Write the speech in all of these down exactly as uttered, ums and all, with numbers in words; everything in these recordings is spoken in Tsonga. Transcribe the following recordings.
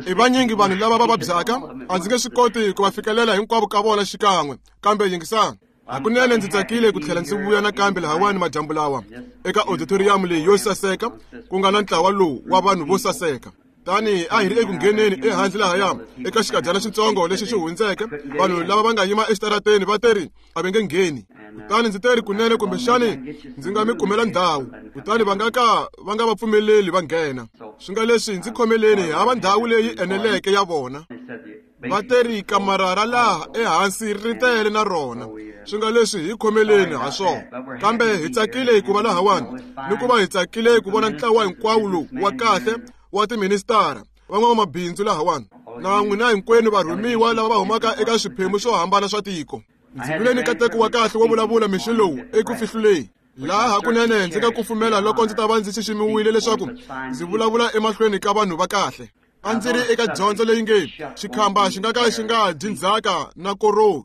I vanyingi vanhu lava va vabyaka, a ndzi nge swi koti ku va fikelela hinkwavo ka vona xikan'we, kambe yingisani. Hakunene ndzi tsakile ku tlhela ndzi vuya nakambe lahawani madyambu lawa eka auditorium leyi yo saseka, ku nga na ntlawa lowu wa vanhu vo saseka. Tani a hi ri eku ngheneni ehandle lahaya eka xikadyana xitsongo lexi xi hundzeke, vanhu lava va nga yima exitarateni va teri a va nge ngheni. Kutani ndzi teri kunene kumbexani ndzi nga mi kumela ndhawu, kutani va nga ka va nga va pfumeleli va nghena. Swi nga leswi ndzi khomeleni hava ndhawu leyi eneleke ya vona. Va teri kamara ra laha ehansi ri tele na rona. Swi nga leswi hi khomeleni ha swona. Kambe hi tsakile ku va lahawani, ni ku va hi tsakile ku vona ntlawa hinkwawo lowu wa kahle wa tiministara, van'wamabindzu lahawani, na n'wina hinkwenu varhumiwa lava va humaka eka swiphemu swo hambana swa tiko. Ndzi vile ni nkateko wa kahle wo vulavula mixo lowu eku fihluleni. Laha hakunene ndzi nga kufumela loko ndzi ta va ndzi xiximiwile leswaku ndzi vulavula emahlweni ka vanhu va kahle. A ndzi ri eka dyondzo leyi nge xikhamba xi nga ka xi nga dyi ndzhaka na koroni.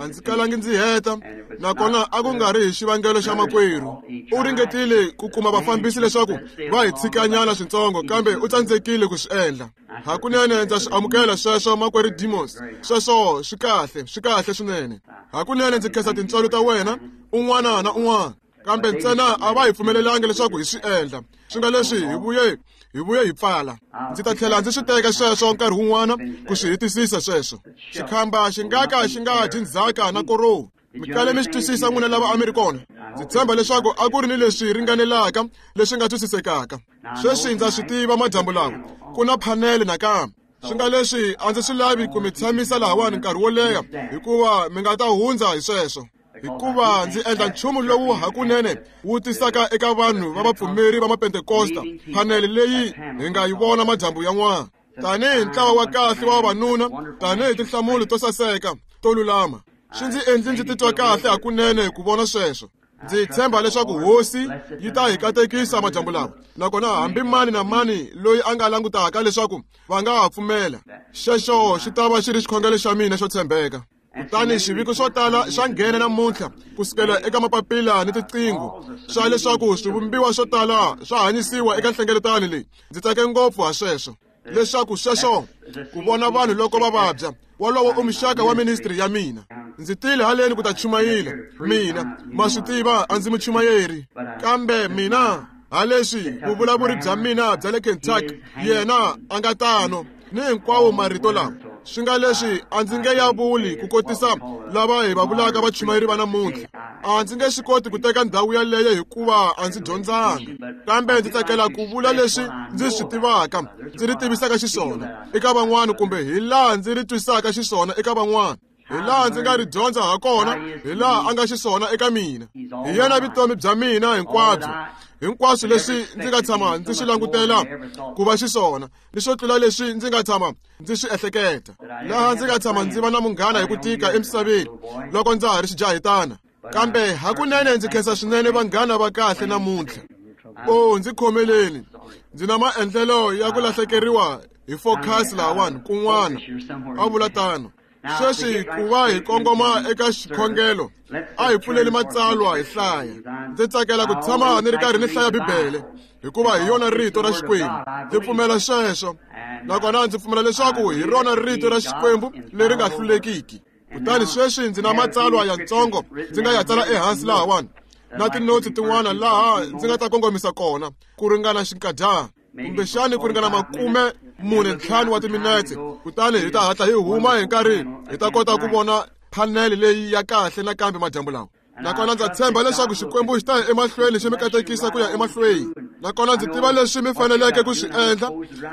A ndzi kalangi ndzi heta, nakona a ku nga ri hi xivangelo xa makwerhu. U ringetile ku kuma vafambisi leswaku va hi tshikanyana switsongo, kambe u tsandzekile ku swi endla. Hakunene ndza swi amukela sweswo, makwerhu Demos. Sweswo swi kahle, swi kahle swinene. Hakunene ndzi khensa tintswalo ta wena un'wana na un'wana, kambe ntsena a va hi pfumelelangi leswaku hi swi endla. Swi nga leswi hi vuye hi vuye hi pfala. Ndzi ta tlhela ndzi swi teka sweswo nkarhi wun'wana ku swi hetisisa sweswo. Xikhamba xi nga ka xi nga dyi ndzhaka na koroni. Mi kale mi swi twisisa n'wina lava a mi ri kona. Ndzi tshemba leswaku a ku ri ni leswi ringanelaka leswi nga twisisekaka. Sweswi ndza swi tiva madyambu lawa ku na phanele nakambe. Swi nga leswi a ndzi swi lavi ku mi tshamisa lahawani nkarhi wo leha, hikuva mi nga ta hundza hi sweswo. Hikuva ndzi endla nchumu lowu hakunene wu tisaka eka vanhu va vapfumeri va Mapentekosta phanele leyi hi nga yi vona madyambu yan'wana, tanihi ntlawa wa kahle wa vavanuna, tanihi tinhlamulo to saseka to lulama. Swi ndzi endli ndzi titwa kahle hakunene ku vona sweswo. Ndzi tshemba leswaku hosi yi ta hi katekisa madyambu lawa, nakona hambi mani na mani loyi a nga langutaka leswaku va nga ha pfumela, xexo xi ta va xi ri xikhongelo xa mina xo tshembeka. Kutani xiviko swo tala xa nghena namuntlha kusukela eka mapapila ni tiqingho swa leswaku swivumbiwa swo tala swa hanyisiwa eka nhlengeletano leyi. Ndzi tsake ngopfu ha sweswo, leswaku sweswo ku vona vanhu loko va vabya. Wolowo u muxaka wa ministry ya mina. Ndzi tile haleni ku ta chumayela. Mina ma swi tiva a ndzi muchumayeri, kambe mina haleswi vuvulavuri bya mina bya le Kentucky, yena a nga tano ni hinkwawo marito lawa. Swi nga leswi a ndzi nge ya vuli ku kotisa lava hi va vulaka vachumayeri va namuntlha. A ndzi nge swi koti ku teka ndhawu yaleyo hikuva a ndzi dyondzanga, kambe ndzi tsakela ku vula leswi ndzi swi tivaka, ndzi ri tivisaka xiswona eka van'wana, kumbe hi laha ndzi ri twisaka xiswona eka van'wana, hi laha ndzi nga ri dyondza ha kona, hi laha a nga xiswona eka mina. Hi yena vutomi bya mina hinkwabyo, hinkwaswo leswi ndzi nga tshama ndzi swi langutela ku va xiswona, ni swo tlula leswi ndzi nga tshama ndzi swi ehleketa. Laha ndzi nga tshama ndzi va na munghana hi ku tika emisaveni loko ndza ha ri xijahitana, kambe hakunene ndzi khensa swinene vanghana va kahle namuntlha. O, ndzi khomeleni, ndzi na maendlelo ya ku lahlekeriwa hi focus lahawani kun'wana, a vula tano. Sweswi ku va hi kongoma eka xikhongelo, a hi pfuleli matsalwa hi hlaya. Ndzi tsakela ku tshama ni ri karhi ni hlaya Bibele, hikuva hi yona rito ra Xikwembu. Ndzi pfumela sweswo, nakona ndzi pfumela leswaku hi rona rito ra Xikwembu leri nga hlulekiki. Kutani sweswi ndzi na matsalwa yantsongo ndzi nga ya tsala ehansi lahawani, na tinotsi tin'wana laha ndzi nga ta kongomisa kona ku ringana xinkadyana, kumbexani ku ringana makume mune ntlhanu wa timinetse. Kutani hi ta hatla hi huma hi nkarhi hi ta kota ku vona phanele leyi ya kahle nakambe madyambu lawa. Nakona ndza tshemba leswaku Xikwembu xi ta ya emahlweni xi mi katekisa ku ya emahlweni. Nakona ndzi tiva leswi mi faneleke ku swi endla,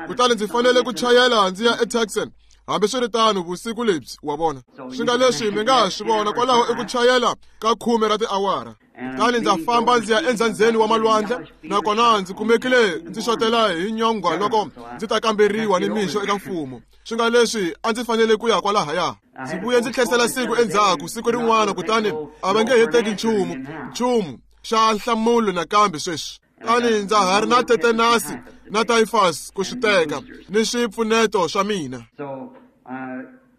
kutani ndzi fanele ku chayela ndzi ya eTucson. Hambiswiritano vusiku lebyi wa vona, swi nga leswi mi nga ha swi vona kwalaho i ku chayela ka khume ra tiawara. Kutani ndza famba ndzi ya endzhandzeni wa malwandle, nakona ndzi kumekile ndzi xotela hi nyongwa loko ndzi ta kamberiwa ni mixo eka mfumo. Swi nga leswi a ndzi fanele ku ya kwalahaya. Ndzi vuye ndzi tlherisela siku endzhaku siku rin'wana, kutani a va nge he teki nchumu nchumu xa nhlamulo nakambe sweswi. Tani ndza ha ri na tetanasi na typhus ku swi teka ni swipfuneto swa mina.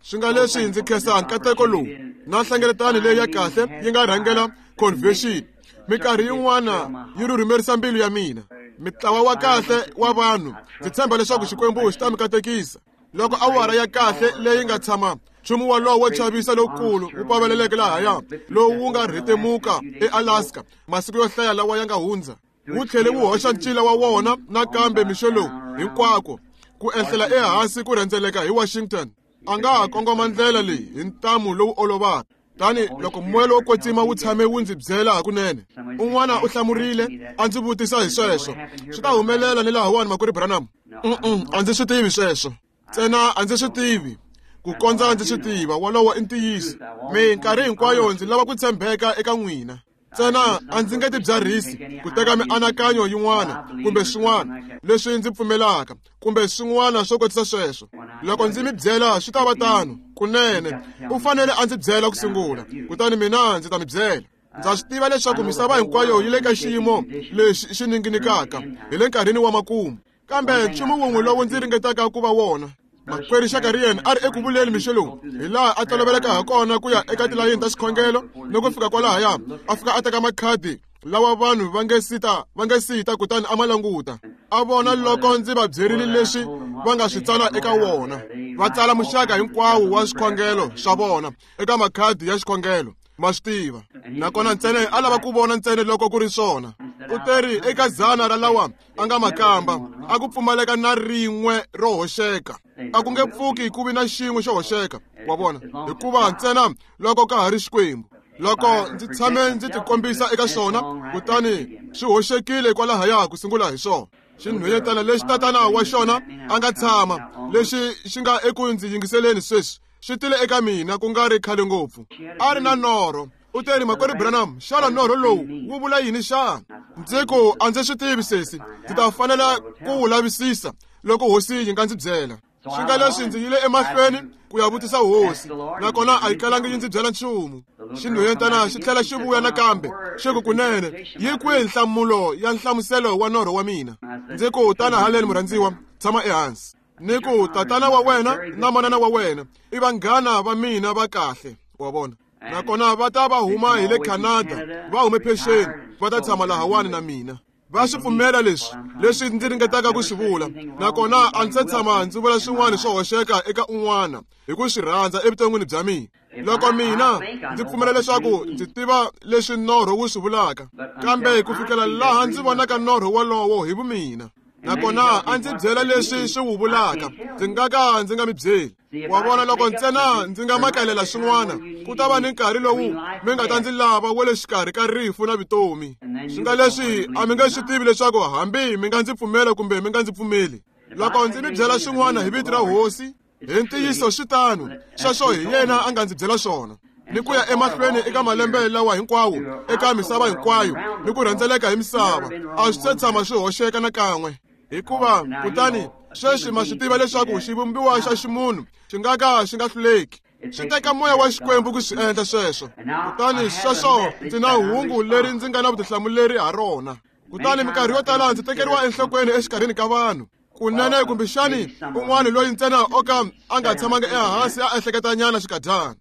Swi nga leswi ndzi khensa nkateko lowu na nhlengeletano leyi ya kahle yi nga rhangela convention. Minkarhi yin'wana yi rhurhumerisa mbilu ya mina. Mintlawa wa kahle wa vanhu, ndzi tshemba leswaku Xikwembu xi ta mi katekisa. Loko awara ya kahle leyi nga tshama nchumu wolowo wo chavisa lowukulu wu paveleleke lahaya, lowu wu nga rhetemuka eAlaska masiku yo hlaya lawa ya nga hundza, wu tlhele wu hoxa ncila wa wona nakambe mixo lowu hinkwako ku ehlela ehansi ku rhendzeleka hi Washington. A nga ha kongoma ndlela leyi hi ntamu lowu olovaka. Tani loko moya lowo kwetsima wu tshame wu ndzi byela hakunene. Un'wana u hlamurile a ndzi vutisa hi sweswo. Swi ta humelela ni lahawani makwerhu Branham? Mm-mm, a ndzi swi tivi sweswo. Ntsena a ndzi swi tivi ku kondza ndzi swi tiva. Wolowo i ntiyiso. Minkarhi hinkwayo ndzi lava ku tshembeka eka n'wina. Ntsena a ndzi nge tibyarhisi ku teka mianakanyo yin'wana kumbe swin'wana leswi ndzi pfumelaka kumbe swin'wana swo kotisa sweswo. Loko ndzi mi byela swi ta va tano kunene. U fanele a ndzi byela ku sungula, kutani mina ndzi ta mi byela. Ndza swi tiva leswaku misava hinkwayo yi le ka xiyimo lexi xi ninginikaka hi le nkarhini wa makumu, kambe nchumu wun'we lowu ndzi ringetaka ku va wona. Makwerhu Shakarian a ri eku vuleni mixo lowu, hi laha a toloveleka ha kona ku ya eka tilayini ta xikhongelo ni ku fika kwalahaya, a fika a teka makhadi lawa vanhu va nge sita va nge sita kutani a ma languta, a vona loko ndzi va byerile leswi va nga swi tsala eka wona. Va tsala muxaka hinkwawo wa swikhongelo swa vona eka makhadi ya xikhongelo, ma swi tiva. Nakona ntsena a lava ku vona ntsena loko ku ri swona. U teri eka dzana ra lawa a nga makamba a ku pfumaleka na rin'we ro hoxeka. A ku nge pfuki ku vi na xin'we xo hoxeka, wa vona, hikuva ntsena loko ka ha ri Xikwembu. Loko ndzi tshame ndzi tikombisa eka xona, kutani swi hoxekile kwalahaya ku sungula hi swona. Xinhwanyetana lexi tatana wa xona a nga tshama, lexi xi nga eku ndzi yingiseleni sweswi, xi tile eka mina ku nga ri khale ngopfu. A ri na norho. U teri, makwerhu Branham, xana norho lowu wu vula yini xana? Ndzi ku, a ndzi swi tivi sesi, ndzi ta fanela ku wu lavisisa loko hosi yi nga ndzi byela. Swi nga leswi ndzi yile emahlweni ku ya vutisa hosi, nakona a yi kalangi yi ndzi byela nchumu. Xinhwanyetana xi tlhela xi vuya nakambe, xi ku, kunene yi kwihi nhlamulo ya nhlamuselo wa norho wa mina? Ndzi ku, tana haleni murhandziwa, tshama ehansi. Ni ku, tatana wa wena na manana wa wena i vanghana va mina va kahle, wa vona. Nakona va ta va huma hi le Canada, va hume phexeni, va ta tshama lahawani na mina. Va swi pfumela leswi leswi ndzi ringetaka ku swi vula, nakona a ndzi se tshama ndzi vula swin'wana swo hoxeka eka un'wana hi ku swi rhandza evuton'wini bya mina. Loko mina ndzi pfumela leswaku ndzi tiva leswi norho wu swi vulaka, kambe ku fikela laha ndzi vonaka norho wolowo hi vumina, nakona a ndzi byela leswi swi wu vulaka, ndzi nga ka ndzi nga mi byeli. Wa vona, loko ntsena ndzi nga makalela swin'wana, ku ta va ni nkarhi lowu mi nga ta ndzi lava wa le xikarhi ka rifu na vutomi. Swi nga leswi a mi nge swi tivi leswaku hambi mi nga ndzi pfumela kumbe mi nga ndzi pfumeli. Loko ndzi mi byela swin'wana hi vito ra hosi, hi ntiyiso swi tano, sweswo hi yena a nga ndzi byela swona. Ni ku ya emahlweni eka malembe lawa hinkwawo, eka misava hinkwayo, ni ku rhendzeleka hi misava, a swi se tshama swi hoxeka nakan'we. Hikuva kutani sweswi ma swi tiva leswaku xivumbiwa xa ximunhu xi nga ka xi nga hluleki. Swi teka moya wa Xikwembu ku swi endla sweswo. Kutani sweswo ndzi na hungu leri ndzi nga na vutihlamuleri ha rona. Kutani minkarhi yo tala ndzi tekeriwa enhlokweni exikarhini ka vanhu. Kunene kumbexani un'wana loyi ntsena o ka a nga tshamanga ehansi a ehleketanyana xikadyana.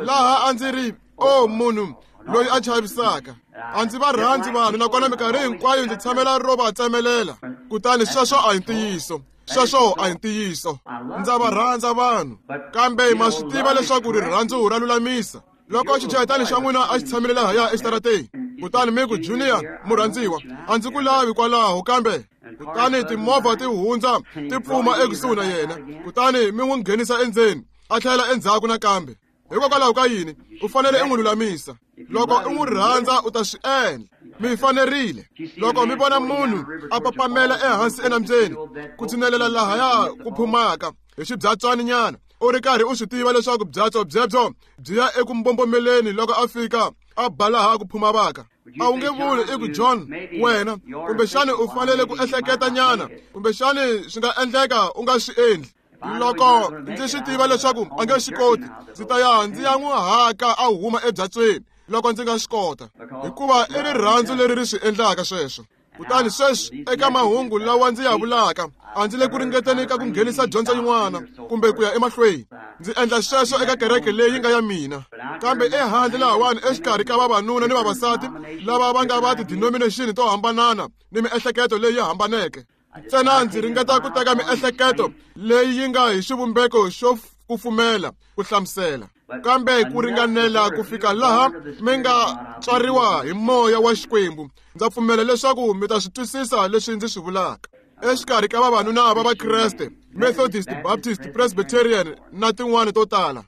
Laha a ndzi ri, o munhu loyi a chavisaka. A ndzi va rhandzi vanhu, nakona minkarhi hinkwayo ndzi tshamela ro va tsemelela. Kutani sweswo a hi ntiyiso. Sweswo a hi ntiyiso. Ndza va rhandza vanhu, kambe ma swi tiva leswaku rirhandzu ra lulamisa. Loko xichayetani xa n'wina a xi tshamile lahaya exitarateni, kutani mi ku, Junior murhandziwa, a ndzi ku lavi kwalaho, kambe kutani timovha ti hundza ti pfuma ekusuhi na yena, kutani mi n'wi nghenisa endzeni, a tlhela endzhaku nakambe. Hikokwalaho ka yini? U fanele u n'wi lulamisa. Loko u n'wi rhandza u ta swi endla. Mi fanerile. Loko mi vona munhu a papamela ehansi enambyeni ku tshinelela lahaya ku phumaka hi xibyatswaninyana, u ri karhi u swi tiva leswaku byatso byebyo byi ya eku mbombomeleni loko a fika a ba laha ku phuma vaka. A wu nge vuli i ku, John, wena kumbexani u fanele ku ehleketanyana, kumbexani swi nga endleka u nga swi endli. Loko ndzi swi tiva leswaku a nge swi koti, ndzi ta ya ndzi ya n'wi haka a huma ebyatsweni loko ndzi nga swi kota, hikuva i rirhandzu leri ri swi endlaka sweswo. Kutani sweswi eka mahungu lawa ndzi ya vulaka, a ndzi le ku ringeteni ka ku nghenisa dyondzo yin'wana kumbe ku ya emahlweni. Ndzi endla sweswo eka kereke leyi nga ya mina. Kambe ehandle lahawani exikarhi ka vavanuna ni vavasati lava va nga va ti-denomination to hambanana ni miehleketo leyi hambaneke. Ntsena ndzi ringeta ku teka miehleketo leyi yi nga hi xivumbeko xo kufumela ku hlamusela. Kambe ku ringanela ku fika laha mi nga tswariwa hi moya wa Xikwembu, ndza pfumela leswaku mi ta swi twisisa leswi ndzi swi vulaka. Exikarhi ka vavanuna va Vakreste, Methodist, Baptist, Presbyterian na tin'wana to tala.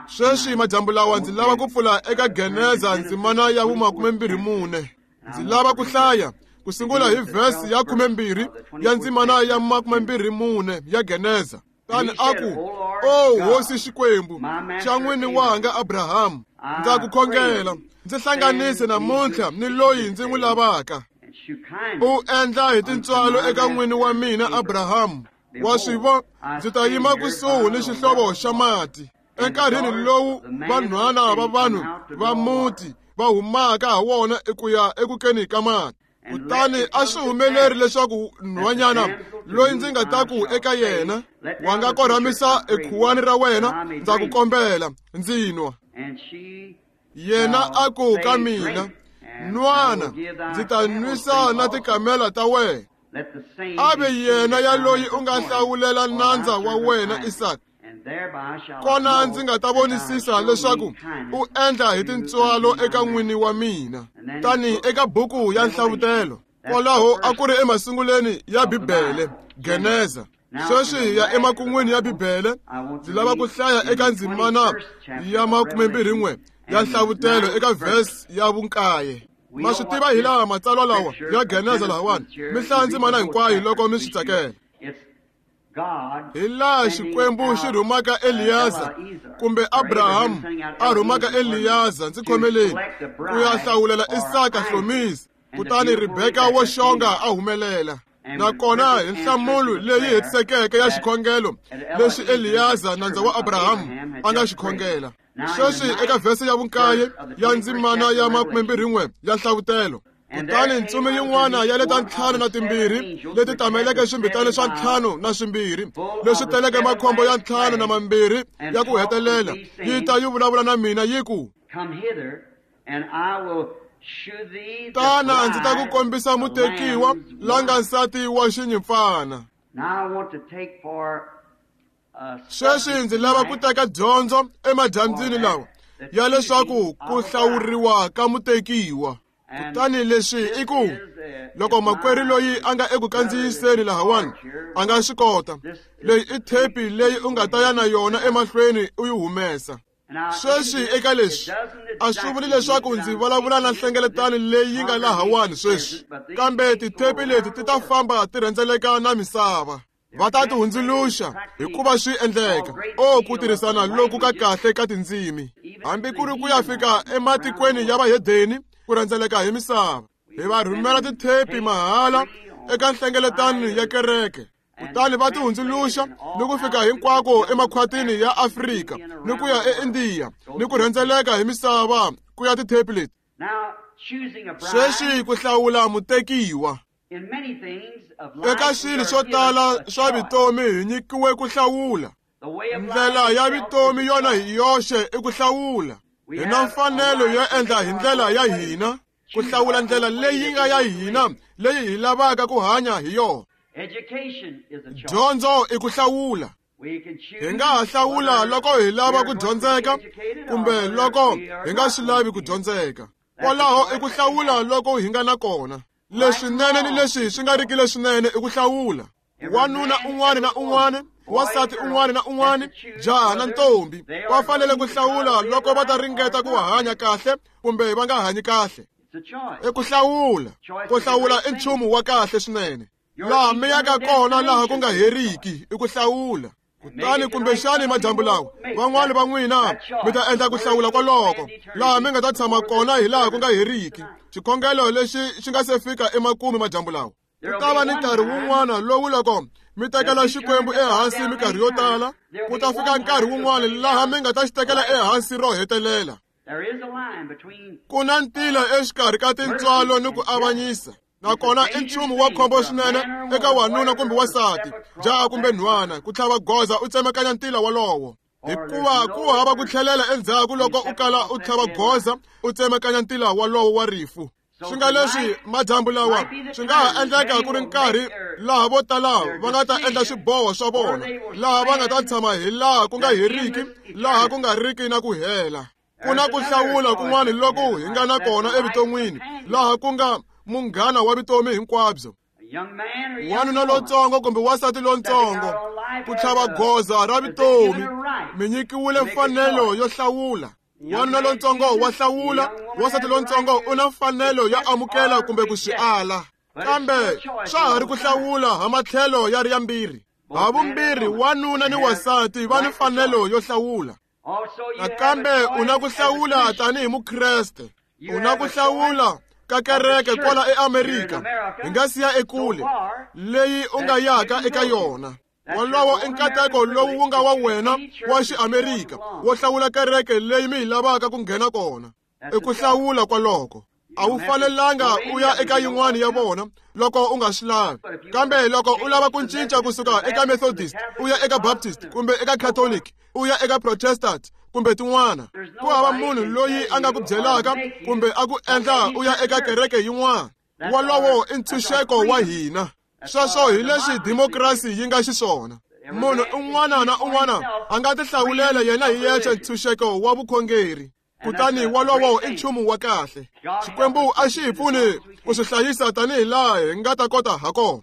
Sweswi madyambu lawa ndzi lava ku pfula eka Geneza ndzimana ya vumakumembirhi mune. Ndzi lava ku hlaya ku sungula hi vhesi ya khumembirhi ya ndzimana ya makumembirhi mune ya Geneza. Tani a ku, O Hosi Xikwembu xa n'wini wanga Abrahamu, ndza ku khongela, ndzi hlanganise namuntlha ni loyi ndzi n'wi lavaka. U endla hi tintswalo eka n'wini wa mina Abrahamu. Wa swi vo, ndzi ta yima kusuhi ni xihlovo xa mati. Enkarhini lowu vanhwana va vanhu va muti va humaka ha wona eku ya ekukeni ka mati. Kutani a swi humeleri leswaku nhwanyana loyi ndzi nga ta ku eka yena, wa nga korhamisa ekhuwani ra wena, ndza ku kombela, ndzi nwa. Yena a ku ka mina, nwana, ndzi ta nwisa na tikamela ta wena. A ve yena ya loyi u nga hlawulela nandza wa wena Isaka. Kona ndzi nga ta vonisisa leswaku u endla hi tintswalo eka n'wini wa mina. Tani eka buku ya Nhlavutelo, kwalaho a ku ri emasunguleni ya Bibele, Geneza. Sweswi hi ya emakun'wini ya Bibele, ndzi lava ku hlaya eka ndzimana ya makumembirhi n'we ya Nhlavutelo eka vhesi ya vunkaye. Ma swi tiva hi laha matsalwa lawa ya Geneza lahawani, mi hlaya ndzimana hinkwayo loko mi swi tsakela. Hi laha Xikwembu xi rhumaka Eliyaza kumbe Abrahamu a rhumaka Eliyaza, ndzi khomeleni, ku ya hlawulela Isaka hlomisi, kutani Rebeka wo xonga a humelela. Nakona hi nhlamulo leyi hetisekeke ya xikhongelo lexi Eliyaza nandza wa Abrahamu a nga xi khongela. Sweswi eka vhesi ya vunkaye ya ndzimana ya makumembirhi n'we ya Nhlavutelo, kutani ntsumi yin'wana ya leta ntlhanu na timbirhi leti tameleke swimbitana swa ntlhanu na swimbirhi leswi teleke makhombo ya ntlhanu na mambirhi ya ku hetelela, yi ta yi vulavula na mina yi ku, tana ndzi ta ku kombisa mutekiwa la nga nsati wa xinyimpfana. Sweswi ndzi lava ku teka dyondzo emadyambyini lawa ya leswaku ku hlawuriwa ka mutekiwa. Kutani leswi i ku, loko makwerhu loyi a nga eku kandziyiseni lahawani a nga swi kota, leyi i thepi leyi u nga ta ya na yona emahlweni u yi humesa. Sweswi eka leswi a swi vuli leswaku ndzi vulavula na nhlengeletano leyi yi nga lahawani sweswi, kambe tithepi leti ti ta famba ti rhendzeleka na misava. Va ta ti hundzuluxa hikuva swi endleka. O ku tirhisana loku ka kahle ka tindzimi, hambi ku ri ku ya fika ematikweni ya vahedeni, ku rhendzeleka hi misava. Hi va rhumela tithepi mahala eka nhlengeletano ya kereke, kutani va ti hundzuluxa ni ku fika hinkwako emakhwatini ya Afrika ni ku ya eIndiya ni ku rhendzeleka hi misava ku ya tithepi leti. Sweswi ku hlawula mutekiwa. Eka swilo swo tala swa vutomi hi nyikiwe ku hlawula. Ndlela ya vutomi yona hi yoxe i ku hlawula. Hi na mfanelo yo endla hi ndlela ya hina, ku hlawula ndlela leyi nga ya hina leyi hi lavaka ku hanya hi yona. Dyondzo i ku hlawula. Hi nga ha hlawula loko hi lava ku dyondzeka kumbe loko hi nga swi lavi ku dyondzeka. Kwalaho i ku hlawula loko hi nga na kona. Leswinene ni leswi swi nga riki leswinene i ku hlawula. Wanuna un'wana na un'wana, wansati un'wana na un'wana, jaha na ntombi va fanele ku hlawula loko va ta ringeta ku hanya kahle kumbe va nga hanyi kahle. I ku hlawula. Ku hlawula i nchumu wa kahle swinene. Laha mi yaka kona laha ku nga heriki i ku hlawula. Kutani kumbexani madyambu lawa van'wani va n'wina mi ta endla ku hlawula kwaloko laha mi nga ta tshama kona hi laha ku nga heriki. Xikhongelo lexi xi nga se fika emakumu madyambu lawa. Ku ta va ni nkarhi wun'wana lowu loko mi tekela Xikwembu ehansi minkarhi yo tala, ku ta fika nkarhi wun'wana laha mi nga ta xi tekela ehansi ro hetelela. Ku na ntila exikarhi ka tintswalo ni ku avanyisa. Nakona i nchumu wa khombo swinene eka wanuna kumbe wansati, jaha kumbe nhwana, ku tlhava goza u tsemakanya ntila wolowo. Hikuva ku hava ku tlhelela endzhaku loko u kala u tlhava goza u tsemakanya ntila wolowo wa rifu. Swi nga leswi madyambu lawa swi nga ha endleka ku ri nkarhi laha vo tala va nga ta endla swiboho swa vona, laha va nga ta tshama hi laha ku nga heriki, laha ku nga riki na ku hela. Ku na ku hlawula kun'wana loko hi nga na kona evuton'wini, laha ku nga munghana wa vutomi hinkwabyo. Wanuna lontsongo kumbe wansati lontsongo, ku tlhava goza ra vutomi, mi nyikiwile mfanelo yo hlawula. Wanuna lontsongo wa hlawula, wansati lontsongo u na mfanelo ya amukela kumbe ku swi ala. Kambe swa ha ri ku hlawula ha matlhelo ya ri yambirhi. Ha vumbirhi wanuna ni wansati va ni mfanelo yo hlawula. Nakambe u na ku hlawula tanihi Mukreste. U na ku hlawula ka kereke kwala eAmerika, hi nga siya ekule, leyi u nga yaka eka yona. Wolowo i nkateko lowu wu nga wa wena wa xiAmerika wo hlawula kereke leyi mi yi lavaka ku nghena kona. I ku hlawula kwaloko. A wu fanelanga u ya eka yin'wana ya vona loko u nga swi lavi. Kambe loko u lava ku cinca kusuka eka Methodist u ya eka Baptist kumbe eka Catholic u ya eka Protestant kumbe tin'wana, ku hava munhu loyi a nga ku byelaka kumbe a ku endla u ya eka kereke yin'wana. Wolowo i ntshunxeko wa hina. Sweswo hi leswi demokrasi yi nga xiswona. Munhu un'wana na un'wana a nga tihlawulela yena hi yexe ntshunxeko wa vukhongeri. Kutani wolowo i nchumu wa kahle. Xikwembu a xi hi pfuni ku swi hlayisa tanihi laha hi nga ta kota ha kona.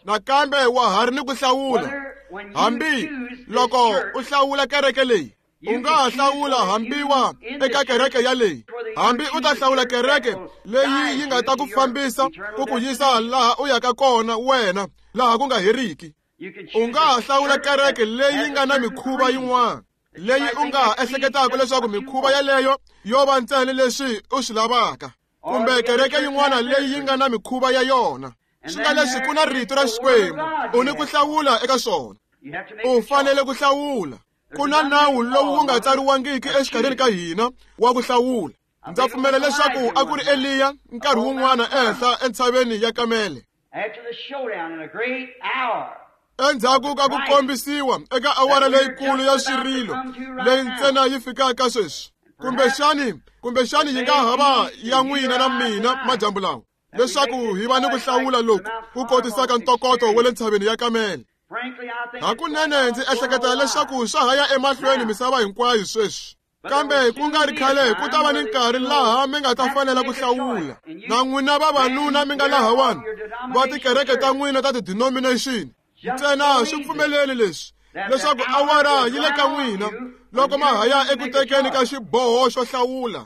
Nakambe wa ha ri ni ku hlawula. Hambi loko u hlawula kereke leyi, u nga ha hlawula hambi wa eka kereke yaleyi. Hambi u ta hlawula kereke leyi yi nga ta ku fambisa ku ku yisa laha u yaka kona wena, laha ku nga heriki. U nga ha hlawula kereke leyi nga na mikhuva yin'wana, leyi u nga ha ehleketaka leswaku mikhuva yaleyo yo va ntsena leswi u swi lavaka, kumbe kereke yin'wana leyi yi nga na mikhuva ya yona. Swi nga leswi ku na rito ra Xikwembu, u ni ku hlawula eka swona. U fanele ku hlawula. Ku na nawu lowu wu nga tsariwangiki exikarhini ka hina wa ku hlawula. Ndza pfumela leswaku a ku ri Eliya nkarhi wun'wana ehenhla entshaveni ya Kamele. Endzhaku ka ku kombisiwa eka awara leyikulu ya swirilo leyi ntsena yi fikaka sweswi, kumbexani kumbexani yi nga ha va ya n'wina na mina madyambu lawa, leswaku hi va ni ku hlawula loku ku kotisaka ntokoto wa le ntshaveni ya Kamele. Hakunene ndzi ehleketa leswaku swa ha ya emahlweni misava hinkwayo sweswi. Kambe ku nga ri khale ku ta va ni nkarhi laha mi nga ta fanela ku hlawula. Na n'wina vavanuna mi nga lahawani va tikereke ta n'wina ta ti-denomination, ntsena swi pfumeleli leswi leswaku awara yi le ka n'wina loko ma ha ya eku tekeni ka xiboho xo hlawula.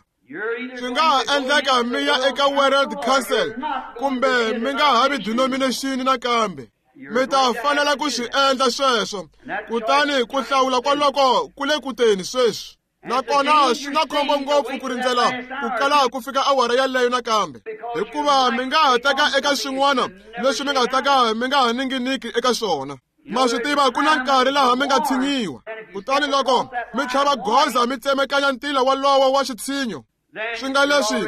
Swi nga ha endleka mi ya eka World Council kumbe mi nga ha vi denomination nakambe. Mi ta fanela ku swi endla sweswo. Kutani ku hlawula kwaloko ku le kuteni sweswi. Nakona swi na khombo ngopfu ku rindzela ku kala ku fika awara yaleyo nakambe, hikuva mi nga ha teka eka swin'wana leswi mi nga ta ka mi nga ha ninginiki eka swona. Ma swi tiva ku na nkarhi laha mi nga tshinyiwa. Kutani loko mi tlhava goza mi tsemekanya ntila wolowo wa xitshinyo, swi nga leswi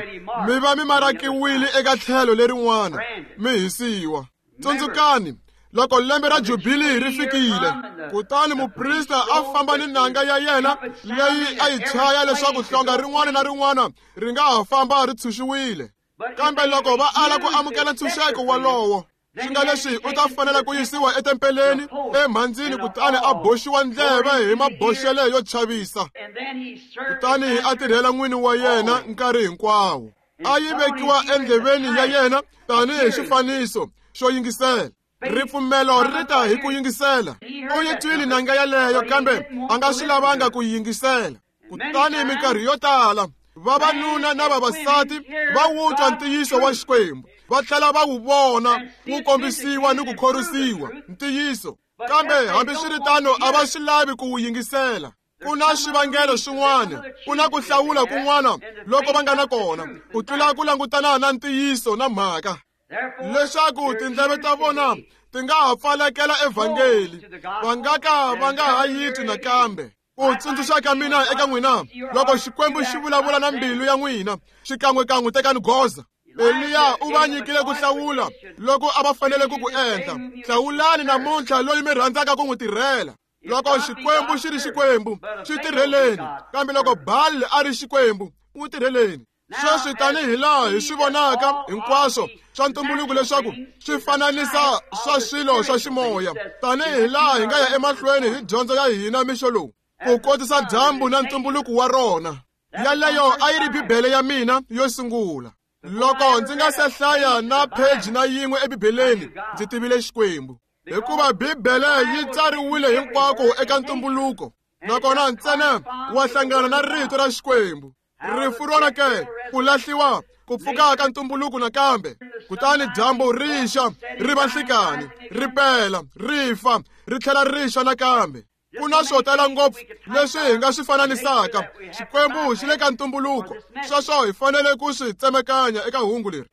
mi va mi marakiwile eka tlhelo lerin'wana, mi hisiwa. Tsundzukani loko lembe ra Jubili ri fikile, kutani muprista a famba ni nanga ya yena leyi a yi chaya leswaku hlonga rin'wana na rin'wana ri nga ha famba ri tshunxiwile. Kambe loko va ala ku amukela ntshunxeko wolowo, swi nga leswi u ta fanela ku yisiwa etempeleni emhandzini, kutani a boxiwa ndleve hi maboxele yo chavisa, kutani a tirhela n'wini wa yena nkarhi hinkwawo. A yi vekiwa endleveni ya yena tanihi xifaniso xo yingisela. Ripfumelo ri ta hi ku yingisela. U yi twile nanga yaleyo, kambe a nga swi lavanga ku yingisela. Kutani minkarhi yo tala vavanuna na vavasati va wu twa ntiyiso wa Xikwembu, va tlhela va wu vona wu kombisiwa ni ku khorwisiwa ntiyiso, kambe hambiswiritano a va swi lavi ku wu yingisela. Ku na swivangelo swin'wana, ku na ku hlawula kun'wana loko va nga na kona ku tlula ku langutana na ntiyiso na mhaka, leswaku tindleve ta vona ti nga ha pfalekela evhangeli, va nga ka va nga ha yi twi nakambe. Ku tsundzuxa ka mina eka n'wina, loko Xikwembu xi vulavula na mbilu ya n'wina, xikan'wekan'we tekani goza. Eliya u va nyikile ku hlawula loko a va fanele ku ku endla. Hlawulani namuntlha loyi mi rhandzaka ku n'wi tirhela. Loko Xikwembu xi ri Xikwembu, xi tirheleni, kambe loko Baal a ri Xikwembu, n'wi tirheleni. Sweswi tanihi laha hi swi vonaka hinkwaswo swa ntumbuluko leswaku swi fananisa swa swilo swa ximoya, tanihi laha hi nga ya emahlweni hi dyondzo ya hina mixo lowu, ku kotisa dyambu na ntumbuluko wa rona. Yaleyo a yi ri Bibele ya mina yo sungula. Loko ndzi nga se hlaya na pheji na yin'we eBibeleni, ndzi tivile Xikwembu, hikuva Bibele yi tsariwile hinkwako eka ntumbuluko, nakona ntsena wa hlangana na rito ra Xikwembu. Rifu rona ke, ku lahliwa, ku pfuka ka ntumbuluko nakambe, kutani dyambu ri xa, ri va nhlikani, ri pela, ri fa, ri tlhela ri xa nakambe. Ku na swo tala ngopfu leswi hi nga swi fananisaka. Xikwembu xi le ka ntumbuluko, sweswo hi fanele ku swi tsemekanya eka hungu leri.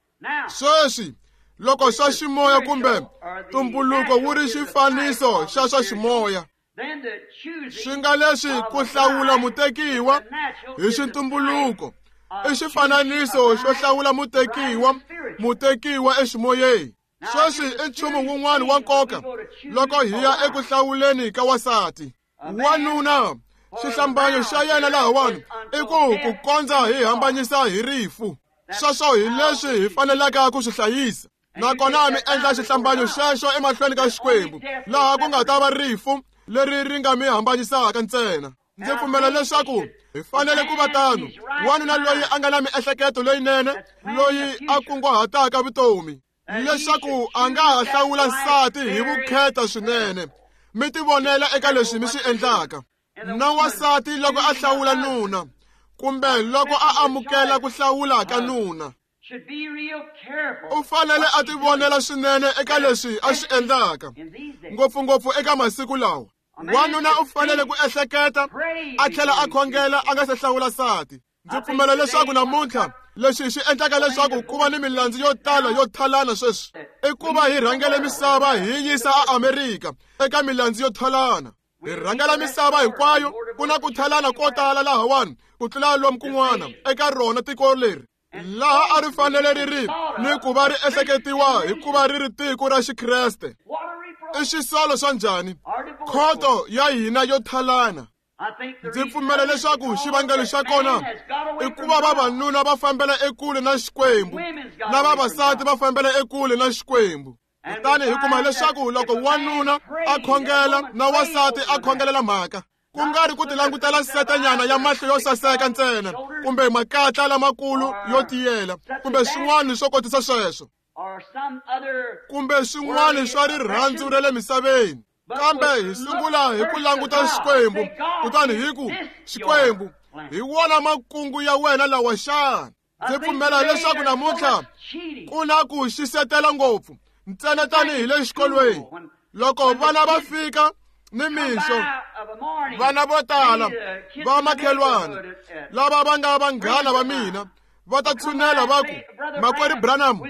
Sweswi loko swa ximoya kumbe ntumbuluko wu ri xifaniso xa swa ximoya, swi nga leswi ku hlawula mutekiwa hi xintumbuluko i xifananiso xo hlawula mutekiwa, mutekiwa eximoyeni. Sweswi i nchumu wun'wana wa nkoka loko hi ya eku hlawuleni ka wansati. Wanuna, xihlambanyo xa yena lahawani i ku ku kondza hi hambanyisa hi rifu. Sweswo hi leswi hi fanelaka ku swi hlayisa. Nakona mi endla xihlambanyo xexo emahlweni ka Xikwembu, laha ku nga ta va rifu leri ri nga mi hambanyisaka ntsena. Ndzi pfumela leswaku hi fanele ku va tano. Wanuna loyi a nga na miehleketo leyinene, loyi a kunguhataka vutomi, leswaku a nga ha hlawula nsati hi vukheta swinene. Mi tivonela eka leswi mi swi endlaka. Na wansati loko a hlawula nuna, kumbe loko a amukela ku hlawula ka nuna, u fanele a tivonela swinene eka leswi a swi endlaka, ngopfungopfu eka masiku lawa. Wanuna u fanele ku ehleketa a tlhela a khongela a nga se hlawula nsati. Ndzi pfumela leswaku namuntlha leswi swi endlaka leswaku ku va ni milandzu yo tala yo thalana sweswi i ku va hi rhangele misava hi yisa aAmerika eka milandzu yo thalana. Hi rhangela misava hinkwayo, ku na ku thalana ko tala lahawani ku tlula lomu kun'wana eka rona tiko leri, laha a ri fanele ri ri ni ku va ri ehleketiwa hikuva ri ri tiko ra Xikreste. I xisolo swa njhani khoto ya hina yo thalana? Ndzi pfumela leswaku xivangelo xa kona i ku va vavanuna va fambela ekule na Xikwembu, na vavasati va fambela ekule na Xikwembu. Kutani hi kuma leswaku loko wanuna a khongela na wansati a khongelela mhaka, ku nga ri ku tilangutela setenyana ya mahlo yo saseka ntsena, kumbe makatla lamakulu yo tiyela, kumbe swin'wana swo kotisa sweswo, kumbe swin'wana swa rirhandzu ra le misaveni, kambe hi sungula hi ku languta Xikwembu, kutani hi ku, Xikwembu, hi wona makungu ya wena lawa xana? Ndzi pfumela leswaku namuntlha ku na ku xisetela ngopfu, ntsena tanihi le xikolweni. Loko vana va fika ni mixo, vana vo tala va makhelwana lava va nga vanghana va mina va ta tshunela va ku, Makwerhu Branham,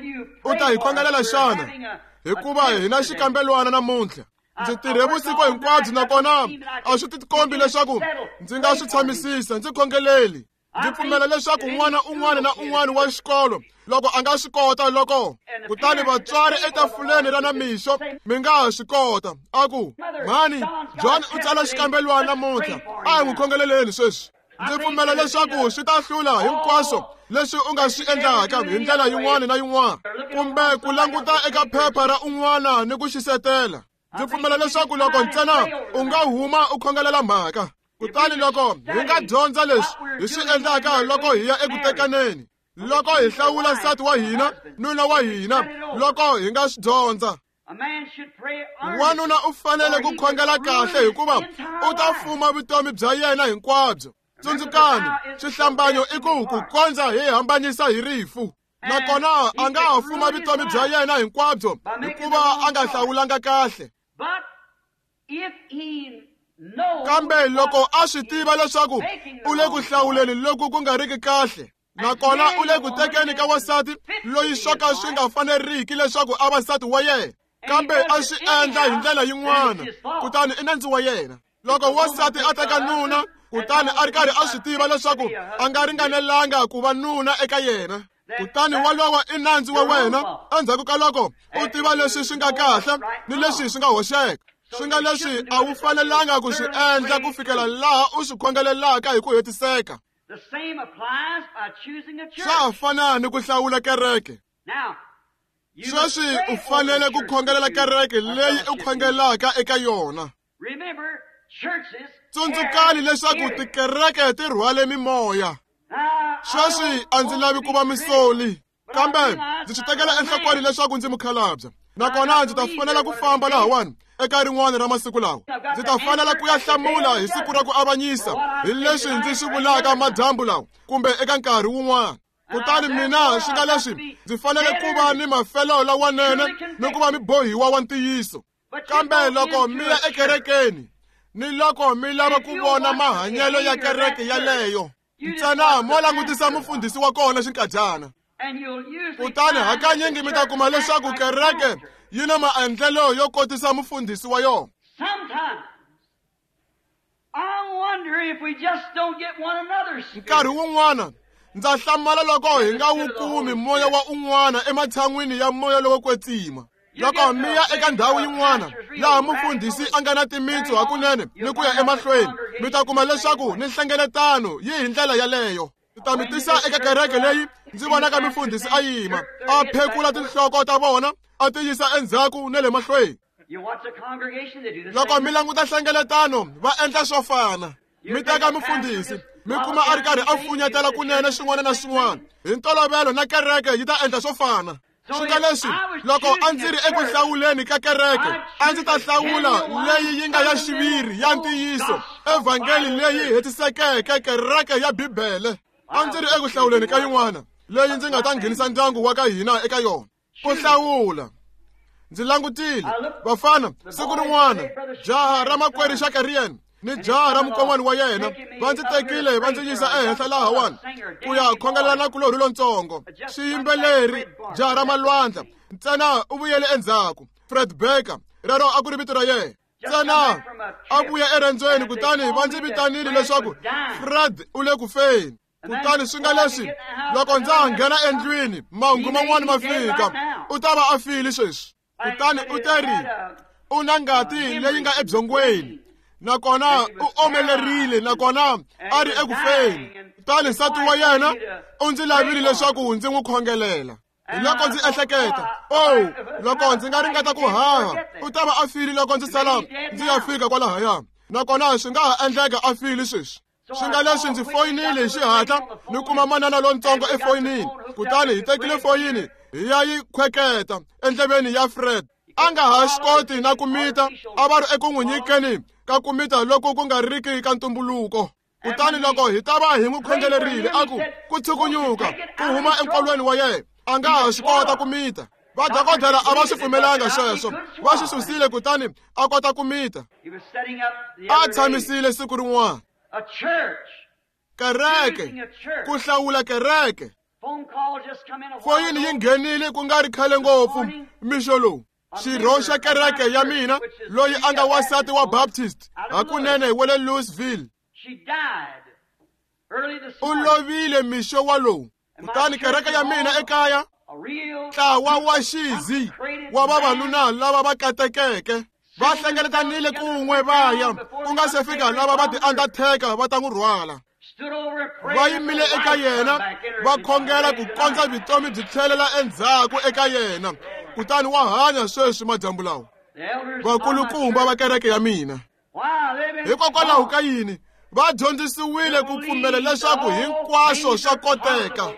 u ta hi khongelela xana? Hikuva hi na xikambelwana namuntlha. Ndzi tirhe vusiku hinkwabyo, nakona a swi tikombi leswaku ndzi nga swi tshamisisa. Ndzi khongeleli. Ndzi pfumela leswaku n'wana un'wana na un'wana wa xikolo loko a nga swi kota, loko kutani vatswari etafuleni ra namixo mi nga ha swi kota, a ku, mhani, John u tsala xikambelwana namuntlha, a hi n'wi khongeleleni sweswi. Ndzi pfumela leswaku swi ta hlula hinkwaswo leswi u nga swi endlaka hi ndlela yin'wana na yin'wana, kumbe ku languta eka phepha ra un'wana ni ku xisetela. Ndzi pfumela leswaku loko ntsena u nga huma u khongelela mhaka, kutani loko hi nga dyondza leswi hi swi endlaka loko hi ya eku tekaneni, loko hi hlawula nsati wa hina, nuna wa hina, loko hi nga swi dyondza. Wanuna u fanele ku khongela kahle, hikuva u ta fuma vutomi bya yena hinkwabyo. Tsundzukani, xihlambanyo i ku ku kondza hi hambanyisa hi rifu. Nakona a nga ha fuma vutomi bya yena hinkwabyo hikuva a nga hlawulanga kahle. Kambe loko a swi tiva leswaku u le ku hlawuleni loku ku nga riki kahle, nakona u le ku tekeni ka wansati loyi swo ka swi nga faneriki leswaku a va nsati wa yena, kambe a swi endla hi ndlela yin'wana, kutani i nandzu wa yena. Loko wansati a teka nuna, kutani a ri karhi a swi tiva leswaku a nga ringanelanga ku va nuna eka yena, kutani walowo i nandzu wa wena endzhaku ka loko u tiva leswi swi nga kahle ni leswi swi nga hoxeka. Swi nga leswi a wu fanelanga ku swi endla ku fikela laha u swi khongelelaka hi ku hetiseka. Swa ha fana ni ku hlawula kereke. Sweswi u fanele ku khongelela kereke leyi u khongelaka eka yona. Tsundzukani leswaku tikereke ti rhwale mimoya. Sweswi a ndzi lavi ku va misoli, kambe ndzi swi tekela enhlokweni leswaku ndzi mukhalabye. Nakona ndzi ta fanela ku famba lahawani eka rin'wana ra masiku lawa. Ndzi ta fanela ku ya hlamula hi siku ra ku avanyisa hi leswi ndzi swi vulaka madyambu lawa kumbe eka nkarhi wun'wana. Kutani mina swi nga leswi ndzi fanele ku va ni mafelo lawanene ni ku va mibohiwa wa ntiyiso. Kambe loko mi ya ekerekeni ni loko mi lava ku vona mahanyelo ya kereke yaleyo, ntsena mo langutisa mufundhisi wa kona xinkadyana. Kutani hakanyingi mi ta kuma leswaku kereke yi na maendlelo yo kotisa mufundhisi wa yona. Nkarhi wun'wana ndza hlamala loko hi nga wu kumi moya wa un'wana ematshan'wini ya moya lowo kwetsima. Loko mi ya eka ndhawu yin'wana laha mufundhisi a nga na timitsu hakunene ni ku ya emahlweni, mi ta kuma leswaku ni nhlengeletano yi hi ndlela yaleyo. Ndzi ta mi tisa eka kereke leyi ndzi vonaka mufundhisi a yima a phekula tinhloko ta vona a ti yisa endzhaku na le mahlweni. Loko mi languta nhlengeletano va endla swo fana. Mi teka mufundhisi mi kuma a ri karhi a funyetela kunene swin'wana na swin'wana. Hi ntolovelo na kereke yi ta endla swo fana. Swi nga leswi loko a ndzi ri eku hlawuleni ka kereke, a ndzi ta hlawula leyi yi nga ya xiviri ya ntiyiso, evhangeli leyi hetisekeke, kereke ya Bibele. A ndzi ri eku hlawuleni ka yin'wana leyi ndzi nga ta nghenisa ndyangu wa ka hina eka yona. Ku hlawula. Ndzi langutile vafana siku rin'wana, jaha ra makwerhu Shakarian ni jaha ra mukon'wana wa yena va ndzi tekile va ndzi yisa ehenhla lahawani ku ya khongelela na kulorhi lontsongo. Xiyimbeleri jaha ra malwandla ntsena u vuyele endzhaku. Fred Baker rero a ku ri vito ra yena. Ntsena a vuya erendzweni, kutani va ndzi vitanile leswaku Fred u le ku feni. Kutani swi nga leswi loko ndza ha nghena endlwini mahungu man'wana ma fika, u ta va a file sweswi. Kutani u te ri u na ngati leyi nga ebyongweni, nakona u omelerile, nakona a ri eku feni. Kutani nsati wa yena u ndzi lavile leswaku ndzi n'wi khongelela. Hi loko ndzi ehleketa, oh, loko ndzi nga ringeta ku haha, u ta va a file loko ndzi sala ndzi ya fika kwalahaya, nakona swi nga ha endleka a file sweswi. Swi nga leswi ndzi foyinile hi xihatla ni kuma manana lontsongo efoyinini. Kutani hi tekile foyini hi ya yi khweketa endleveni ya Fred. A nga ha swi koti na ku mita, a va ri eku n'wi nyikeni ka ku mita loko ku nga riki ka ntumbuluko. Kutani loko hi ta va hi n'wi khongelerile, a ku ku tshukunyuka ku huma enkolweni wa yena, a nga ha swi kota ku mita. Vadokodela a va swi pfumelanga sweswo, va swi susile, kutani a kota ku mita. A tshamisile siku rin'wana. Kereke, ku hlawula kereke. Foyini yi nghenile ku nga ri khale ngopfu mixo lowu. Xirho xa kereke ya mina loyi a nga wansati wa Baptist hakunene wa le Louisville u lovile mixo walowu. Kutani kereke ya mina ekaya, ntlawa wa xizi wa vavanuna lava va katekeke va hlengeletanile kun'we va ya ku nga se fika lava va ti-undertaker va ta n'wi rhwala. Va yimile eka yena va khongela ku kondza vutomi byi tlhelela endzhaku eka yena. Kutani wa hanya sweswi madyambu lawa. Vakulukumba va kereke ya mina, hikokwalaho ka yini va dyondzisiwile ku pfumela leswaku hinkwaswo swa koteka.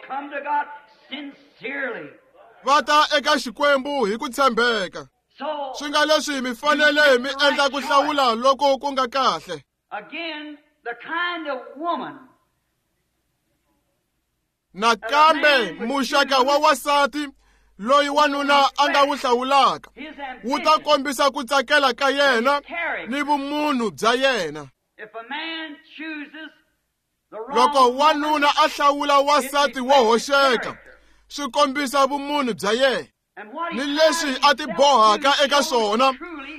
Va ta eka Xikwembu hi ku tshembeka. Swi nga leswi mi fanele mi endla ku hlawula loko ku nga kahle. Nakambe muxaka wa wasati loyi wanuna a nga wu hlawulaka wu ta kombisa ku tsakela ka yena ni vumunhu bya yena. Loko wanuna a hlawula wasati wo hoxeka, swi kombisa vumunhu bya yena. Ni leswi a ti bohaka eka swona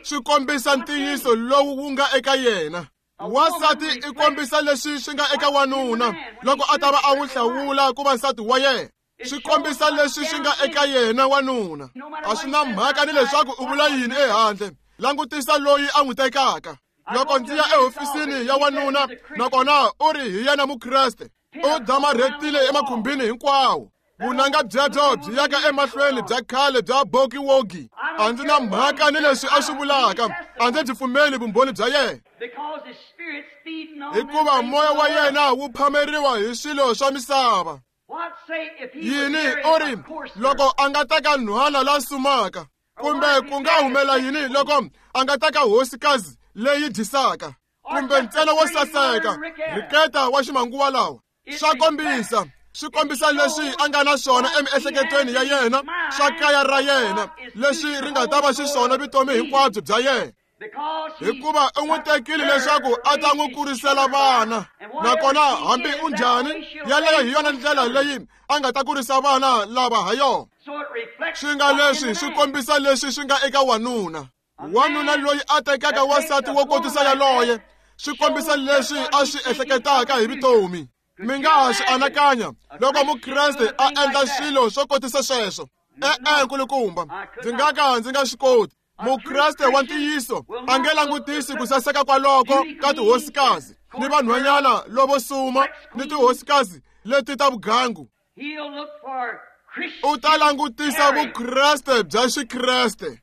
swi kombisa ntiyiso lowu wu nga eka yena. Wansati i kombisa leswi swi nga eka wanuna loko a ta va a n'wi hlawula ku va nsati wa yena. Swi kombisa leswi swi nga eka yena wanuna. A swi na mhaka ni leswaku u vula yini ehandle. Langutisa loyi a n'wi tekaka. Loko ndzi ya ehofisini ya wanuna nakona u ri hi yena Mukreste, u damarhetile emakhumbini hinkwawo. Vunanga byebyo byi yaka emahlweni bya khale bya bokiwogi. A ndzi na mhaka ni leswi a swi vulaka, a ndzi byi pfumeli vumbhoni bya yena, hikuva moya wa yena wu phameriwa hi swilo swa misava. Yini u ri loko a nga teka nhwana la sumaka, kumbe ku nga humela yini loko a nga teka hosikazi leyi dyisaka, kumbe ntsena wo saseka riketa wa ximanguva lawa? Swa kombisa, swi kombisa leswi a nga na swona emiehleketweni ya yena, swa kaya ra yena, leswi ri nga ta va xiswona vutomi hinkwabyo bya yena, hikuva u n'wi tekile leswaku a ta n'wi kurisela vana. Nakona hambi u njhani, yaleyo hi yona ndlela leyi a nga ta kurisa vana lava ha yona. Swi nga leswi swi kombisa leswi swi nga eka wanuna. Wanuna loyi a tekaka wansati wo kotisa yaloye swi kombisa leswi a swi ehleketaka hi vutomi. Mi nga ha swi anakanya loko Mukreste a endla swilo swo kotisa sweswo? E-e, nkulukumba, ndzi nga ka ndzi nga swi koti. Mukreste wa ntiyiso a nge langutisi ku saseka kwaloko ka tihosikazi ni vanhwanyana lovo suma ni tihosikazi leti ta vugangu. U ta langutisa Vukreste bya Xikreste.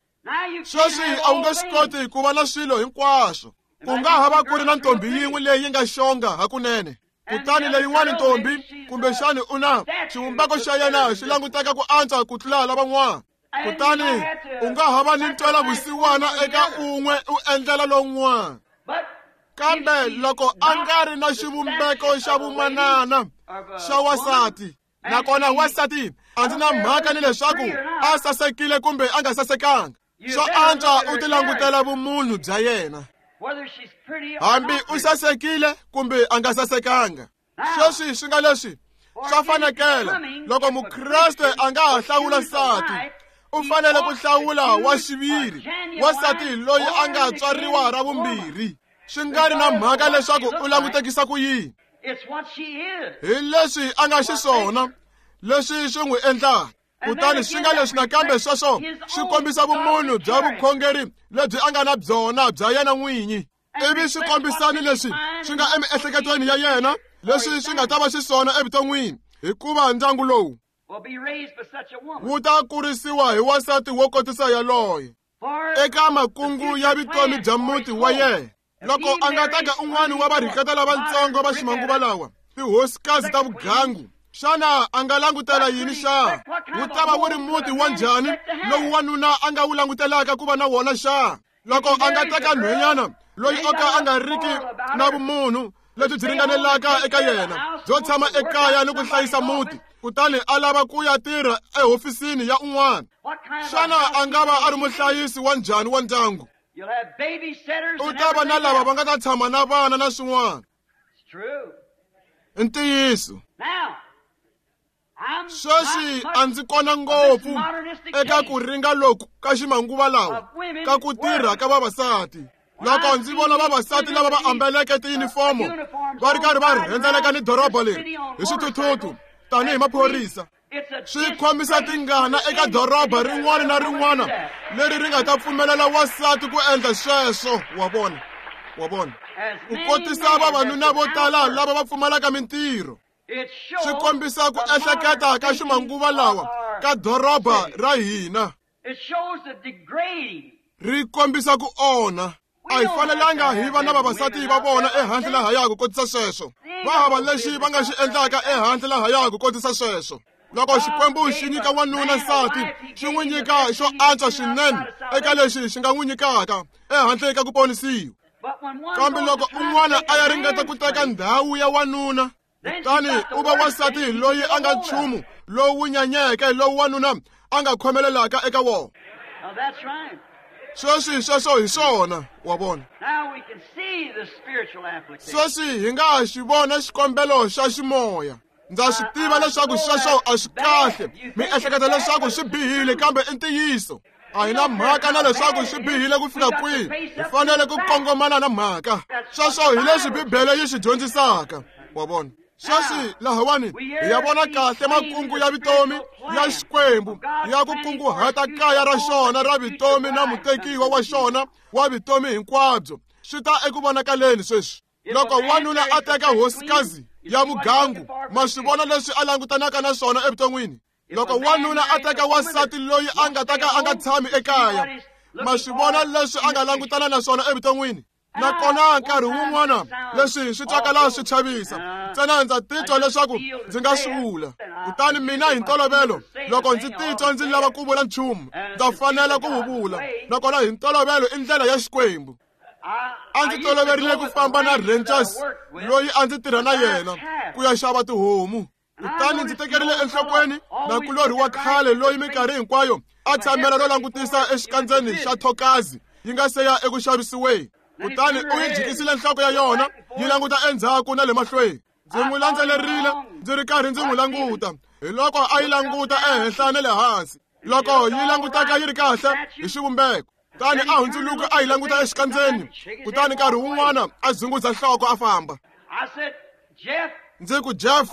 Sweswi a wu nge swi koti ku va na swilo hinkwaswo. Ku nga ha va ku ri na ntombi yin'we leyi nga xonga hakunene, kutani leyin'wana ntombi kumbexani u na xivumbeko xa yena xi languteka ku antswa ku tlula lavan'wana. Kutani u nga ha va ni ntwela vusiwana eka un'we u endlela lowun'wana, kambe loko a nga ri na xivumbeko xa vumanana xa wansati, nakona wansati a ndzi na mhaka ni leswaku a sasekile kumbe a nga sasekanga, swo antswa u ti langutela vumunhu bya yena, hambi u sasekile kumbe a nga sasekanga. Sweswi swi nga leswi swa fanekela loko Mukreste a nga ha hlawula nsati, u fanele ku hlawula wa xiviri, wansati loyi a nga tswariwa ra vumbirhi. Swi nga ri na mhaka leswaku u langutekisa ku yini, hi leswi a nga xiswona, leswi swi n'wi endlaka. Kutani swi nga leswi nakambe sweswo swi kombisa vumunhu bya vukhongeri lebyi a nga na byona bya yena n'winyi, ivi swi kombisani leswi swi nga emiehleketweni ya yena, leswi swi nga ta va xiswona evuton'wini, hikuva ndyangu lowu wu ta kurisiwa hi wansati wo kotisa yaloye eka makungu ya vutomi bya muti wa yena. Loko a nga teka un'wana wa varhiketa lavatsongo va ximanguva lawa, tihosikazi ta vugangu, xana a nga langutela yini xa? Wu ta va wu ri muti wa njhani lowu wanuna a nga wu langutelaka ku va na wona xa? Loko a nga teka nhwenyana loyi o ka a nga riki na vumunhu lebyi byi ringanelaka eka yena byo tshama ekaya ni ku hlayisa muti, kutani a lava ku ya tirha ehofisini ya un'wana, xana a nga va a ri muhlayisi wa njhani wa ndyangu? U ta va na lava va nga ta tshama na vana na swin'wana. I ntiyiso. Sweswi a ndzi kona ngopfu eka ku ringa loku ka ximanguva lawa ka ku tirha ka vavasati. Loko ndzi vona vavasati lava va ambeleke tiyunifomo va ri karhi va rhendzeleka ni doroba leri hi swithuthuthu tanihi maphorisa, swi khomisa tingana eka doroba rin'wana na rin'wana leri ri nga ta pfumelela wansati ku endla sweswo. Wa vona, wa vona, ku kotisa vavanuna vo tala lava va pfumalaka mintirho. Swi kombisa ku ehleketa ka ximanguva lawa ka doroba ra hina. Ri kombisa ku onha. A hi fanelanga hi va na vavasati va vona ehandle lahaya ku kotisa sweswo. Va hava lexi va nga xi endlaka ehandle lahaya ku kotisa sweswo. Loko Xikwembu xi nyika wanuna nsati, xi n'wi nyika xo antswa swinene eka lexi xi nga n'wi nyikaka ehandle ka ku ponisiwa. Kambe loko un'wana a ya ringeta ku teka ndhawu ya wanuna, kutani u va wansati loyi a nga nchumu lowu nyanyeke lowu wanuna a nga khomelelaka eka wona. Sweswi sweswo hi swona, wa vona. Sweswi hi nga xi vona xikombelo xa ximoya. Ndza swi tiva leswaku sweswo a swi kahle. Mi ehleketa leswaku swi bihile, kambe i ntiyiso. A hi na mhaka na leswaku swi bihile ku fika kwihi, hi fanele ku kongomana na mhaka. Sweswo hi leswi Bibele yi swi dyondzisaka, wa vona. Sweswi lahawani hi ya vona kahle makungu ya vutomi ya Xikwembu ya ku kunguhata kaya ra xona ra vutomi na mutekiwa wa xona wa vutomi hinkwabyo swi ta eku vonakaleni sweswi. Loko wanuna a teka hosikazi ya mugangu, ma swi vona leswi a langutanaka na swona evuton'wini. Loko wanuna a teka wansati loyi a nga ta ka a nga tshami ekaya, ma swi vona leswi a nga langutana na swona evuton'wini. Nakona nkarhi wun'wana leswi swi twakala swi chavisa, ntsena ndza titwa leswaku ndzi nga swi vula. Kutani mina hi ntolovelo loko ndzi titwa ndzi lava ku vula nchumu, ndza fanela ku wu vula. Nakona hi ntolovelo i ndlela ya Xikwembu. A ndzi toloverile ku famba na Rangers loyi a ndzi tirha na yena ku ya xava tihomu. Kutani ndzi tekerile enhlokweni nakulorhi wa khale loyi minkarhi hinkwayo a tshamela ro langutisa exikandzeni xa thokazi yi nga se ya eku xavisiweni. Kutani u yi jikisile nhloko ya yona yi languta endzhaku na le mahlweni. Ndzi n'wi landzelerile ndzi ri karhi ndzi n'wi languta. Hi loko a yi languta ehenhla na le hansi, loko yi langutaka yi ri kahle hi xivumbeko. Kutani a hundzuluka a yi languta exikandzeni, kutani nkarhi wun'wana a dzunguza nhloko a famba. Ndzi ku, Jeff,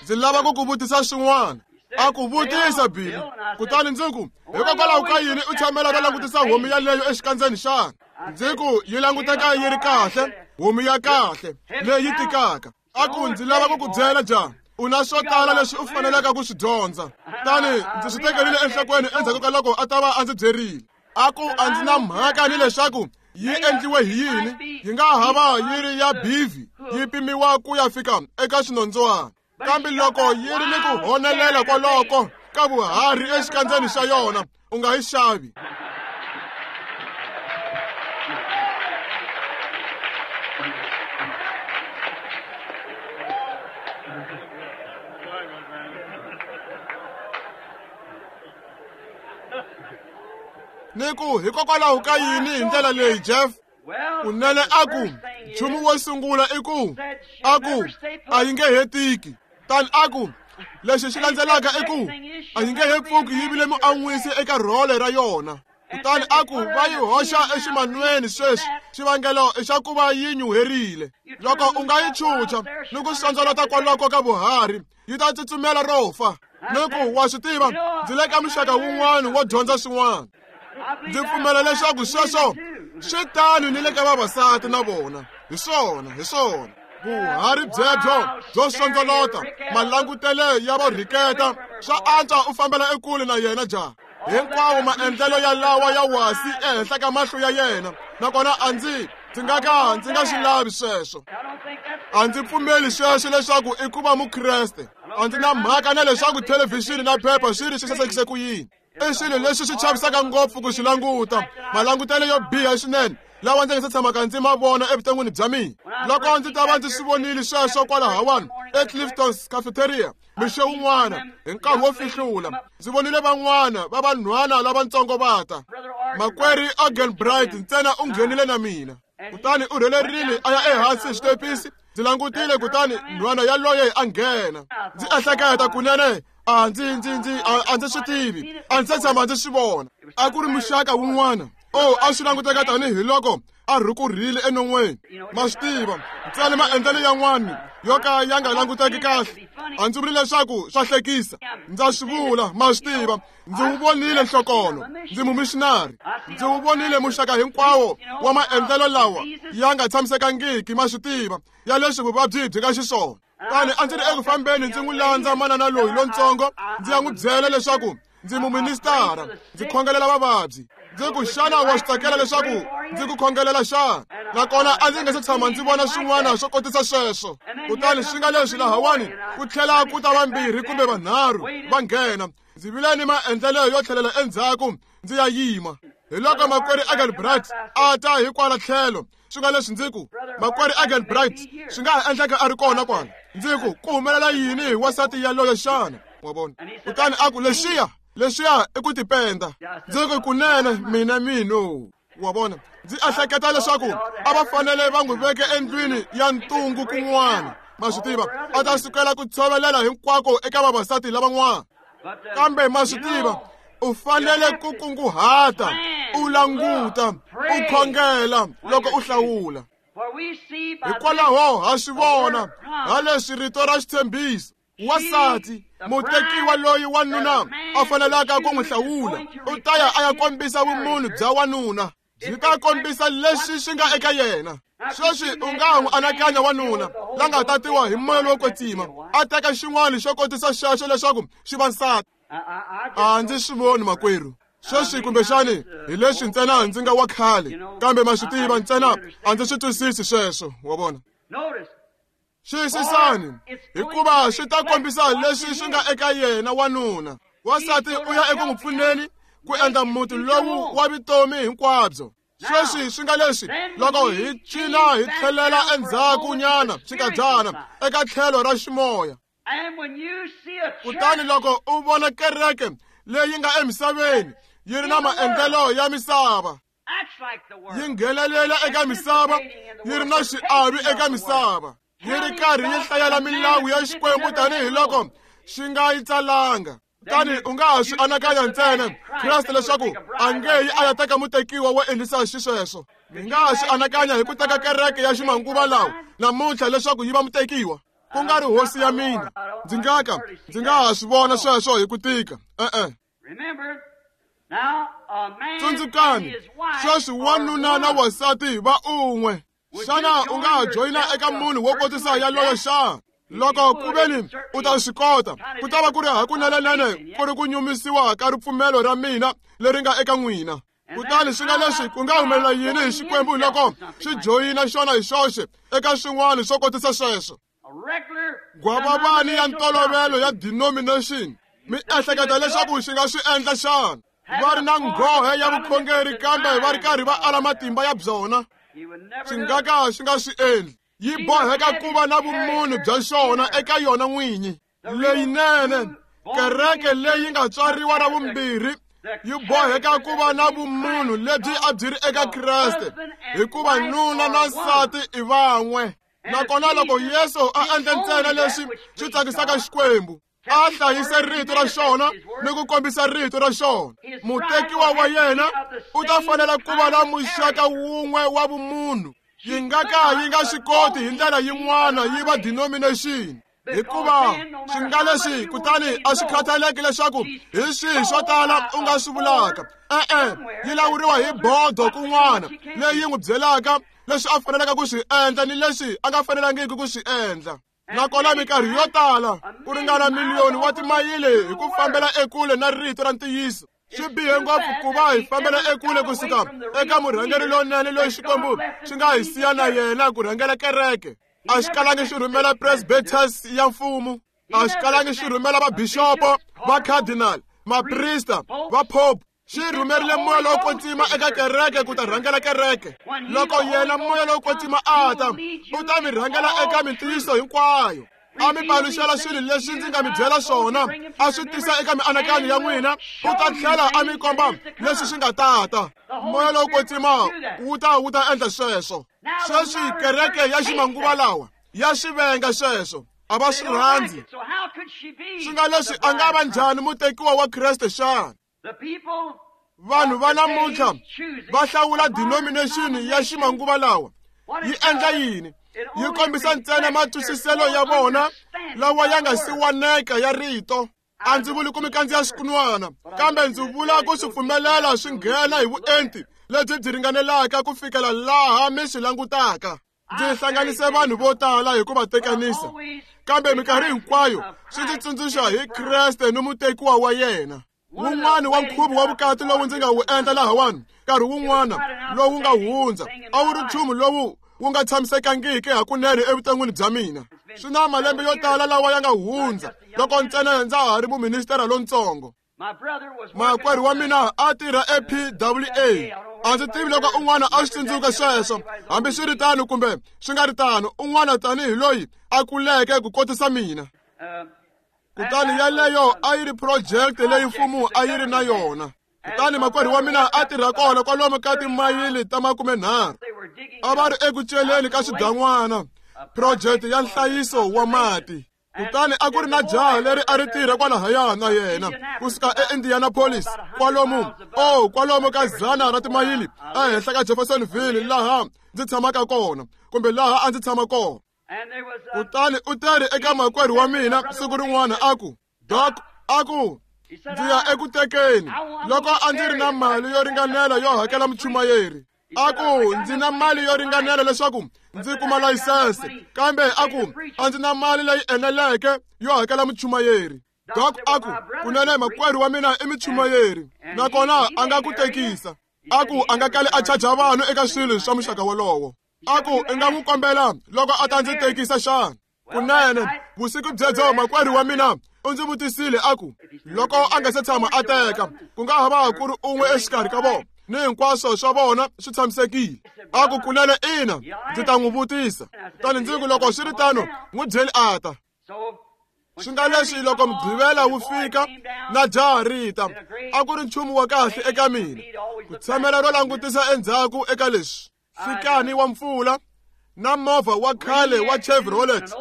ndzi lava ku ku vutisa swin'wana. A ku vutisa, Billy. Kutani ndzi ku, hikokwalaho ka yini u tshamela ro langutisa homu yaleyo exikandzeni xana? Ndzi ku, yi languteka yi ri kahle, homu ya kahle leyi tikaka. A ku, ndzi lava ku ku byela njhani, u na swo tala leswi u faneleke ku swi dyondza. Kutani ndzi swi tekerile enhlokweni endzhaku ka loko a ta va a ndzi byerile. A ku, a ndzi na mhaka ni leswaku yi endliwe hi yini, yi nga ha va yi ri ya bivi, yi pimiwa ku ya fika eka xinondzwana. Kambe loko yi ri ni ku honelela kwaloko ka vuharhi exikandzeni xa yona, u nga yi xavi. Ni ku, hikokwalaho ka yini hi ndlela leyi, Jeff? Kunene a ku, nchumu wo sungula i ku, a ku, a yi nge he tiki. Tani a ku, lexi xi landzelaka i ku, a yi nge he pfuki yi vile muan'wisi eka rhole ra yona. Kutani a ku, va yi hoxa eximanweni sweswi, xivangelo i xa ku va yi nyuherile. Loko u nga yi chucha ni ku xondzolota kwaloko ka vuharhi, yi ta tsutsumela ro fa. Ni ku, wa swi tiva, ndzi le ka muxaka wun'wana wo dyondza swin'wana. Ndzi pfumela leswaku sweswo swi tano ni le ka vavasati na vona. Hi swona, hi swona. Vuharhi byebyo byo xondzolota, malangutele ya vorhiketa, swa antswa u fambela ekule na yena jaha. Hinkwawo maendlelo ya lawa ya wasi ehenhla ka mahlo ya yena, nakona a ndzi ndzi nga ka ndzi nga swi lavi sweswo. A ndzi pfumeli sweswo leswaku i ku va Mukreste. A ndzi na mhaka na leswaku thelevhixini na phepha swi ri swi sasekise ku yini. I swilo leswi swi chavisaka ngopfu ku swi languta, malangutelo yo biha swinene lawa ndzi nga se tshamaka ndzi ma vona evuton'wini bya mina. Loko ndzi ta va ndzi swi vonile sweswo kwalahawani eClifton's Cafeteria mixo wun'wana hi nkarhi wo fihlula, ndzi vonile van'wana va vanhwana lavatsongo va ta. Makwerhu Ogenbright ntsena u nghenile na mina, kutani u rhelerile a ya ehansi hi xitepisi. Ndzi langutile, kutani nhwana yaloye a nghena. Ndzi ehleketa, kunene a ndzi ndzi ndzi a ndzi swi tivi, a ndzi se tshama ndzi swi vona. A ku ri muxaka wun'wana, o a swi languteka tanihi loko a rhukurhile enon'weni. Ma swi tiva, ntsena maendlelo yan'wana yo ka ya nga languteki kahle. A ndzi vuli leswaku swa hlekisa, ndza swi vula, ma swi tiva. Ndzi wu vonile nhlokono, ndzi mumishinari. Ndzi wu vonile muxaka hinkwawo wa maendlelo lawa ya nga tshamisekangiki, ma swi tiva, ya leswi vuvabyi byi nga xiswona. Kutani a ndzi ri eku fambeni ndzi n'wi landza manana loyi lontsongo, ndzi ya n'wi byela leswaku ndzi muministara, ndzi khongelela vavabyi. Ndzi ku, xana wa swi tsakela leswaku ndzi ku khongelela xana? Nakona a ndzi nga se tshama ndzi vona swin'wana swo kotisa sweswo. Kutani swi nga leswi lahawani ku tlhela ku ta vambirhi kumbe vanharhu va nghena. Ndzi vile ni maendlelo yo tlhelela endzhaku ndzi ya yima. Hi loko makwerhu Engelbrecht a ta hi kwala tlhelo, swi nga leswi ndzi ku, makwerhu Engelbrecht swi nga ha endleka a ri kona kwala. Ndzi ku, ku humelela yini hi wansati yaloye xana? Wa vona? Kutani a ku, lexiya, lexiya i ku tipenda. Ndzi ku, kunene mina mino. Wa vona? Ndzi ehleketa leswaku a va fanele va n'wi veke endlwini ya ntungu kun'wana. Ma swi tiva, a ta sukela ku tshovelela hinkwako eka vavasati lavan'wana. Kambe ma swi tiva, u fanele ku kunguhata, u languta, u khongela loko u hlawula. Hikwalaho ha swi vona ha leswi rito ra xitshembiso wansati mutekiwa loyi wanuna a fanelaka ku n'wi hlawula u ta ya a ya kombisa vumunhu bya wanuna byi ta kombisa leswi swi nga eka yena. Sweswi u nga n'wi anakanya wanuna la nga tatiwa hi moya lowo kwetsima a teka xin'wana xo kotisa xexo leswaku xi va nsati. A ndzi swi voni makwerhu. Sweswi kumbexani hi leswi ntsena ndzi nga wa khale kambe ma swi tiva ntsena a ndzi swi twisisi sweswo wa vona. Xiyisisani hikuva swi ta kombisa leswi swi nga eka yena wanuna. Wansati u ya eku n'wi pfuneni ku endla muti lowu wa vutomi hinkwabyo. Sweswi swi nga leswi loko hi cina hi tlhelela endzhaku nyana xinkadyana eka tlhelo ra ximoya. Kutani loko u vona kereke leyi nga emisaveni yi ri na maendlelo ya misava yi nghenelela eka misava yi ri na xiavi eka misava yi ri karhi yi hlayela milawu ya Xikwembu tanihiloko xi nga yi tsalanga. Kutani u nga ha swi anakanya ntsena Kreste leswaku a nge yi a ya teka mutekiwa wo endlisa xisweswo. Mi nga ha swi anakanya hi ku teka kereke ya ximanguva lawa namuntlha leswaku yi va mutekiwa ku nga ri hosi ya mina. Ndzi nga ka ndzi nga ha swi vona sweswo hi ku tika. E-e. Tsundzukani sweswi wanuna na wansati va un'we. Xana u nga ha joyina eka munhu wo kotisa yaloyo xana? Loko ku veni u ta swi kota ku ta va ku ri hakunenenene ku ri ku nyumisiwa ka ripfumelo ra mina leri nga eka n'wina. Kutani swi nga leswi ku nga humelela yini hi Xikwembu loko xi joyina xona hi xoxe eka swin'wana swo kotisa sweswo? Gwavavani ya ntolovelo ya denomination mi ehleketa leswaku xi nga swi endla xana? Va ri na nghohe ya vukhongeri kambe va ri karhi va ala matimba ya byona. Xi nga ka xi nga swi endli. Yi boheka ku va na vumunhu bya xona eka yona n'winyi. Leyinene kereke leyi nga tswariwa ra vumbirhi yi boheka ku va na vumunhu lebyi a byi ri eka Kreste hikuva nuna na nsati i van'we. Nakona loko Yesu a endle ntsena leswi swi tsakisaka Xikwembu a hlayise rito ra xona ni ku kombisa rito ra xona, mutekiwa wa yena u ta fanela ku va na muxaka wun'we wa vumunhu. Yi nga ka yi nga swi koti hi ndlela yin'wana yi va denomination hikuva swi nga leswi kutani a swi khathaleki leswaku hi swihi swo tala u nga swi vulaka. E-e, yi lawuriwa hi bodo kun'wana leyi n'wi byelaka leswi a fanelaka ku swi endla ni leswi a nga fanelangiki ku swi endla. Nakona minkarhi yo tala ku ringana miliyoni wa timayili hi ku fambela ekule na rito ra ntiyiso. Swi bihe ngopfu ku va hi fambela ekule kusuka eka murhangeri lonene loyi Xikwembu xi nga hi siya na yena ku rhangela kereke. A xi kalangi xi rhumela presbyters ya mfumo, a xi kalangi xi rhumela vabixopo, va cardinal, maprista, va pope. Xi rhumerile moya lowo kwetsima eka kereke ku ta rhangela kereke. Loko yena moya lowo kwetsima a ta, u ta mi rhangela eka mintiyiso hinkwayo. A mi paluxela swilo leswi ndzi nga mi byela swona, a swi tisa eka mianakanyo ya n'wina, u ta tlhela a mi komba leswi swi nga tata. Moya lowo kwetsima wu ta wu ta endla sweswo. Sweswi kereke ya ximanguva lawa ya swi venga sweswo, a va swi rhandzi. Swi nga leswi a nga va njhani mutekiwa wa Kreste xana? Vanhu va namuntlha va hlawula denomination ya ximanguva lawa. Yi endla yini? Yi kombisa ntsena matwisiselo ya vona lawa ya nga siwaneka ya rito. A ndzi vuli ku mi kandziya swikunwana kambe ndzi vula ku swi pfumelela swi nghena hi vuenti lebyi byi ringanelaka ku fikela laha mi swi langutaka. Ndzi hlanganise vanhu vo tala hi ku va tekanisa kambe minkarhi hinkwayo swi ndzi tsundzuxa hi Kreste ni mutekiwa wa yena. Wun'wana wa nkhuvo wa vukati lowu ndzi nga wu endla lahawani nkarhi wun'wana lowu nga hundza a wu ri nchumu lowu wu nga tshamisekangiki hakunene evuton'wini bya mina. Swi na malembe yo tala lawa ya nga hundza loko ntsena ndza ha ri muministera lontsongo. Makwerhu wa mina a tirha e P W A. A ndzi tivi loko un'wana a swi tsundzuka sweswo, hambiswiritano kumbe swi nga ri tano, un'wana tanihi loyi a kuleke ku kotisa mina. Kutani yaleyo a yi ri project leyi mfumo a yi ri na yona. Kutani makwerhu wa mina a tirha kona kwalomu ka timayili ta makumenharhu. A va ri eku celeni ka swidan'wana, project ya nhlayiso wa mati. Kutani a ku ri na jaha leri a ri tirha kwalahaya na yena kusuka eIndianapolis, kwalomu oh kwalomu ka zana ra timayili ehenhla ka Jeffersonville laha ndzi tshamaka kona, kumbe laha a ndzi tshama kona. Kutani u teri eka makwerhu wa mina siku rin'wana a ku, Doc, a ku, ndzi ya eku tekeni loko a ndzi ri na mali yo ringanela yo hakela muchumayeri. A ku, ndzi na mali yo ringanela leswaku ndzi kuma layisense, kambe a ku, a ndzi na mali leyi eneleke yo hakela muchumayeri. Doc a ku, kunene makwerhu wa mina i muchumayeri, nakona a nga ku tekisa. A ku, a nga kali a chaja vanhu eka swilo swa muxaka wolowo. A ku, i nga n'wi kombela loko a ta ndzi tekisa xana? Kunene vusiku byebyo makwerhu wa mina u ndzi vutisile a ku, loko a nga se tshama a teka, ku nga ha va ku ri un'we exikarhi ka vona, ni hinkwaswo swa vona swi tshamisekile. A ku, kunene ina, ndzi ta n'wi vutisa. Kutani ndzi ku, loko swi ri tano, n'wi byeli a ta. Swi nga leswi loko Mugqivela wu fika na jaha ri ta, a ku ri nchumu wa kahle eka mina ku tshamela ro langutisa endzhaku eka leswi. Fikani wa mpfula na movha wa khale wa Chevrolet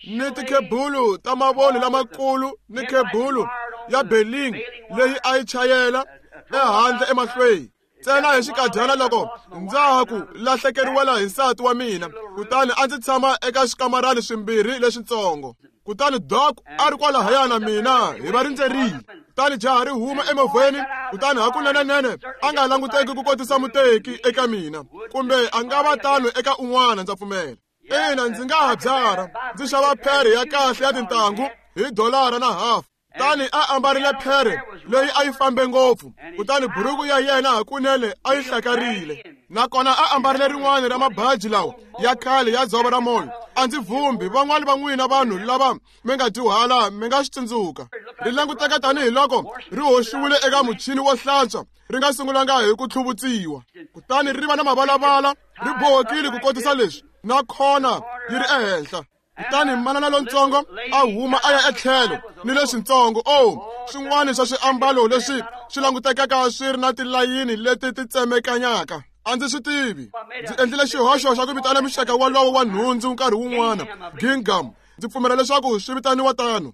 ni tikhebulu ta mavoni lamakulu ni khebulu ya Berlin leyi a yi chayela ehandle emahlweni. Ntsena hi xinkadyana loko ndza ha ku lahlekeriwela hi nsati wa mina, kutani a ndzi tshama eka swikamarani swimbirhi leswitsongo. Kutani Doc a ri kwalahaya na mina, hi va rindzerile. Kutani jaha ri huma emovheni, kutani hakunenenene a nga languteki ku kotisa muteki eka mina, kumbe a nga va tano eka un'wana, ndza pfumela. Ina, ndzi nga ha byara, ndzi xava phere ya kahle ya tintangu hi dolara na hafu. Kutani a ambarile phere leyi a yi fambe ngopfu, kutani buruku ya yena hakunene a yi hlakarile. Nakona a ambarile rin'wana ra mabaji lawa ya khale ya dzovo ra moya. A ndzi vhumbi van'wani va n'wina vanhu lava mi nga dyuhala mi nga swi tsundzuka. Ri languteka tanihiloko ri hoxiwile eka muchini wo hlantswa, ri nga sungulanga hi ku tlhuvutsiwa. Kutani ri va na mavalavala, ri bohekile ku kotisa leswi, na khona yi ri ehenhla. Kutani manana lontsongo a huma a ya etlhelo ni leswintsongo, oh, swin'wana swa swiambalo leswi swi langutekaka swi ri na tilayini leti ti tsemekanyaka. A ndzi swi tivi. Ndzi endlile xihoxo xa ku vitana muxaka wolowo wa nhundzu nkarhi wun'wana gingham. Ndzi pfumela leswaku swi vitaniwa tano.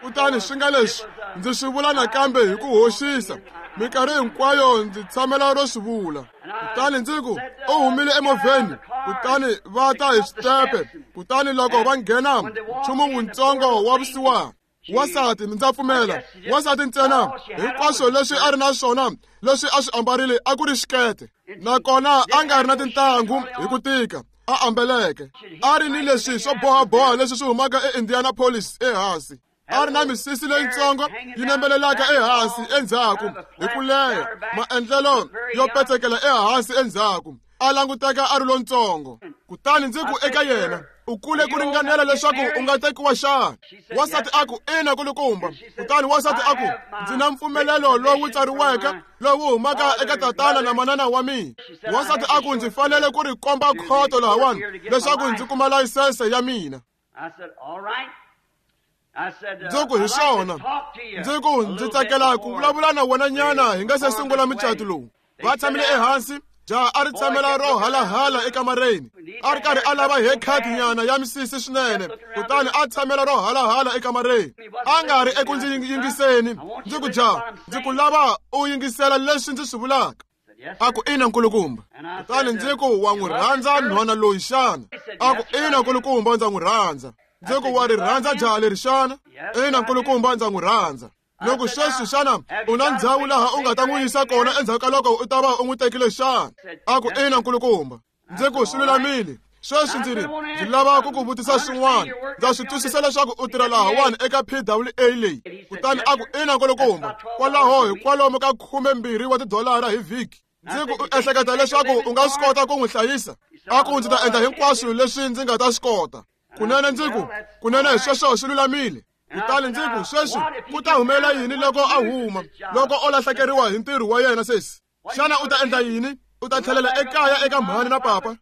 Kutani swi nga leswi ndzi swi vula nakambe hi ku hoxisa, minkarhi hinkwayo ndzi tshamela ro swi vula. Kutani ndzi ku, u humile emovheni, kutani va ta hi switepe, kutani loko va nghena nchumu wuntsongo wa vusiwana. Wansati, ndza pfumela, wansati ntsena hinkwaswo leswi a ri na swona leswi a swi ambarile a ku ri xikete, nakona a nga ri na tintangu hi ku tika a ambeleke. A ri ni leswi swo bohaboha leswi swi humaka eIndianapolis ehansi. A ri na misisi leyitsongo yi nembelelaka ehansi endzhaku hi ku leha, maendlelo yo petsekela ehansi endzhaku. A languteka a ri lontsongo. Kutani ndzi ku eka yena, u kule ku ringanela leswaku u nga tekiwa xana? Wansati a ku, ina kulukumba. Kutani wansati a ku, ndzi na mpfumelelo lowu tsariweke lowu humaka eka tatana na manana wa mina. Wansati a ku, ndzi fanele ku ri komba khoto lahawani leswaku ndzi kuma layisense ya mina. Ndzi ku, hi swona. Ndzi ku, ndzi tsakela ku vulavula na wena nyana hi nga se sungula mucato lowu. Va tshamile ehansi, jaha a ri tshamela ro halahala ekamareni, a ri karhi a lava haircut nyana ya misisi swinene, kutani a tshamela ro halahala ekamareni. A nga ri eku ndzi yingiseni. Ndzi ku, jaha, ndzi ku lava u yingisela leswi ndzi swi vulaka. A ku, ina nkulukumba. Kutani ndzi ku, wa n'wi rhandza nhwana loyi xana? A ku, ina nkulukumba, ndza n'wi rhandza. Ndzi ku, wa ri rhandza jaha leri xana? Ina nkulukumba, ndza n'wi rhandza. Loko sweswi xana u na ndhawu laha u nga ta n'wi yisa kona endzhaku ka loko u ta va u n'wi tekile xana? A ku, ina nkulukumba. Ndzi ku, swi lulamile. Sweswi ndzi ri, ndzi lava ku ku vutisa swin'wana. Ndza swi twisisa leswaku u tirha lahawani eka P W A leyi. Kutani a ku, ina nkulukumba. Kwalaho hi kwalomu ka khumembirhi wa tidolara hi vhiki. Ndzi ku, u ehleketa leswaku u nga swi kota ku n'wi hlayisa? A ku, ndzi ta endla hinkwaswo leswi ndzi nga ta swi kota. Kunene ndzi ku, kunene sweswo swi lulamile. Kutani ndzi ku, sweswi ku ta humelela yini loko a huma, loko o lahlekeriwa hi ntirho wa yena sesi? Xana u ta endla yini? U ta tlhelela ekaya eka mhani na papa?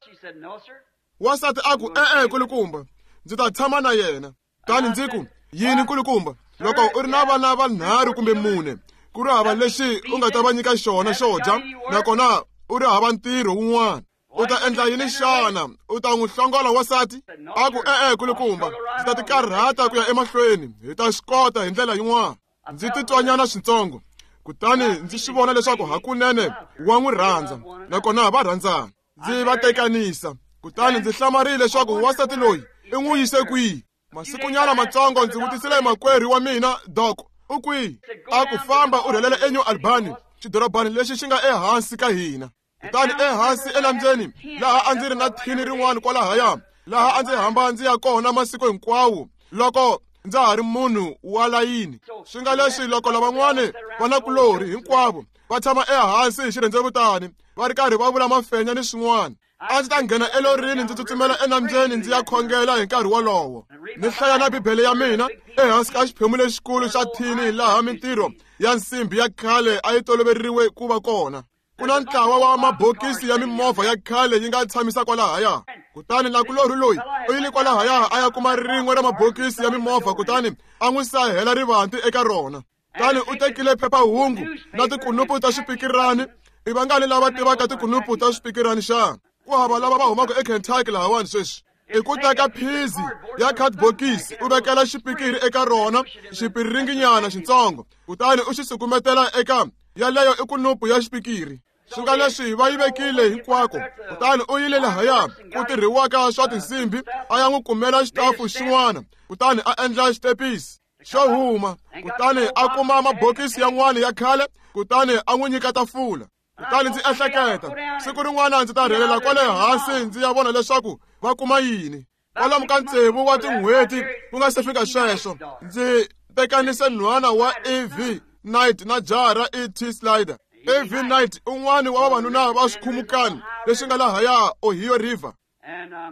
Wansati a ku, e-e nkulukumba, ndzi ta tshama na yena. Kutani ndzi ku, yini nkulukumba, loko u ri na vana vanharhu kumbe mune, ku ri hava lexi u nga ta va nyika xona xo dya, nakona u ri hava ntirho wun'wana. U ta endla yini xana? U ta n'wi hlongola wansati? A ku e-e kulukumba, ndzi ta tikarhata ku ya emahlweni, hi ta swi kota hi ndlela yin'wana. Ndzi titwanyana switsongo, kutani ndzi swi vona leswaku hakunene wa n'wi rhandza, nakona va rhandzana. Ndzi va tekanisa, kutani ndzi hlamarile leswaku wansati loyi i n'wi yise kwihi. Masikunyana matsongo ndzi vutisile makwerhu wa mina, Doc, u kwihi? A ku famba u rhelela eNew Albany, xidorobani lexi xi nga ehansi ka hina. Kutani ehansi enambyeni laha a ndzi ri na thini rin'wana kwalahaya, laha a ndzi hamba ndzi ya kona masiku hinkwawo loko ndza ha ri munhu wa layini. Swi nga leswi loko lavan'wani vanakulorhi hinkwavo va tshama ehansi hi xirhendzevutani va ri karhi va vula mafenya ni swin'wana, a ndzi ta nghena elorini ndzi tsutsumela enambyeni ndzi ya khongela hi nkarhi wolowo. Ni hlaya na Bibele ya mina ehansi ka xiphemu lexikulu xa thini laha mintirho ya nsimbhi ya khale a yi toloveririwe ku va kona. Ku na ntlawa wa mabokisi ya mimovha ya khale yi nga tshamisa kwalahaya. Kutani nakulorhi loyi u yile kwalahaya a ya kuma rin'we ra mabokisi ya mimovha, kutani a n'wi sahela rivanti eka rona. Kutani u tekile phephahungu na tikunupu ta swipikirani. I vangani lava tivaka tikunupu ta swipikirani xana? Ku hava lava va humaka eKentucky lahawani sweswi. I ku teka phizi ya khadibokisi u vekela xipikiri eka rona, xipiringinyana xitsongo, kutani u xi sukumetela eka yaleyo i kunupu ya xipikiri. Swi nga leswi va yi vekile hinkwako. Kutani u yile lahaya ku tirhiwaka swa tinsimbhi a ya n'wi kumela xitafu xin'wana, kutani a endla xitepisi xo huma. Kutani a kuma mabokisi yan'wana ya khale, kutani a n'wi nyika tafula. Kutani ndzi ehleketa, siku rin'wana ndzi ta rhelela kwale hansi ndzi ya vona leswaku va kuma yini. Kwalomu ka tsevu wa tin'hweti ku nga se fika sweswo, ndzi tekanise nhwana wa E V Knight na jaha ra E T Slider. E V Knight un'wana wa vavanuna va swikhumukani leswi nga lahaya Ohio River.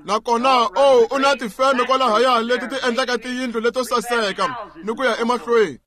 Nakona o u na tifeme kwalahaya leti ti endlaka tiyindlu leto saseka ni ku ya emahlweni.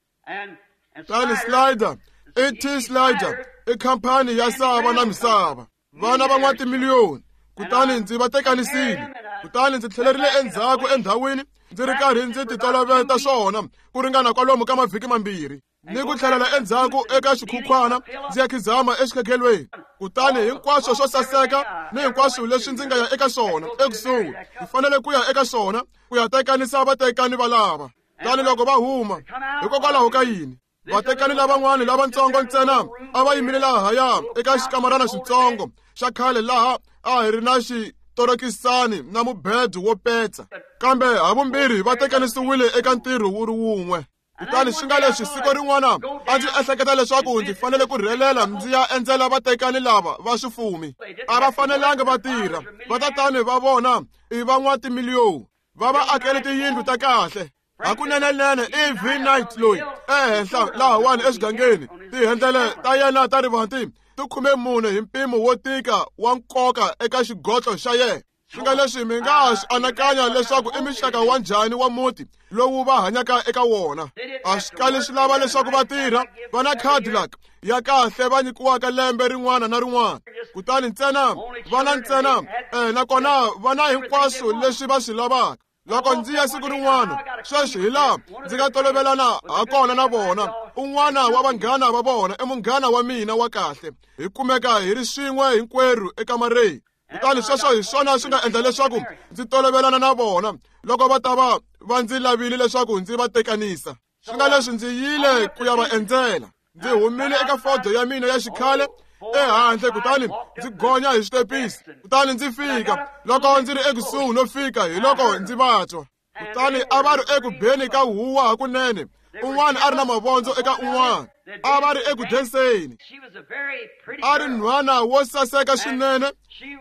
Tani Slider, E T Slider i khampani ya sava na misava, vana va n'watimiliyoni. Kutani ndzi va tekanisile, kutani ndzi tlhelerile endzhaku endhawini ndzi ri karhi ndzi titoloveta swona ku ringana kwalomu ka mavhiki mambirhi, ni ku tlhelela endzhaku eka xikhukhwana ndzi ya khizama exikhekhelweni. Kutani hinkwaswo swo saseka ni hinkwaswo leswi ndzi nga ya eka swona ekusuhi, ndzi fanele ku ya eka swona ku ya tekanisa vatekani valava. Kutani loko va huma, hikokwalaho ka yini vatekani lavan'wana lavatsongo ntsena a va yimile lahaya eka xikamarana xitsongo xa khale laha a hi ri na xitorokisani na mubedo wo petsa, kambe havumbirhi va tekanisiwile eka ntirho wu ri wun'we. Kutani swi nga leswi siku rin'wana a ndzi ehleketa leswaku ndzi fanele ku rhelela ndzi ya endzela vatekani lava va swifumi. A va fanelanga va tirha, vatatani va vona i van'watimiliyoni, va va akele tiyindlu ta kahle. Hakunenenene E V Knight loyi ehenhla lahawani exigangeni, tihendlele ta yena ta rivanti ti khume mune hi mpimo wo tika wa nkoka eka xigotlo xa yena. Swi nga leswi mi nga ha swi anakanya leswaku i mixaka wa njhani wa muti lowu va hanyaka eka wona. A swi kali swi lava leswaku va tirha, va na Cadillac ya kahle va nyikiwaka lembe rin'wana na rin'wana. Kutani ntsena va na ntsena eh, nakona va na hinkwaswo leswi va swi lavaka. Loko ndzi ya siku rin'wana, sweswi hi laha ndzi nga tolovelana ha kona na vona. Un'wana wa vanghana va vona i munghana wa mina wa kahle, hi kumeka hi ri swin'we hinkwerhu ekamareni. Kutani sweswo hi swona swi nga endla leswaku ndzi tolovelana na vona loko va ta va va ndzi lavile leswaku ndzi va tekanisa. Swi nga leswi ndzi yile ku ya va endzela. Ndzi humile eka fodo ya mina ya xikhale ehandle, kutani ndzi gonya hi xitepisi. Kutani ndzi fika loko ndzi ri ekusuhi no fika, hi loko ndzi va twa. Kutani a va ri eku beni ka huwa hakunene, un'wana a ri na mavondzo eka un'wana, a va ri eku denseni. A ri nhwana wo saseka swinene,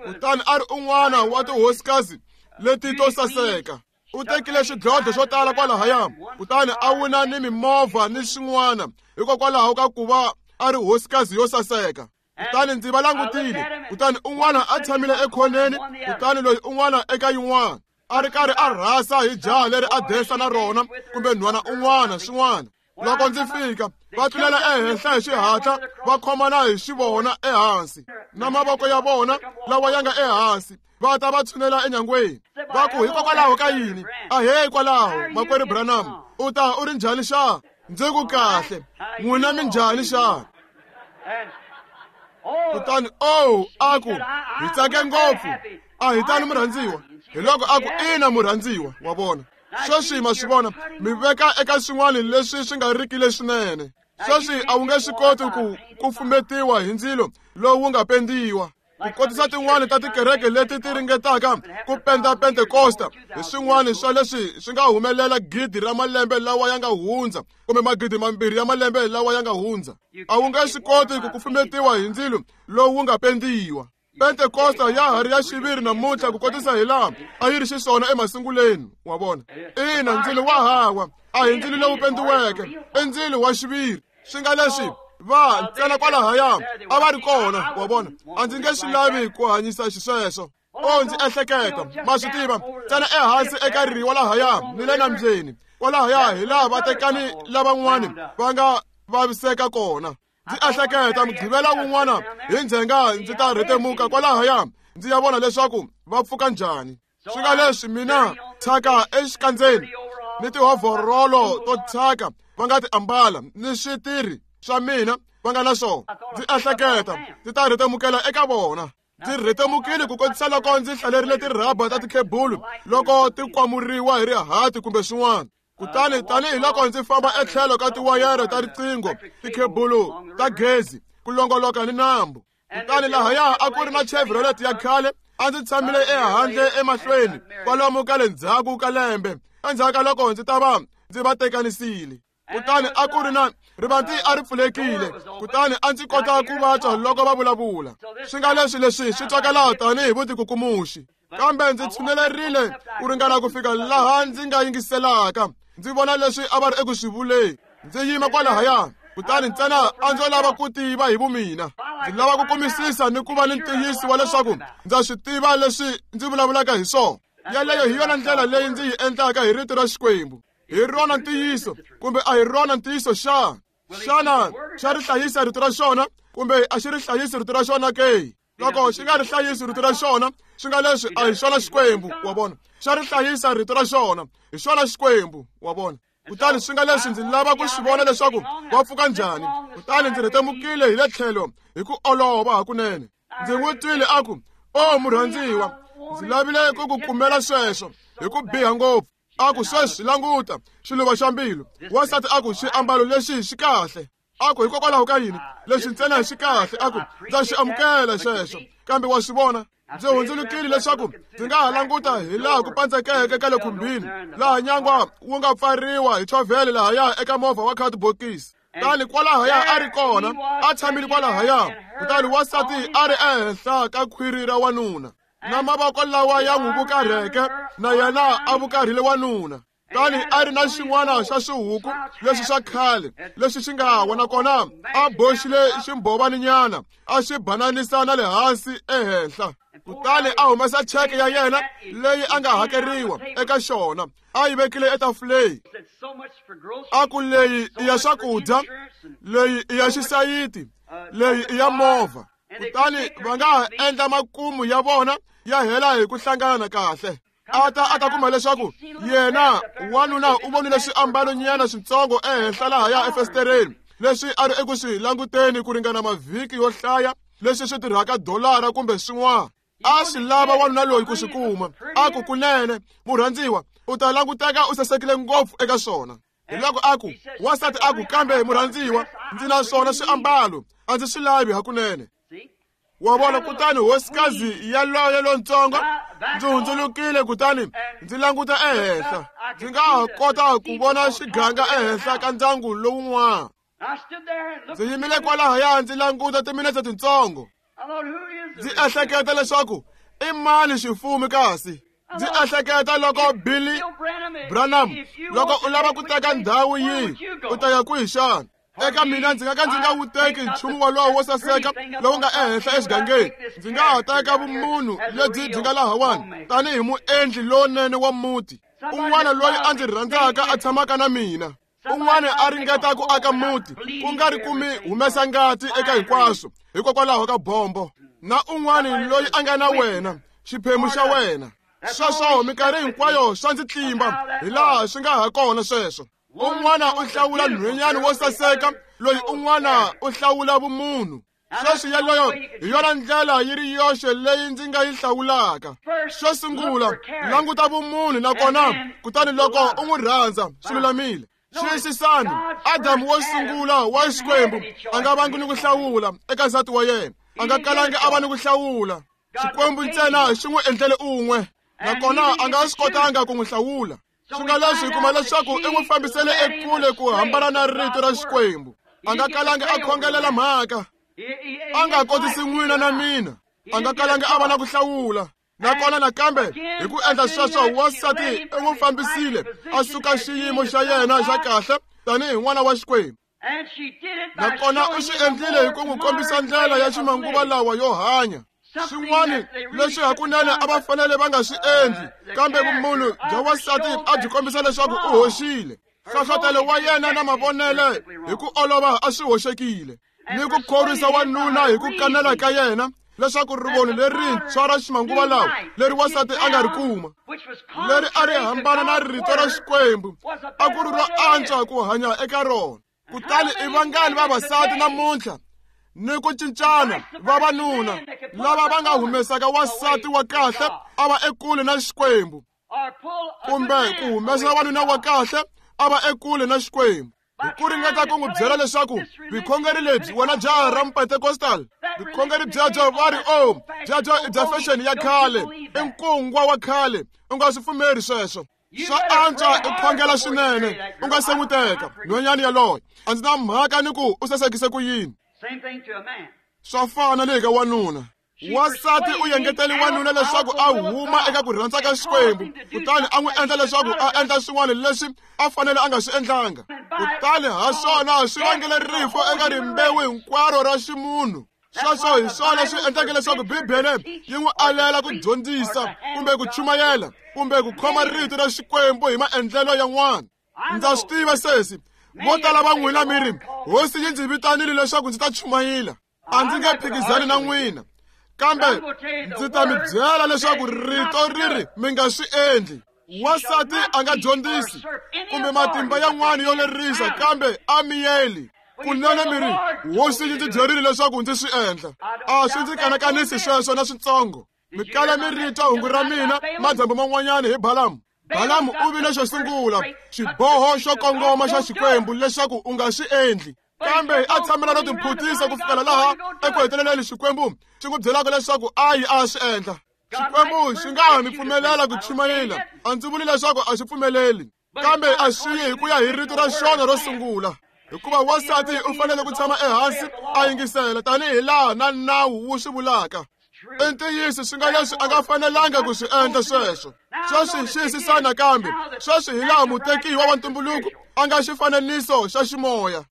kutani a ri un'wana wa tihosikazi leti to saseka. U tekile swidlodlo swo tala kwalahaya, kutani a wina ni mimovha ni swin'wana hikokwalaho ka ku va a ri hosikazi yo saseka. Kutani ndzi va langutile, kutani un'wana a tshamile ekhoneni, kutani loyi un'wana eka yin'wana a ri karhi a rhasa hi jaha leri a densa na rona kumbe nhwana un'wana swin'wana. Loko ndzi fika, va tlulela ehenhla hi xihatla, va khomana hi xivona ehansi na mavoko ya vona lawa ya nga ehansi, va ta va tshunela enyangweni. Va ku, hikokwalaho ka yini? Ahee kwalaho, makwerhu Branham, u ta u ri njhani xa? Ndzi ku kahle, n'wina mi njhani xa? Kutani oh a ku hi tsake ngopfu a hi tani murhandziwa. Hi loko a ku ina murhandziwa wa vona. Sweswi ma swi vona mi veka eka swin'wana leswi swi nga riki leswinene. Sweswi a wu nge swi koti ku kufumetiwa hi ndzilo lowu nga pendiwa. Ku kotisa tin'wani ta tikereke leti ti ringetaka ku penda Pentekosta hi swin'wana swa leswi swi nga humelela gidi ra malembe lawa ya nga hundza kumbe magidi mambirhi ya malembe lawa ya nga hundza. A wu nge swi koti ku kufumetiwa hi ndzilo lowu nga pendiwa. Pentekosta ya ha ri ya xiviri namuntlha ku kotisa hi laha a yi ri xiswona emasunguleni wa vona. Ina ndzilo wa hawa a hi ndzilo lowu pendiweke, i ndzilo wa xiviri. Swi nga leswi va ntsena kwalahaya a va ri kona wa vona. A ndzi nge swi lavi ku hanyisa xisweswo. O ndzi ehleketa ma swi tiva ntsena ehansi eka riwa lahaya ni le nambyeni kwalahaya hi laha vatekani lavan'wani va nga vaviseka kona. Ndzi ehleketa mugqivela wun'wana hi ndzhenga ndzi ta rhetemuka kwalahaya ndzi ya vona leswaku va pfuka njhani. Swi nga leswi mina thyaka exikandzeni ni tihovhorolo to thyaka va nga ti ambala ni switirhi swa mina va nga na swona. Ndzi ehleketa ndzi ta rhetemukela eka vona. Ndzi rhetemukile ku kotisa loko ndzi hlalerile tirhaba ta tikhebulu loko ti kwamuriwa hi rihati kumbe swin'wana. Kutani tanihiloko ndzi famba etlhelo ka tiwayere ta riqingho, tikhebulu ta gezi, ku longoloka ni nambu. Kutani lahaya a ku ri na Chevrolet ya khale a ndzi tshamile ehandle emahlweni kwalomu ka le ndzhaku ka lembe endzhaku ka loko ndzi ta va ndzi va tekanisile. Kutani a ku ri na rivanti a ri pfulekile, kutani a ndzi kota ku va twa loko va vulavula. Swi nga leswi leswi swi twakala tanihi vutikukumuxi, kambe ndzi tshunelerile ku ringana ku fika laha ndzi nga yingiselaka ndzi vona leswi a va ri eku swi vuleni. Ndzi yima kwalahaya, kutani ntsena a ndzo lava ku tiva hi vumina. Ndzi lava ku kumisisa ni ku va ni ntiyiso wa leswaku ndza swi tiva leswi ndzi vulavulaka hi swona. Yeleyo hi yona ndlela leyi ndzi yi endlaka hi rito ra Xikwembu. Hi rona ntiyiso kumbe a hi rona ntiyiso xa? Xana xa ri hlayisa rito ra xona kumbe a xi ri hlayisi rito ra xona ke? Loko xi nga ri hlayisi rito ra xona, swi nga leswi a hi xona Xikwembu, wa vona. Xa ri hlayisa rito ra xona, hi xona Xikwembu, wa vona. Kutani swi nga leswi ndzi lava ku swi vona leswaku va pfuka njhani. Kutani ndzi rhetemukile hi le tlhelo hi ku olova hakunene. Ndzi n'wi twile a ku, "O murhandziwa, ndzi lavile ku ku kumela sweswo hi ku biha ngopfu." A ku, "Sweswi languta xiluva xa mbilu." Wansati a ku, "Xiambalo lexi xi kahle." A ku, "Hikokwalaho ka yini? Lexi ntsena xi kahle." A ku, "Ndza xi amukela xexo." Kambe wa swi vona, ndzi hundzulukile leswaku ndzi nga ha languta hi laha ku pandzekeke ka le khumbini, laha nyangwa wu nga pfariwa hi chovhele lahaya eka movha wa khadibokisi. Kutani kwalahaya a ri kona, a tshamile kwalahaya. Kutani wansati a ri ehenhla ka khwiri ra wanuna, na mavoko lawa ya n'wi vukarheke, na yena a vukarhile wanuna. Kutani a ri na xin'wana xa swihuku leswi swa khale leswi xi nga wa, nakona a boxile ximbhovaninyana a xi bananisa na le hansi ehenhla. Kutani a humesa cheke ya yena leyi a nga hakeriwa eka xona, a yi vekile etafuleni. A ku, "Leyi i ya swakudya, leyi i ya xisayiti, leyi i ya movha." Kutani va nga ha endla makumu ya vona ya hela hi ku hlangana kahle. A ta a ta kuma leswaku yena wanuna u vonile swiambalonyana switsongo ehenhla lahaya efestereni leswi a ri eku swi languteni ku ringana mavhiki yo hlaya, leswi swi tirhaka dolara kumbe swin'wana. A swi lava wanuna loyi ku swi kuma. A ku, "Kunene murhandziwa, u ta languteka u sasekile ngopfu eka swona." Hi loko a ku, wansati a ku, "Kambe murhandziwa, ndzi na swona swiambalo, a ndzi swi lavi hakunene." Wa vona? Kutani hosikazi yaloye lontsongo, ndzi hundzulukile kutani ndzi languta ehenhla. Ndzi nga ha kota ku vona xiganga ehenhla ka ndyangu lowun'wana. Ndzi yimile kwalahaya ndzi languta timinetse tintsongo. Ndzi ehleketa leswaku i mani xifumi kasi. Ndzi ehleketa loko Billy Branham, loko u lava ku teka ndhawu yihi, u ta ya kwihi xana? Eka mina ndzi nga ka ndzi nga wu teki nchumu wolowo wo saseka lowu nga ehenhla exigangeni. Ndzi nga ha teka vumunhu lebyi byi nga lahawani tanihi muendli lowunene wa muti, un'wana loyi a ndzi rhandzaka a tshamaka na mina, un'wana a ringeta ku aka muti ku nga ri ku mi humesa ngati eka hinkwaswo hikokwalaho ka bombo, na un'wana loyi a nga na wena, xiphemu xa wena. Sweswo minkarhi hinkwayo swa ndzi tlimba hi laha swi nga ha kona sweswo. Un'wana u hlawula nhwenyana wo saseka, loyi un'wana u hlawula vumunhu. Sweswi yeleyo hi yona ndlela yi ri yoxe leyi ndzi nga yi hlawulaka. Xo sungula, languta vumunhu nakona kutani loko u n'wi rhandza swi lulamile. Xiyisisani, Adamu wo sungula wa Xikwembu a nga vangi ni ku hlawula eka nsati wa yena. A nga kalangi a va ni ku hlawula. Xikwembu ntsena xi n'wi endlele un'we, nakona a nga swi kotanga ku n'wi hlawula. Swi nga leswi hi kuma leswaku i n'wi fambisele ekule ku hambana na rito ra Xikwembu. A nga kalangi a khongelela mhaka. A nga kotisi n'wina na mina. A nga kalangi a va na ku hlawula. Nakona nakambe hi ku endla sweswo wansati i n'wi fambisile a suka xiyimo xa yena xa kahle tanihi n'wana wa Xikwembu. Nakona u swi endlile hi ku n'wi kombisa ndlela ya ximanguva lawa yo hanya. Swin'wana leswi hakunene a va fanele va nga swi endli, kambe vumunhu bya wansati a byi kombisa leswaku u hoxile. Nhlohlotelo wa yena na mavonele hi ku olova a swi hoxekile, ni ku khorwisa wanuna hi ku kanela ka yena leswaku rivoni lerintshwa ra ximanguva lawa leri wansati a nga ri kuma, leri a ri hambana na rito ra Xikwembu, a ku ri ro antswa ku hanya eka rona. Kutani i vangani vavasati namuntlha ni ku cincana vavanuna lava va nga humesaka wansati wa kahle a va ekule na Xikwembu, kumbe ku humesa wanuna wa kahle a va ekule na Xikwembu, hi ku ringeta ku n'wi byela leswaku vukhongeri lebyi wena jaha ra Pentecostal, vukhongeri byebyo va ri o byebyo i bya fashion ya khale, i nkungwa wa khale, u nga swi pfumeri sweswo. Swa antswa i khongela swinene u nga se n'wi teka nhwanyana yaloye. A ndzi na mhaka ni ku u sasekise ku yini. Swa fana le ka wanuna. Wansati u yengetele wanuna leswaku a huma eka ku rhandza ka Xikwembu, kutani a n'wi endla leswaku a endla swin'wana leswi a fanele a nga swi endlanga. Kutani ha swona swi vangele rifu eka rimbewu hinkwaro ra ximunhu. Sweswo hi swona swi endleke leswaku Bibele yi n'wi alela ku dyondzisa kumbe ku chumayela kumbe ku khoma rito ra Xikwembu hi maendlelo yan'wana. Ndza swi tiva sesi, vo tala va n'wina mi ri, Hosi yi ndzi vitanile leswaku ndzi ta chumayela. A ndzi nge phikizani na n'wina, kambe ndzi ta mi byela leswaku rito ri ri mi nga swi endli. Wansati a nga dyondzisi kumbe matimba yan'wana yo lerisa, kambe a miyeli. Kunene mi ri, Hosi yi ndzi byerile leswaku ndzi swi endla. A swi ndzi kanakanisi sweswo na switsongo. Mi kala mi ri twa hungu ra mina madyambu man'wanyana hi Balamu. Balamu u vile xo sungula xiboho xo kongoma xa Xikwembu leswaku u nga swi endli, kambe a tshamela no tiphutisa ku fikela laha eku heteleleni Xikwembu xi n'wi byelaka leswaku a yi a swi endla. Xikwembu xi nga ha mi pfumelela ku chumayela, a ndzi vuli leswaku a xi pfumeleli, kambe a swi yi hi ku ya hi rito ra xona ro sungula. Hikuva wansati u fanele ku tshama ehansi a yingisela tanihi laha na nawu wu swi vulaka. I ntiyiso swi nga leswi a nga fanelanga ku swi endla sweswo. Sweswi xiyisisana nakambe, sweswi hi laha mutekiwa wa ntumbuluko a nga xifananiso xa ximoya.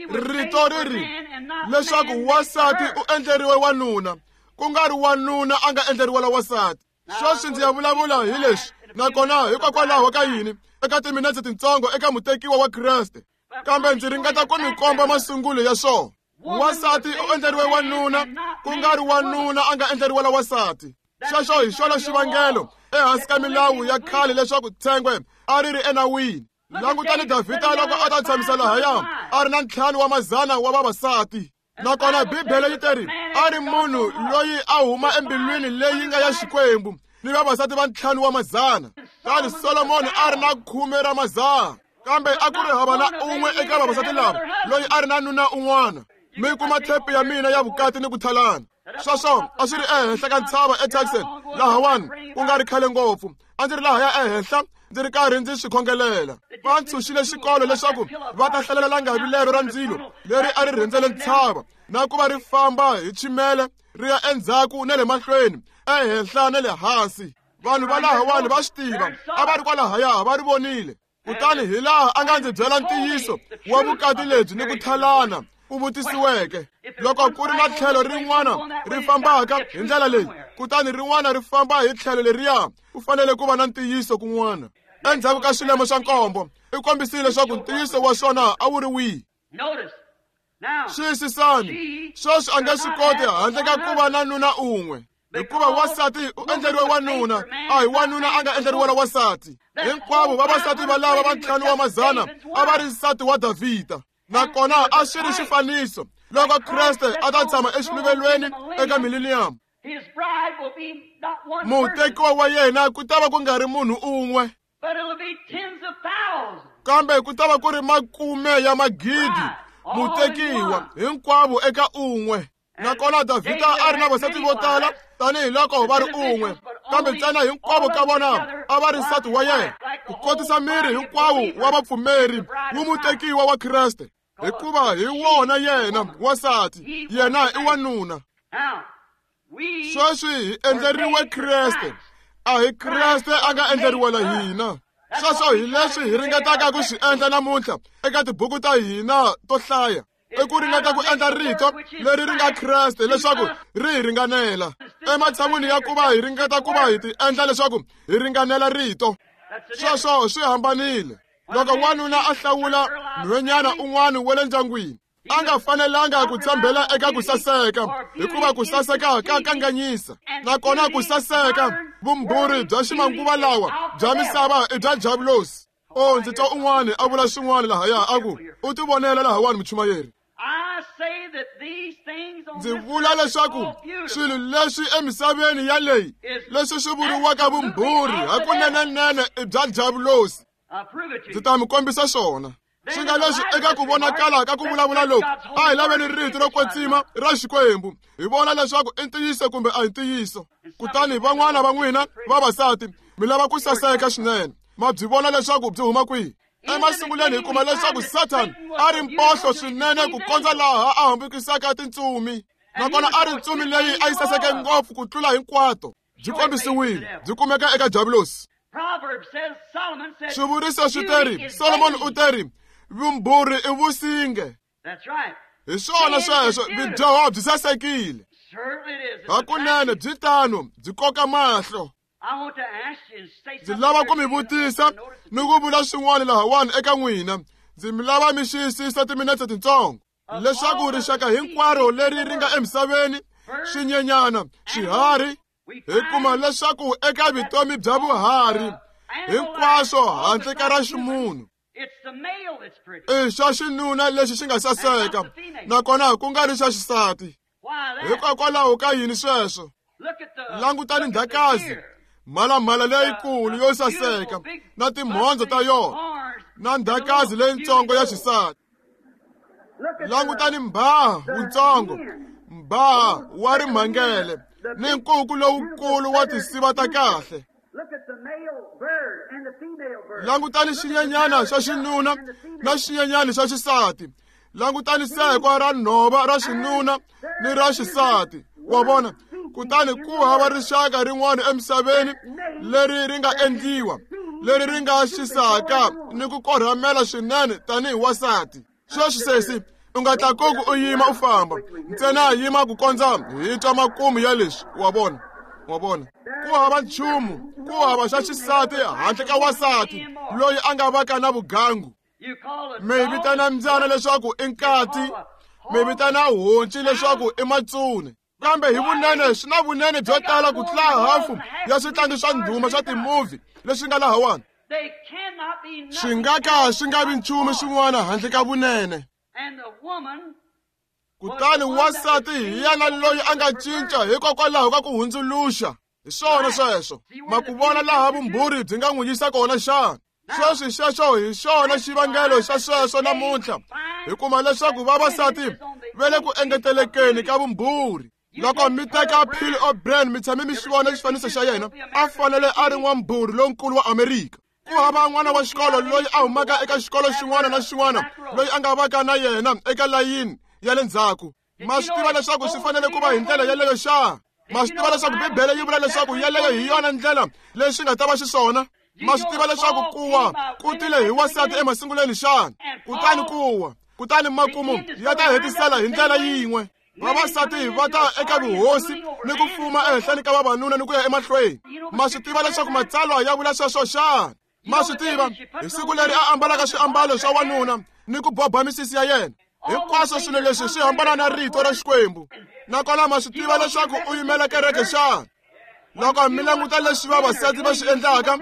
Rito ri ri leswaku wansati u endleriwe wanuna, ku nga ri wanuna a nga endleriwela wansati. Sweswi ndzi ya vulavula hi leswi, nakona hikokwalaho ka yini eka timinetse tintsongo eka mutekiwa wa Kreste, kambe ndzi ringeta ku mi komba masungulo ya swona. Wansati u endleriwe wanuna, ku nga ri wanuna a nga endleriwela wansati. Sweswo hi xona xivangelo ehansi ka milawu ya khale leswaku tshengwe a ri ri enawini. Langutani Davhida loko a ta tshamisa lahaya a ri na ntlhanu wa mazana wa vavasati. Nakona Bibele yi teri a ri munhu loyi a huma embilwini leyi nga ya Xikwembu ni vavasati va ntlhanu wa mazana. Kutani Solomoni a ri na khume ra mazana, kambe a ku ri hava na un'we eka vavasati lava loyi a ri na nuna un'wana. Mi kuma thepi ya mina ya vukati ni ku thalana. Sweswo a swi ri ehenhla ka ntshava eTucson lahawani ku nga ri khale ngopfu. A ndzi ri lahaya ehenhla ndzi ri karhi ndzi swi khongelela. Va ntshunxile xikolo leswaku va ta hlalela langavi lero ra ndzilo leri a ri rhendzele ntshava, na ku va ri famba hi chimele ri ya endzhaku na le mahlweni, ehenhla na le hansi. Vanhu va lahawani va swi tiva, a va ri kwalahaya va ri vonile. Kutani hi laha a nga ndzi byela ntiyiso wa vukati lebyi ni ku thalana ku vutisiweke. Loko ku ri na tlhelo rin'wana ri fambaka hi ndlela leyi, kutani rin'wana ri famba hi tlhelo leriya, ku fanele ku va na ntiyiso kun'wana. Endzhaku ka swilemo swa nkombo, i kombisile leswaku ntiyiso wa swona a wu ri wihi. Xiyisisani, sweswi a nga swi koti handle ka ku va na nuna un'we, hikuva wansati u endleriwe wanuna, a hi wanuna a nga endleriwela wansati. Hinkwavo vavasati valava va ntlhanu wa mazana a va ri nsati wa Davhida, nakona a swi ri xifaniso Loko Kreste a ta tshama exiluvelweni eka millennium, mutekiwa wa yena ku ta va ku nga ri munhu un'we, kambe ku ta va ku ri makume ya magidi mutekiwa hinkwavo eka un'we. Nakona Davhida a ri na vasati vo tala tanihiloko va ri un'we, kambe ntsena hinkwavo ka vona a va ri nsati wa yena, ku kotisa miri hinkwawo wa vapfumeri wu mutekiwa wa Kreste, hikuva hi wona yena wansati, yena i wanuna. Sweswi hi endleriwe Kreste, a hi Kreste a nga endleriwela hina. Sweswo hi leswi hi ringetaka ku swi endla namuntlha eka tibuku ta hina to hlaya, i ku ringeta ku endla rito leri ri nga Kreste leswaku ri hi ringanela, ematshan'wini ya ku va hi ringeta ku va hi ti endla leswaku hi ringanela rito. Sweswo swi hambanile. Loko wanuna a hlawula nhwenyana un'wana wa le ndyangwini, a nga fanelanga ku tshembela eka ku saseka, hikuva ku saseka ka kanganyisa. Nakona ku saseka, vumbhuri bya ximanguva lawa bya misava i bya diabulosi. O, ndzi twa un'wana a vula swin'wana lahaya a ku, u tivonela lahawani muchumayeri. Ndzi vula leswaku swilo leswi emisaveni yaleyi leswi swi vuriwaka vumbhuri hakunenenene i bya diabulosi. Ndzi ta mi kombisa swona. Swi nga leswi eka ku vonakala ka ku vulavula loku, a hi laveni rito ro kwetsima ra Xikwembu, hi vona leswaku i ntiyiso kumbe a hi ntiyiso. Kutani van'wana va n'wina vavasati mi lava ku saseka swinene, ma byi vona leswaku byi huma kwihi. Emasungulweni hi kuma leswaku Satan a ri mpohlo swinene ku kondza laha a hambukisaka tintsumi, nakona a ri ntsumi leyi a yi saseke ngopfu ku tlula hinkwato. Byi kombisiwile, byi kumeka eka diabulosi. Swivuriso swi teri, Solomon u teri, vumbhuri i vusinge. Hi swona sweswo, vudyoho byi sasekile. Hakunene byi tano, byi koka mahlo. Ndzi lava ku mi vutisa ni ku vula swin'wana lahawani eka n'wina. Ndzi mi lava mi xiyisisa timinetse tintsongo, leswaku rixaka hinkwaro leri ri nga emisaveni, swinyenyana, swiharhi, hi kuma leswaku eka vutomi bya vuharhi hinkwaswo handle ka ra ximunhu, i xa xinuna lexi xi nga saseka, nakona ku nga ri xa xisati. Hikokwalaho ka yini sweswo? Langutani ndzhakazi, mhalamhala leyikulu yo saseka na timhondzo ta yona, na ndzhakazi leyitsongo ya xisati. Langutani mbhaha wutsongo, mbhaha wa rimhangele ni nkuku lowukulu wa tinsiva ta kahle. Langutani xinyenyana xa xinuna na xinyenyana xa xisati. Langutani sekwa ra nhova ra xinuna ni ra xisati. Wa vona? Kutani ku hava rixaka rin'wana emisaveni leri ri nga endliwa, leri ri nga xisaka ni ku korhamela swinene tanihi wansati. Sweswi sesi, u nga tlakuki u yima u famba, ntsena yima ku kondza hi twa makumu ya leswi. Wa vona? Wa vona? Ku hava nchumu, ku hava xa xisati handle ka wansati loyi a nga vaka na vugangu. Mi vitana mbyana leswaku i nkati, mi vitana honci leswaku i matsune. Kambe hi vunene swi na vunene byo tala ku tlula hafu ya switlangi swa ndhuma swa timovhi leswi nga lahawani. Swi nga ka swi nga vi nchumu swin'wana handle ka vunene. Kutani wansati hi yena loyi a nga cinca hikokwalaho ka ku hundzuluxa. Hi swona sweswo. Ma ku vona laha vumbhuri byi nga n'wi yisa kona xana? Sweswi xexo hi xona xivangelo xa sweswo namuntlha. Hi kuma leswaku vavasati va le ku engetelekeni ka vumbhuri. Loko mi teka Phil O'Brien, mi tshame mi xi vona xifaniso xa yena, a fanele a ri n'wambhuri lonkulu wa Amerika. Ku hava n'wana wa xikolo loyi a humaka eka xikolo xin'wana na xin'wana loyi a nga vaka na yena eka layini ya le ndzhaku. Ma swi tiva leswaku swi fanele ku va hi ndlela yeleyo xa? Ma swi tiva leswaku Bibele yi vula leswaku yeleyo hi yona ndlela leyi swi nga ta va xiswona? Ma swi tiva leswaku kuwa ku tile hi wansati emasungulweni xana? Kutani kuwa, kutani makumu ya ta hetisela hi ndlela yin'we. Vavasati va ta eka vuhosi ni ku fuma ehenhleni ka vavanuna ni ku ya emahlweni. Ma swi tiva leswaku matsalwa ya vula sweswo xana? Ma swi tiva hi siku leri a ambalaka swiambalo swa wanuna ni ku boba misisi ya yena. Hinkwaswo swilo leswi swi hambana na rito ra Xikwembu. Nakona ma swi tiva leswaku u yimela kereke xana? Loko mi languta leswi vavasati va swi endlaka,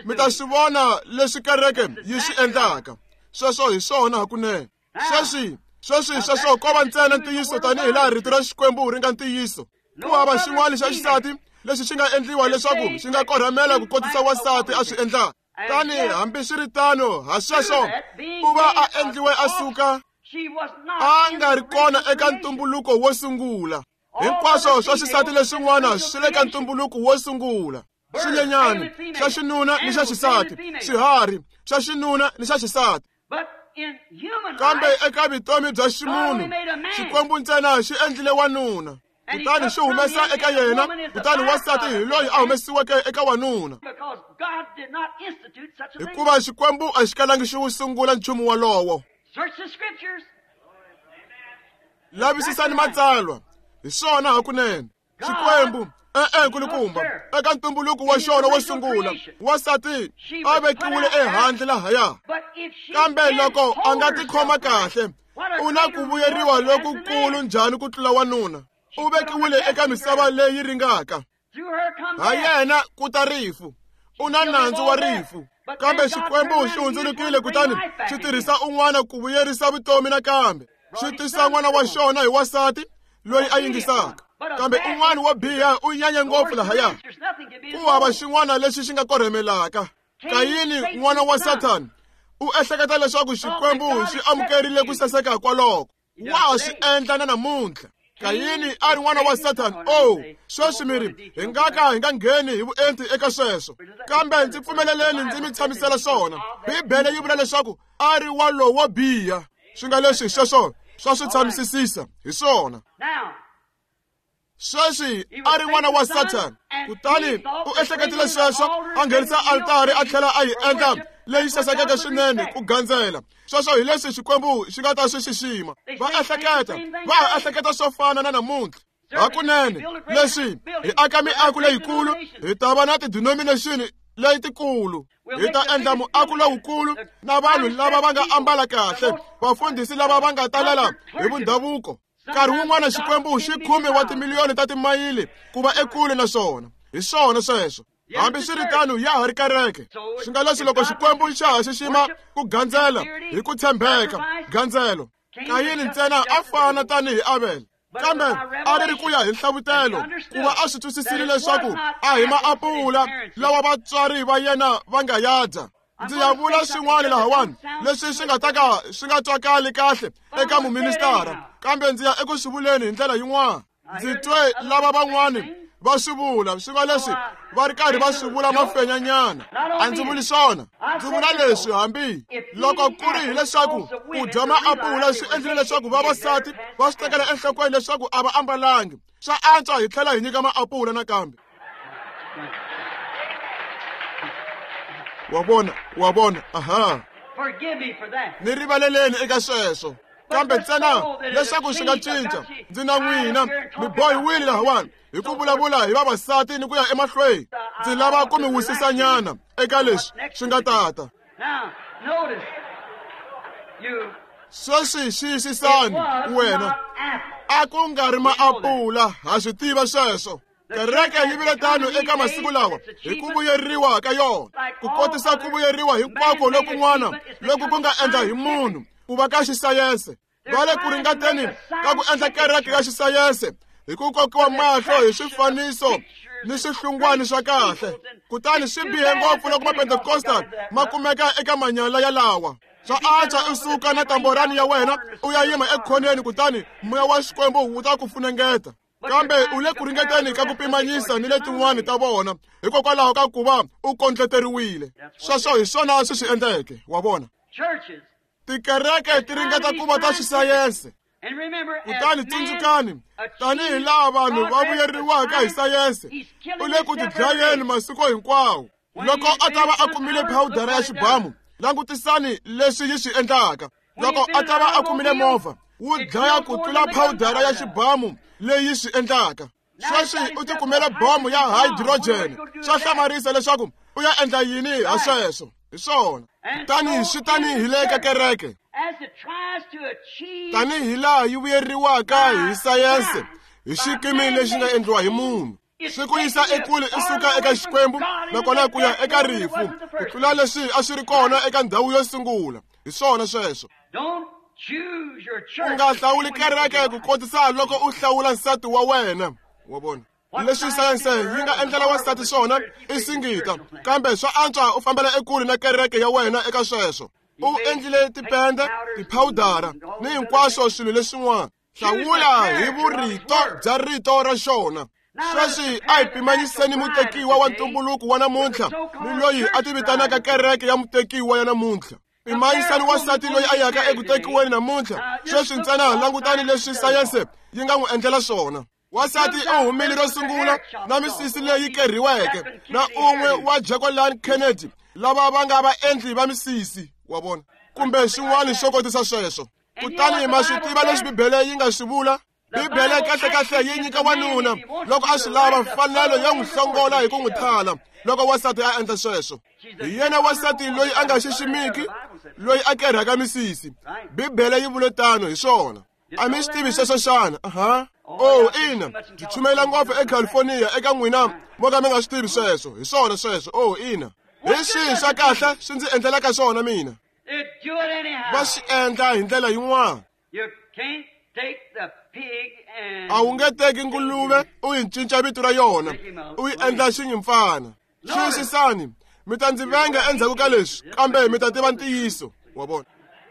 mi ta swi vona leswi kereke yi swi endlaka. Sweswo hi swona hakunene. Sweswi Sweswi sweswo ko va ntsena ntiyiso tanihi laha rito ra Xikwembu ri nga ntiyiso. Ku hava xin'wana xa xisati lexi xi nga endliwa leswaku xi nga korhamela ku kotisa wansati a swi endlaka. Tani hambiswiritano ha sweswo u va a endliwe a suka a nga ri kona eka ntumbuluko wo sungula. Hinkwaswo swa xisati leswin'wana swi le ka ntumbuluko wo sungula. Swinyenyani xa xinuna ni xa xisati, swiharhi xa xinuna ni xa xisati. Kambe eka vutomi bya ximunhu, Xikwembu ntsena xi endlile wanuna. Kutani xi humesa eka yena, kutani wansati hi loyi a humesiweke eka wanuna. Hikuva Xikwembu a xi kalangi xi wu sungula nchumu wolowo. Lavisisani matsalwa, hi swona hakunene. Xikwembu e-e nkulukumba eka ntumbuluko wa xona wo sungula, wansati a vekiwile ehandle lahaya. Kambe loko a nga tikhoma kahle, u na ku vuyeriwa lokukulu njhani ku tlula wanuna. U vekiwile eka misava leyi ringaka. Ha yena ku ta rifu, u na nandzu wa rifu. Kambe Xikwembu xi hundzulukile kutani xi tirhisa un'wana ku vuyerisa vutomi nakambe. Xi tisa n'wana wa xona hi wansati loyi a yingisaka. Kambe un'wana wo biha u nyanye ngopfu lahaya. Ku hava xin'wana lexi xi nga korhemelaka. Kayini n'wana wa Sathana u ehleketa leswaku Xikwembu xi amukerile ku saseka kwaloko. Wa swi endla na namuntlha. Kayini a ri n'wana wa Sathana. Oh, sweswi mi ri hi nga ka hi nga ngheni hi vuenti eka sweswo. Kambe ndzi pfumeleleni ndzi mi tshamisela swona. Bibele yi vula leswaku a ri wa lowo biha. Swi nga leswi sweswo swa swi tshamisisisa hi swona. Sweswi a ri n'wana wa Sathana, kutani u ehleketile sweswo a nghenisa altari a tlhela a yi endla leyi sasekeke swinene ku gandzela. Sweswo hi leswi Xikwembu xi nga ta swi xixima. Va ehleketa, va ha ehleketa swo fana na namuntlha. Hakunene leswi hi aka miako leyikulu, hi ta va na tidenomination letikulu. Hi ta endla muako lowukulu na vanhu lava va nga ambala kahle, vafundhisi lava va nga talela hi vundhavuko. Nkarhi wun'wana Xikwembu xi khume wa timiliyoni ta timayili ku va ekule na swona. Hi swona sweswo. Hambiswiritano ya ha ri kereke. Swi nga leswi loko Xikwembu xa ha xixima ku gandzela hi ku tshembeka gandzelo. Kayini ntsena a fana tanihi Abel. Kambe a ri ri ku ya hi nhlavutelo ku va a swi twisisile leswaku a hi maapula lawa vatswari va yena va nga ya dya. Ndzi ya vula swin'wana lahawani leswi swi nga ta ka swi nga twakali kahle eka muministara, kambe ndzi ya eku swi vuleni hi ndlela yin'wana. Ndzi twe lava van'wani va swi vula swi nga leswi va ri karhi va swi vula mafenyanyana. A ndzi vuli swona, ndzi vula leswi hambi loko ku ri hileswaku ku dya maapula swi endlile leswaku vavasati va swi tekela enhlokweni leswaku a va ambalangi. Swa antswa hi tlhela hi nyika maapula nakambe. Wa vona, wa vona, aha. Ni rivaleleni eka sweswo. Kambe ntsena leswaku swi nga cinca, ndzi na n'wina mi bohiwile lahawani hi ku vulavula hi vavasati ni ku ya emahlweni. Ndzi lava ku mi wisisanyana eka leswi swi nga tata. Sweswi xiyisisani wena, a ku nga ri maapula, ha swi tiva sweswo. Kereke yi vile tano eka masiku lawa hi ku vuyeriwa ka yona, ku kotisa ku vuyeriwa hinkwako lokun'wana loku ku nga endla hi munhu ku va ka xisayense. Va le ku ringeteni ka ku endla kereke ya xisayense hi ku kokiwa mahlo hi swifaniso ni swihlungwani swa kahle. Kutani swi bihe ngopfu loko Mapentekostal ma kumeka eka manyala yalawa. Swa antswa u suka na tamborani ya wena u ya yima ekhoneni, kutani moya wa Xikwembu wu ta ku funengeta. Kambe u le ku ringeteni ka ku pimanyisa ni letin'wani ta vona hikokwalaho ka ku va u kondleteriwile. Sweswo hi swona swi swi endleke, wa vona. Tikereke ti ringeta ku va ta xisayense. Kutani tsundzukani, tanihi laha vanhu va vuyeriwaka hi sayense, u le ku tidlayeni masiku hinkwawo. Loko a ta va a kumile phawudara ya xibamu, langutisani leswi yi swi endlaka. Loko a ta va a kumile movha, wu dlaya ku tlula phawudara ya xibamu leyi swi endlaka. Sweswi u tikumele bomo ya hydrogen. Swa hlamarisa leswaku u ya endla yini ha sweswo. Hi swona. Tanihi swi tanihi le ka kereke, tanihi laha yi vuyeriwaka hi sayense hi xikimi lexi nga endliwa hi munhu, swi ku yisa ekule i suka eka Xikwembu nakona ku ya eka rifu ku tlula leswi a swi ri kona eka ndhawu yo sungula. Hi swona sweswo. U nga hlawuli kereke ku kotisa loko u hlawula nsati wa wena. Wa vona? Leswi sayense yi nga endlela wansati swona i singita, kambe swa antswa u fambela ekule na kereke ya wena eka sweswo. U endlile tipende, tiphawudara ni hinkwaswo swilo leswin'wana. Hlawula hi vurito bya rito ra xona. Sweswi a hi pimanyiseni mutekiwa wa ntumbuluko wa namuntlha ni loyi a tivitanaka kereke ya mutekiwa ya namuntlha. Pimanyisani wansati loyi a yaka eku tekiweni namuntlha. Sweswi ntsena langutani leswi sayense yi nga n'wi endlela swona. Wansati u humile ro sungula na misisi leyi kerhiweke na un'we wa Jacqueline Kennedy, lava va nga vaendli va misisi, wa vona, kumbe xin'wana xo kotisa sweswo. Kutani ma swi tiva leswi Bibele yi nga swi vula? Bibele kahlekahle yi nyika wanuna loko a swi lava mfanelo yo n'wi hlongola hi ku n'wi thala loko wansati a endla sweswo. Hi yena wansati loyi a nga xiximiki, loyi a kerhaka misisi. Bibele yi vule tano hi swona. A mi swi tivi sweswo xana? Aha. Oh, ina, byi chumela ngopfu eCalifornia eka n'wina mo ka mi nga swi tivi sweswo. Hi swona sweswo. Oh, ina. Hi swihi swa kahle swi ndzi endlelaka swona mina? Va swi endla hi ndlela yin'wana. A wu nge teki nguluve u yi cinca vito ra yona, u yi endla xinyimpfana. Xiyisisani, mi ta ndzi venga endzhaku ka leswi, kambe mi ta tiva ntiyiso. Wa vona?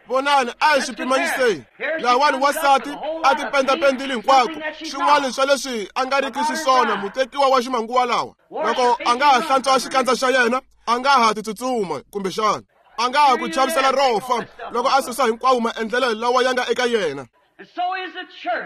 Vonani, a hi swi pimanyiseni. Lahawani wansati a tipendapendile hinkwako, swin'wana swa leswi a nga riki xiswona mutekiwa wa ximanguva lawa. Loko a nga ha hlantswa xikandza xa yena, a nga ha titsutsuma kumbexana a nga ha ku chavisela ro fa loko a susa hinkwawo maendlelo lawa ya nga eka yena.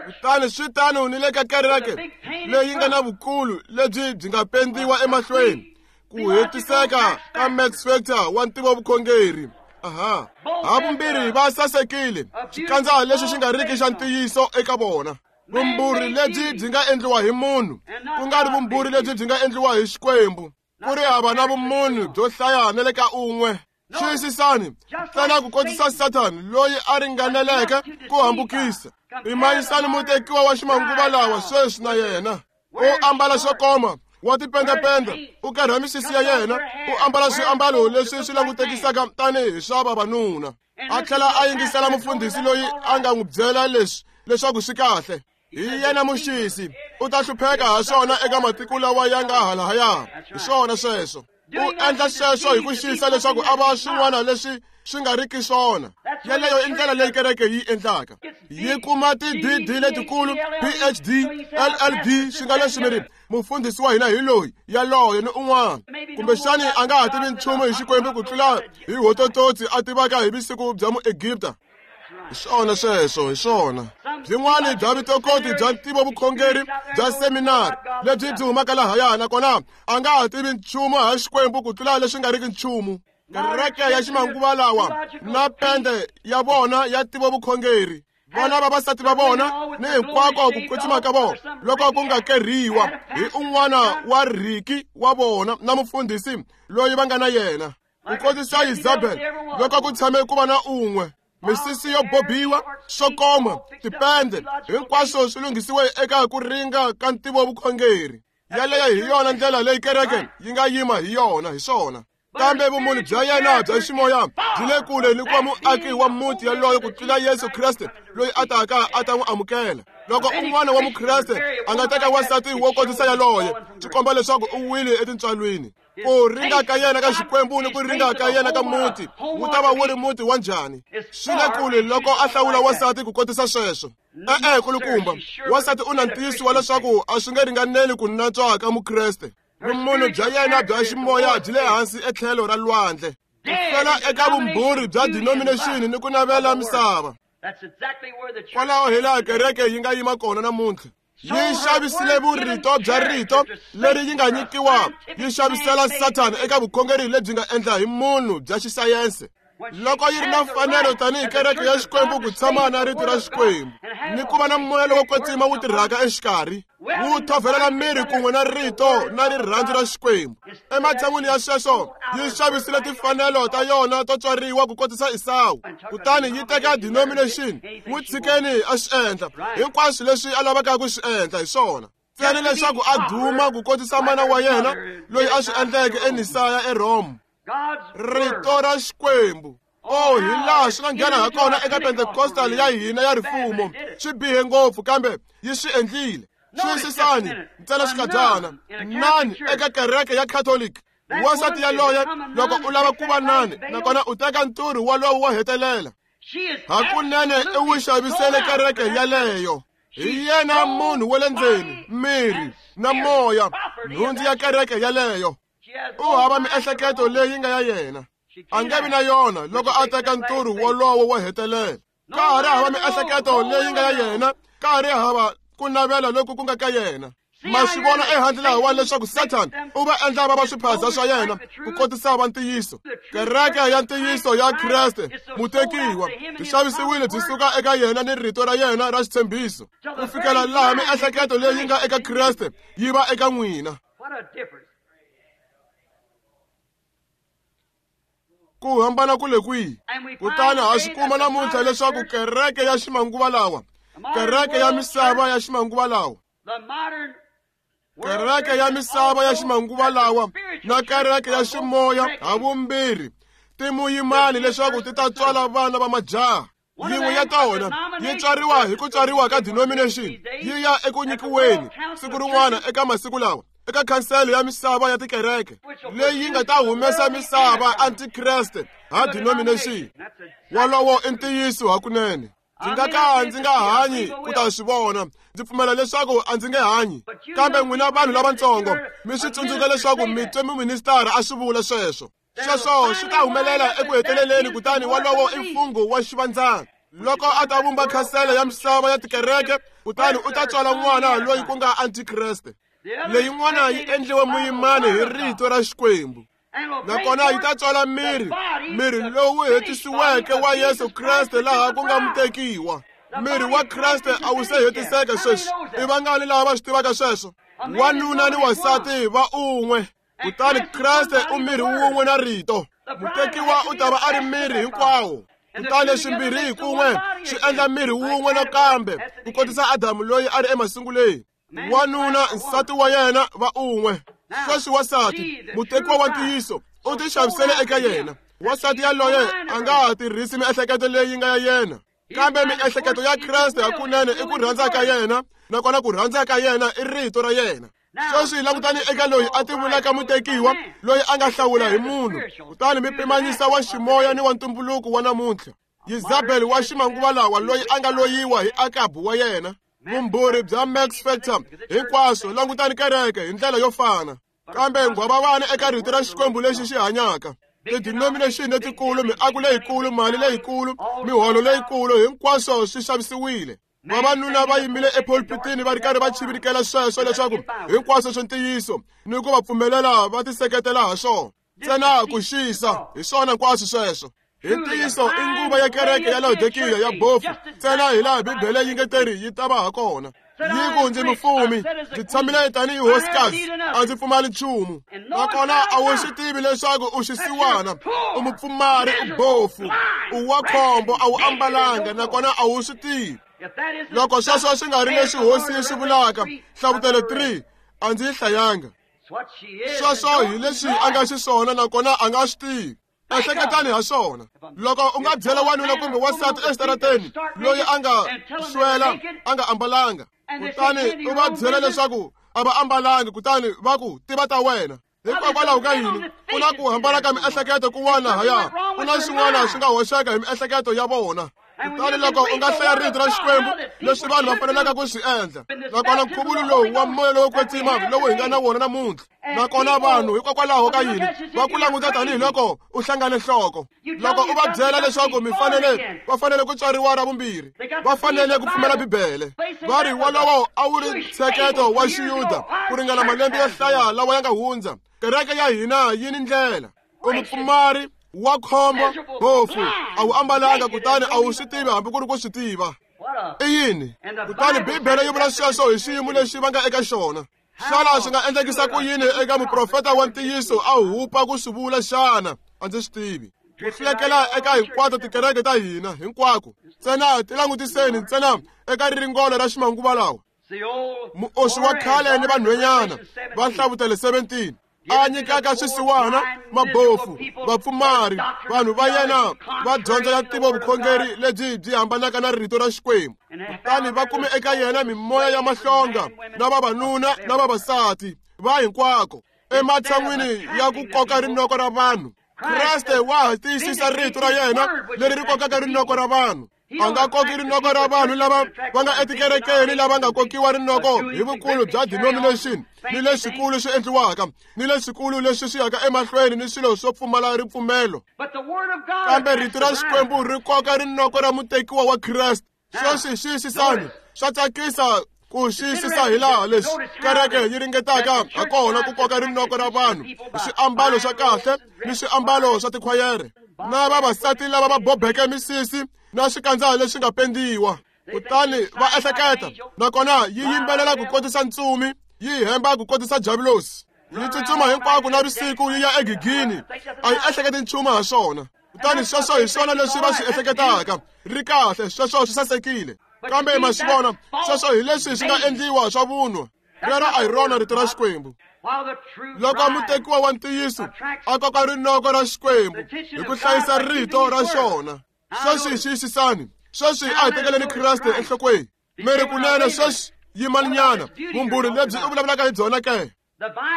Kutani swi tano ni le ka kereke leyi nga na vukulu lebyi byi nga pendiwa emahlweni, ku hetiseka ka Max Factor wa ntivovukhongeri. Aha. Havumbirhi va sasekile, xikandza lexi xi nga riki xa ntiyiso eka vona. Vumbhuri lebyi byi nga endliwa hi munhu, ku nga ri vumbhuri lebyi byi nga endliwa hi Xikwembu. Ku ri hava na vumunhu byo hlaya na le ka un'we. Xiyisisani, ntsena ku kotisa Sathani loyi a ringaneleke ku hambukisa. Pimanyisani mutekiwa wa ximanguva lawa sweswi na yena. U ambala swo koma, wa tipendapenda, u kerha misisi ya yena, u ambala swiambalo leswi swi langutekisaka tanihi swa vavanuna. A tlhela a yingisela mufundhisi loyi a nga n'wi byela leswi leswaku swi kahle. Hi yena muxisi, u ta hlupheka ha swona eka matiko lawa ya nga halahaya. Hi swona sweswo. U endla sweswo hi ku xisa leswaku a va swin'wana leswi swi nga riki swona. Yeleyo i ndlela leyi kereke yi endlaka. Yi kuma ti-D D letikulu, P H D, L L D, swi nga leswi mi ri mufundhisi wa hina hi loyi, yaloye ni un'wana. Kumbexani a nga ha tivi nchumu hi Xikwembu ku tlula hi hotototsi a tivaka hi vusiku bya Muegipta. Hi swona sweswo, hi swona. Byin'wana bya vutokoti bya ntivovukhongeri bya seminari lebyi byi humaka lahaya, nakona a nga ha tivi nchumu ha Xikwembu ku tlula leswi nga riki nchumu. Kereke ya ximanguva lawa na pende ya vona ya ntivovukhongeri, vona vavasati va vona ni hinkwako ku kwetsima ka vona loko ku nga kerhiwa hi un'wana wa riki wa vona na mufundhisi loyi va nga na yena. Ku kotisa Isabel loko ku tshame ku va na un'we. Misisi yo bobiwa, swo koma, tipende, hinkwaswo swi lunghisiwe eka ku ringa ka ntivovukhongeri. Yaleyo hi yona ndlela leyi kereke yi nga yima hi yona, hi swona. Kambe vumunhu bya yena bya ximoya byi le kule ni ku va muaki wa muti yaloyo ku tlula Yesu Kreste loyi a taka a ta n'wi amukela. Loko un'wana wa Mukreste a nga teka wansati wo kotisa yaloye, swi komba leswaku u wile etintswalweni. Ku ringa ka yena ka Xikwembu ni ku ringa ka yena ka muti wu ta va wu ri muti wa njhani? Swi le kule loko a hlawula wansati ku kotisa sweswo. E-e, kulukumba, wansati u na ntiyiso wa leswaku a swi nge ringaneli ku natswa ka Mukreste. Vumunhu bya yena bya ximoya byi le hansi etlhelo ra lwandle. Ku fela eka vumbhuri bya denomination ni ku navela misava. Kwalaho hi laha kereke yi nga yima kona namuntlha. Yi xavisile vurito bya rito leri yi nga nyikiwa, yi xavisela Sathana eka vukhongeri lebyi nga endla hi munhu bya xisayense. Loko yi ri na mfanelo tanihi kereke ya Xikwembu ku tshama na rito ra Xikwembu ni ku va na moya lowo kwetsima wu tirhaka exikarhi, wu thovelela miri kun'we na rito na rirhandzu ra Xikwembu. Ematshan'wini ya sweswo, yi xavisile timfanelo ta yona to tswariwa ku kotisa Esawu, kutani yi teka denomination. N'wi tshikeni a swi endla hinkwaswo leswi a lavaka ku swi endla hi swona, ntsena leswaku a duma ku kotisa mana wa yena loyi a swi endleke eNisaya eRome. Rito ra Xikwembu. O hi laha swi nga nghena ha kona eka Pentecostal ya hina ya rifumo. Swi bihe ngopfu kambe yi swi endlile. Xiyisisani ntsena xikadyana. Nani eka kereke ya Catholic. Wansati yaloye loko u lava ku va nani nakona u teka nturhu walowo wo hetelela. Hakunene i wu xavisele kereke yaleyo. Hi yena munhu wa le ndzeni, miri na moya, nhundzu ya kereke yaleyo. U hava miehleketo leyi nga ya yena. A nge vi na yona loko a teka nturhu wolowo wo hetelela. Ka ha ri hava miehleketo leyi nga ya yena, ka ha ri hava ku navela loku ku nga ka yena. Ma swi vona ehandle lahawani leswaku Satan u va endla va va swiphaza swa yena ku kotisa va ntiyiso. Kereke ya ntiyiso ya Kreste mutekiwa byi xavisiwile byi suka eka yena ni rito ra yena ra xitshembiso ku fikela laha miehleketo leyi nga eka Kreste yi va eka n'wina. Ku hambana ku le kwihi? Kutani ha swi kuma namuntlha leswaku kereke ya ximanguva lawa, kereke ya misava ya ximanguva lawa, kereke ya misava ya ximanguva lawa na kereke ya ximoya havumbirhi ti muyimani leswaku ti ta tswala vana va majaha. Yin'we ya tona yi tswariwa hi ku tswariwa ka denomination yi ya eku nyikiweni siku rin'wana eka masiku lawa eka khansele ya misava ya tikereke leyi nga ta humesa misava antikreste ha denomination. Wolowo i ntiyiso hakunene. Ndzi nga ka ndzi nga hanyi ku ta swi vona. Ndzi pfumela leswaku a ndzi nge hanyi. Kambe n'wina vanhu lavatsongo mi swi tsundzuka leswaku mi twe muministara a swi vula sweswo. Sweswo swi ta humelela eku heteleleni kutani wolowo i mfungho wa xivandzana. Loko a ta vumba khansele ya misava ya tikereke kutani u ta tswala n'wana loyi ku nga antikreste. Leyin'wana yi endliwe muyimani hi rito ra Xikwembu. Nakona yi ta tswala miri, miri lowu hetisiweke wa Yesu Kreste laha ku nga mutekiwa. Miri wa Kreste a wu se hetiseka sweswi. I vangani lava va swi tivaka sweswo? Wanuna ni wansati va un'we. Kutani Kreste u miri wun'we na rito. Mutekiwa u ta va a ri miri hinkwawo. Kutani swimbirhi hi kun'we swi endla miri wun'we nakambe ku kotisa Adamu loyi a ri emasunguleni. Wanuna nsati wa yena va un'we. Sweswi wansati mutekiwa wa ntiyiso u ti xavisele eka yena. Wansati yaloye a nga ha tirhisi miehleketo leyi nga ya yena, kambe miehleketo ya Kreste hakunene i ku rhandza ka yena, nakona ku rhandza ka yena i rito ra yena. Sweswi langutani eka loyi a tivulaka mutekiwa loyi a nga hlawula hi munhu, kutani mi pimanyisa wa ximoya ni wa ntumbuluko wa namuntlha. Yezabel wa ximanguva lawa loyi a nga loyiwa hi Akabu wa yena. Vumbhuri bya Max Factor hinkwaswo langutani kereke hi ndlela yo fana. Kambe nghwavavani eka rito ra Xikwembu lexi xi hanyaka. Ti-denomination letikulu, miako leyikulu, mali leyikulu, miholo leyikulu, hinkwaswo swi xavisiwile. Vavanuna va yimile epulpitini va ri karhi va chivirikela sweswo leswaku hinkwaswo swi ntiyiso ni ku va pfumelela va tiseketela ha swona. Ntsena ku xisa hi swona hinkwaswo sweswo. Hi ntiyiso i nguva ya kereke ya Laodikiya ya bofu ntsena hi laha Bibele yi nge teri yi ta va ha kona. Yi ku ndzi mufumi, ndzi tshamile tanihi hosikazi, a ndzi pfumali nchumu. Nakona a wu swi tivi leswaku u xisiwana, u mupfumari, u bofu, u wa khombo, a wu ambalanga, nakona a wu swi tivi. Loko sweswo swi nga ri leswi hosi yi swi vulaka, Hlavutelo three, a ndzi yi hlayanga. Sweswo hi leswi a nga xiswona nakona a nga swi tivi. Ehleketani ha swona. Loko u nga byela wanuna kumbe wansati exitarateni loyi a nga swela a nga ambalanga, kutani u va byela leswaku a va ambalangi, kutani va ku tiva ta wena. Hikokwalaho ka yini? Ku na ku hambana ka miehleketo kun'wana lahaya. Ku na swin'wana swi nga hoxeka hi miehleketo ya vona. Kutani loko u nga hlaya rito ra Xikwembu leswi vanhu va fanelaka ku swi endla, nakona nkhuvulo lowu wa moya lowo kwetsima lowu hi nga na wona namuntlha, nakona vanhu hikokwalaho ka yini va ku languta tanihiloko u hlangane nhloko. Loko u va byela leswaku mi fanele va fanele ku tswariwa ra vumbirhi, va fanele ku pfumela Bibele, va ri wolowo a wu ri ntsheketo wa Xiyuda ku ringana malembe yo hlaya lawa ya nga hundza. Kereke ya hina yi ni ndlela. U mupfumari wa khombo, bofu, a wu ambalanga, kutani a wu swi tivi hambi ku ri ku swi tiva. I yini? Kutani Bibele yi vula sweswo hi xiyimo lexi va nga eka xona. Xana swi nga endlekisa ku yini eka muprofeta wa ntiyiso a hupa ku swi vula xana? A ndzi swi tivi. Ku hlekela eka hinkwato tikereke ta hina hinkwako. Ntsena ti langutiseni ntsena eka riringolo ra ximanguva lawa. Muoswi wa khale ni vanhwenyana va Hlavutelo seventeen. a nyikaka swisiwana, mabofu, vapfumari, vanhu va yena va dyondzo ya ntivovukhongeri lebyi byi hambanaka na rito ra Xikwembu. Kutani va kume eka yena mimoya ya mahlonga na vavanuna na vavasati va hinkwako ematshan'wini ya ku koka rinoko ra vanhu. Kreste wa ha tiyisisa rito ra yena leri ri kokaka rinoko ra vanhu. A nga koki rinoko ra vanhu lava va nga etikerekeni lava nga kokiwa rinoko hi vukulu bya denomination ni leswikulu swi endliwaka ni leswikulu leswi swi yaka emahlweni ni swilo swo pfumala ripfumelo. Kambe rito ra Xikwembu ri koka rinoko ra mutekiwa wa Kreste. Sweswi xiyisisani, swa tsakisa ku xiyisisa hi laha leswi kereke yi ringetaka hakona ku koka rinoko ra vanhu hi swiambalo swa kahle ni swiambalo swa tikhwayere na vavasati lava va bobeke misisi na swikandza leswi nga pendiwa. Kutani va ehleketa, nakona yi yimbelela ku kotisa ntsumi, yi hemba ku kotisa javulosi, yi tsutsuma hinkwako na vusiku yi ya egigini, a yi ehleketi nchumu ha swona. Kutani sweswo hi swona leswi va swi ehleketaka, ri kahle, sweswo swi sasekile. Kambe ma swi vona, sweswo hi leswi swi nga endliwa swa vunwa. Rero a hi rona rito ra Xikwembu. Loko mutekiwa wa ntiyiso a koka rinoko ra Xikwembu hi ku hlayisa rito ra xona. Sweswi xiyisisani, sweswi a hi tekeleni Kreste enhlokweni. Mi ri kunene sweswi yimaninyana, vumbhurhi lebyi u vulavulaka hi byona ke?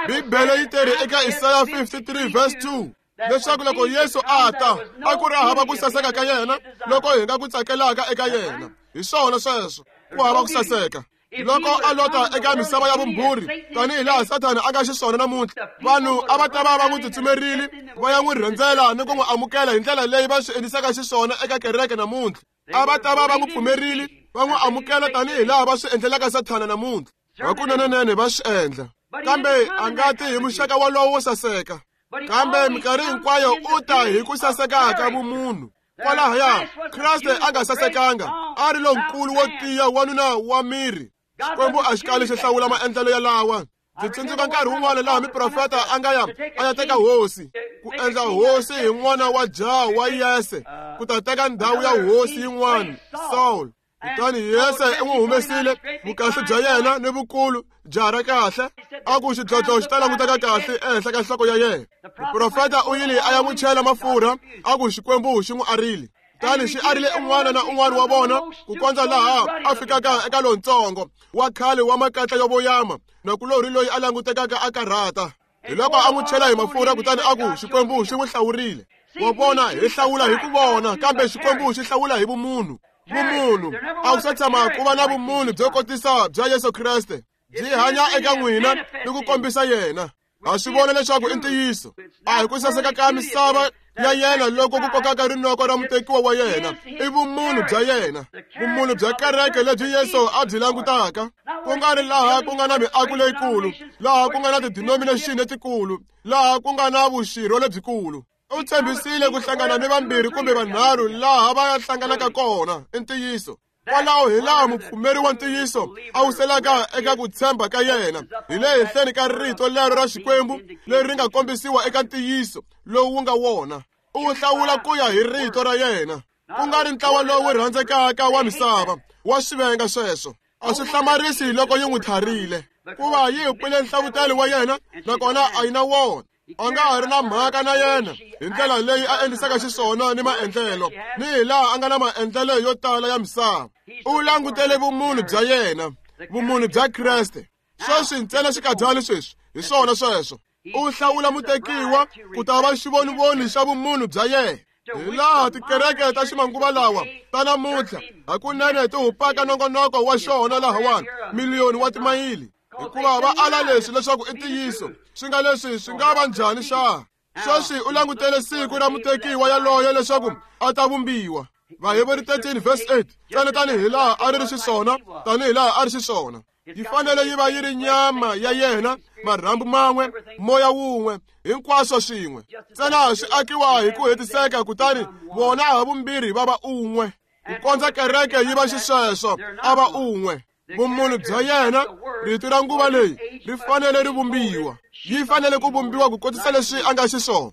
Bibele yi tere eka Isaya fifty-three verse two leswaku loko Yesu a ta, a ku ri hava ku saseka ka yena loko hi nga ku tsakelaka eka yena. Hi swona sweswo, ku hava ku saseka. Loko a lota eka misava ya vumbhurhi tanihi laha Sathana a nga xiswona namuntlha, vanhu a va ta va va n'wi tsutsumerile va ya n'wi rhendzela ni ku n'wi amukela hi ndlela leyi va swi endlisaka xiswona eka kereke namuntlha. A va ta va va n'wi pfumerile va n'wi amukela tanihi laha va swi endlelaka Sathana namuntlha. Hakunenenene va swi endla, kambe a nga ti hi muxaka wolowo wo saseka. Kambe minkarhi hinkwayo u ta hi ku saseka ka vumunhu. Kwalahaya Kreste a nga sasekanga, a ri lonkulu wo tiya, wanuna wa miri. Xikwembu a xi kali xi hlawula maendlelo yalawa. Ndzi tsundzuka nkarhi wun'wana laha miprofeta a nga ya a ya teka hosi, ku endla hosi hi n'wana wa jaha wa Yese, ku ta teka ndhawu ya hosi yin'wana, Saul. Kutani Yese u n'wi humesile vukahle bya yena ni vukulu, jaha ra kahle, a ku xidlodlo xi ta languteka kahle ehenhla ka nhloko ya yena. Muprofeta u yile a ya n'wi chela mafurha, a ku Xikwembu xi n'wi arile. Kutani xi arile un'wana na un'wana wa vona ku kondza laha a fikaka eka lontsongo wa khale wa makatla yo voyama, nakulorhi loyi a langutekaka a karhata. Hi loko a n'wi chela hi mafurha, kutani a ku Xikwembu xi n'wi hlawurile. Wa vona, hi hlawula hi ku vona, kambe Xikwembu xi hlawula hi vumunhu. Vumunhu a wu se tshama ku va na vumunhu byo kotisa bya Yesu Kreste, byi hanya eka n'wina ni ku kombisa yena. Ha swi vona leswaku i ntiyiso, a hi ku saseka ka misava ya yena loko ku kokaka rinoko ra mutekiwa wa yena, i vumunhu bya yena, vumunhu bya kereke lebyi Yesu a byi langutaka. Ku nga ri laha ku nga na miako leyikulu, laha ku nga na tidenomination letikulu, laha ku nga na vuxirho lebyikulu. U tshembisile ku hlangana ni vambirhi kumbe vanharhu laha va ya hlanganaka kona, i ntiyiso. Kwalaho hi laha mupfumeri wa ntiyiso a wuselaka eka ku tshemba ka yena, hi le henhleni ka rito lero ra Xikwembu leri ri nga kombisiwa eka ntiyiso lowu wu nga wona. U hlawula ku ya hi rito ra yena, ku nga ri ntlawa lowu rhandzekaka wa misava wa swivenga sweswo. A swi hlamarisi loko yi n'wi tharile, kuva yi hupile nhlavutelo wa yena, nakona a yi na wona. A nga ha ri na mhaka na yena hi ndlela leyi a endlisaka xiswona ni maendlelo, ni hi laha a nga na maendlelo yo tala ya misava. U langutele vumunhu bya yena, vumunhu bya Kreste. Sweswi ntsena xikadyana sweswi, hi swona sweswo. U hlawula mutekiwa ku ta va xivonivoni xa vumunhu bya yena. Hi laha tikereke ta ximanguva lawa ta namuntlha hakunene ti hupaka nongonoko wa xona lahawani miliyoni wa timayili, hikuva va ala leswi leswaku i ntiyiso. Swi nga leswi swi nga va njhani xa? Sweswi u langutele siku ra mutekiwa yaloye leswaku a ta vumbiwa. Vaheberi thirteen verse eight, ntsena tanihi laha a ri ri xiswona, tanihi laha a ri xiswona. Yi fanele yi va yi ri nyama ya yena, marhambu man'we, moya wun'we, hinkwaswo swin'we. Ntsena swi akiwa hi ku hetiseka, kutani vona havumbirhi va va un'we. Ku kondza kereke yi va xisweswo, a va un'we. Vumunhu bya yena, rito ra nguva leyi ri fanele ri vumbiwa. Yi fanele ku vumbiwa ku kotisa leswi a nga xiswona.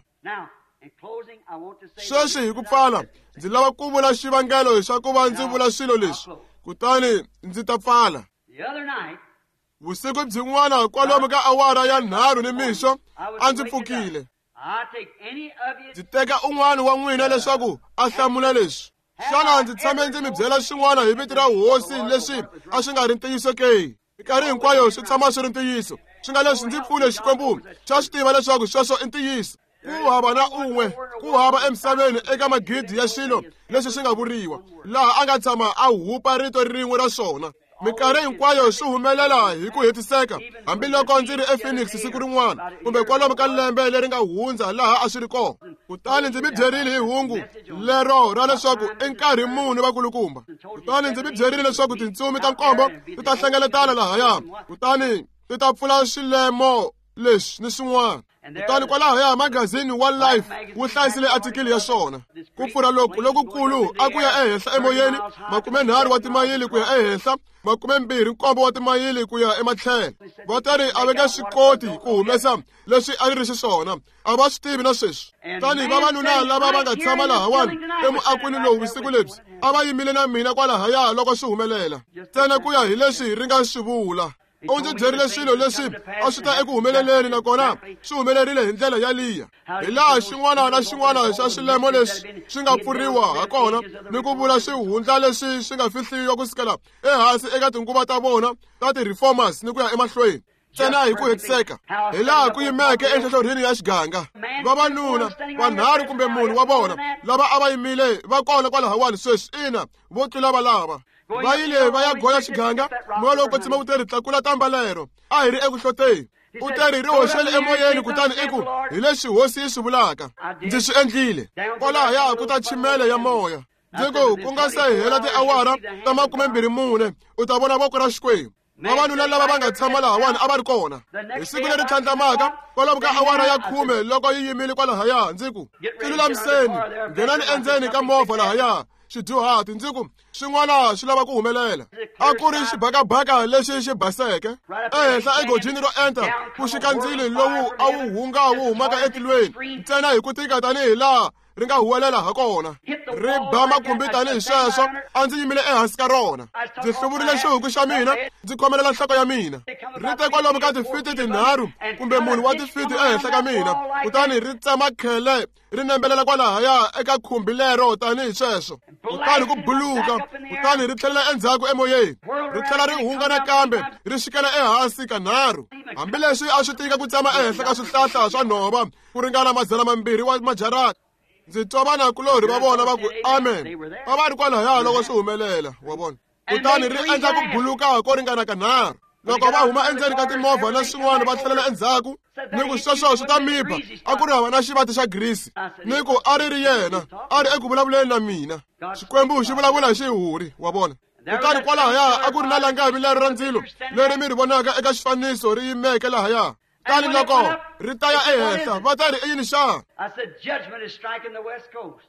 Sweswi hi ku pfala, ndzi lava ku vula xivangelo xa ku va ndzi vula swilo leswi, kutani ndzi ta pfala. The other night, Vusiku byin'wana kwalomu ka awara ya nharhu nimixo a ndzi pfukile. Ndzi teka un'wana wa n'wina leswaku a hlamula leswi. Xana ndzi tshame ndzi mi byela xin'wana hi vito ra hosi leswi a swi nga ri ntiyiso ke? Minkarhi hinkwayo swi tshama swi ri ntiyiso. Swi nga leswi ndzi pfune Xikwembu xa swi tiva leswaku sweswo i ntiyiso. Ku hava na un'we, ku hava emisaveni eka magidi ya swilo leswi swi nga vuriwa, laha a nga tshama a hupa rito rin'we ra swona. Minkarhi hinkwayo swi humelela hi ku hetiseka, hambiloko ndzi ri ePhoenix siku rin'wana kumbe kwalomu ka lembe leri nga hundza laha a swi ri kona. Kutani ndzi mi byerile hi hungu lero ra leswaku i nkarhi muni vakulukumba. Kutani ndzi mi byerile leswaku tintsumi ta nkombo ti ta hlengeletana lahaya, kutani ti ta pfula swilemo leswi ni swin'wana. Kutani kwalahaya magazini wa Life wu hlayisile atikili ya swona. Ku pfura loku lokukulu a ku ya ehenhla emoyeni, makumenharhu wa timayili ku ya ehenhla, makumembirhi nkombo wa timayili ku ya ematlhelo. Va ta ri a va nge swi koti ku humesa leswi a ri ri xiswona, a va swi tivi na sweswi. Tani vavanuna lava va nga tshama lahawani emuakweni lowu vusiku lebyi a va yimile na mina kwalahaya loko swi humelela, ntsena ku ya hi leswi ri nga swi vula. U ndzi byerile swilo leswi a swi ta eku humeleleni, nakona swi humelerile hi ndlela yaliya, hi laha xin'wana na xin'wana xa swilemo leswi swi nga pfuriwa hakona ni ku vula swihundla leswi swi nga fihliwa kusukela ehansi eka tinguva ta vona ta ti-reformers ni ku ya emahlweni, ntsena hi ku hetiseka, hi laha ku yimeke enhlohlorhini ya xiganga. Vavanuna vanharhu kumbe munhu wa vona lava a va yimile va kona kwalahawani sweswi, ina, vo tlula valava. Va yile va ya goya xiganga, moya lowo kwetsima wu te ri tlakula tamba lero. A hi ri eku hloteni. U te ri ri hoxele emoyeni, kutani i ku hi leswi hosi yi swi vulaka. Ndzi swi endlile. Kwalahaya ku ta chimele ya moya. Ndzi ku ku nga se hela tiawara ta makumembirhi mune u ta vona voko ra Xikwembu. Vavanuna lava va nga tshama lahawani a va ri kona. Hi siku leri tlhandlamaka kwalomu ka awara ya khume loko yi yimile kwalahaya, ndzi ku tilulamiseni, nghenani endzeni ka movha lahaya. Xidyuhati, ndzi ku swin'wana swi lava ku humelela. A ku ri xibakabaka lexi xi baseke ehenhla egojini ro enta ku xika ndzilo lowu a wu hunga wu humaka etilweni, ntsena hi ku tika tanihi laha ri nga huwelela hakona, ri ba makhumbi tanihi sweswo. A ndzi yimile ehansi ka rona, ndzi hluvurile xihuku xa mina, ndzi khomelela nhloko ya mina. Ri te kwalomu ka tifiti tinharhu kumbe munhu wa tifiti ehenhla ka mina, kutani ri tsema khele ri nembelela kwalahaya eka khumbi lero tanihi sweswo. Kutani ku buluka, kutani ri tlhelela endzhaku emoyeni, ri tlhela ri hunga nakambe, ri xikela ehansi kanharhu. Hambileswi a swi tika ku tsema ehenhla ka swihlahla swa nhova ku ringana madzana mambirhi wa majarata, ndzi twa vanakulorhi va vona va ku amen. Va va ri kwalahaya loko swi humelela, wa vona. Kutani ri endla ku buluka ko ringana kanharhu. Loko va huma endzeni ka timovha na swin'wana va tlhelela endzhaku, ni ku sweswo swi ta mi ba. A ku ri hava na xivati xa grisi, ni ku a ri ri yena, a ri eku vulavuleni na mina. Xikwembu xi vulavula hi xihuri, wa vona. Kutani kwalahaya a ku ri na langavi lero ra ndzilo leri mi ri vonaka eka xifaniso ri yimeke lahaya. Kutani loko ri ta ya ehenhla, va ta ri i yini xana?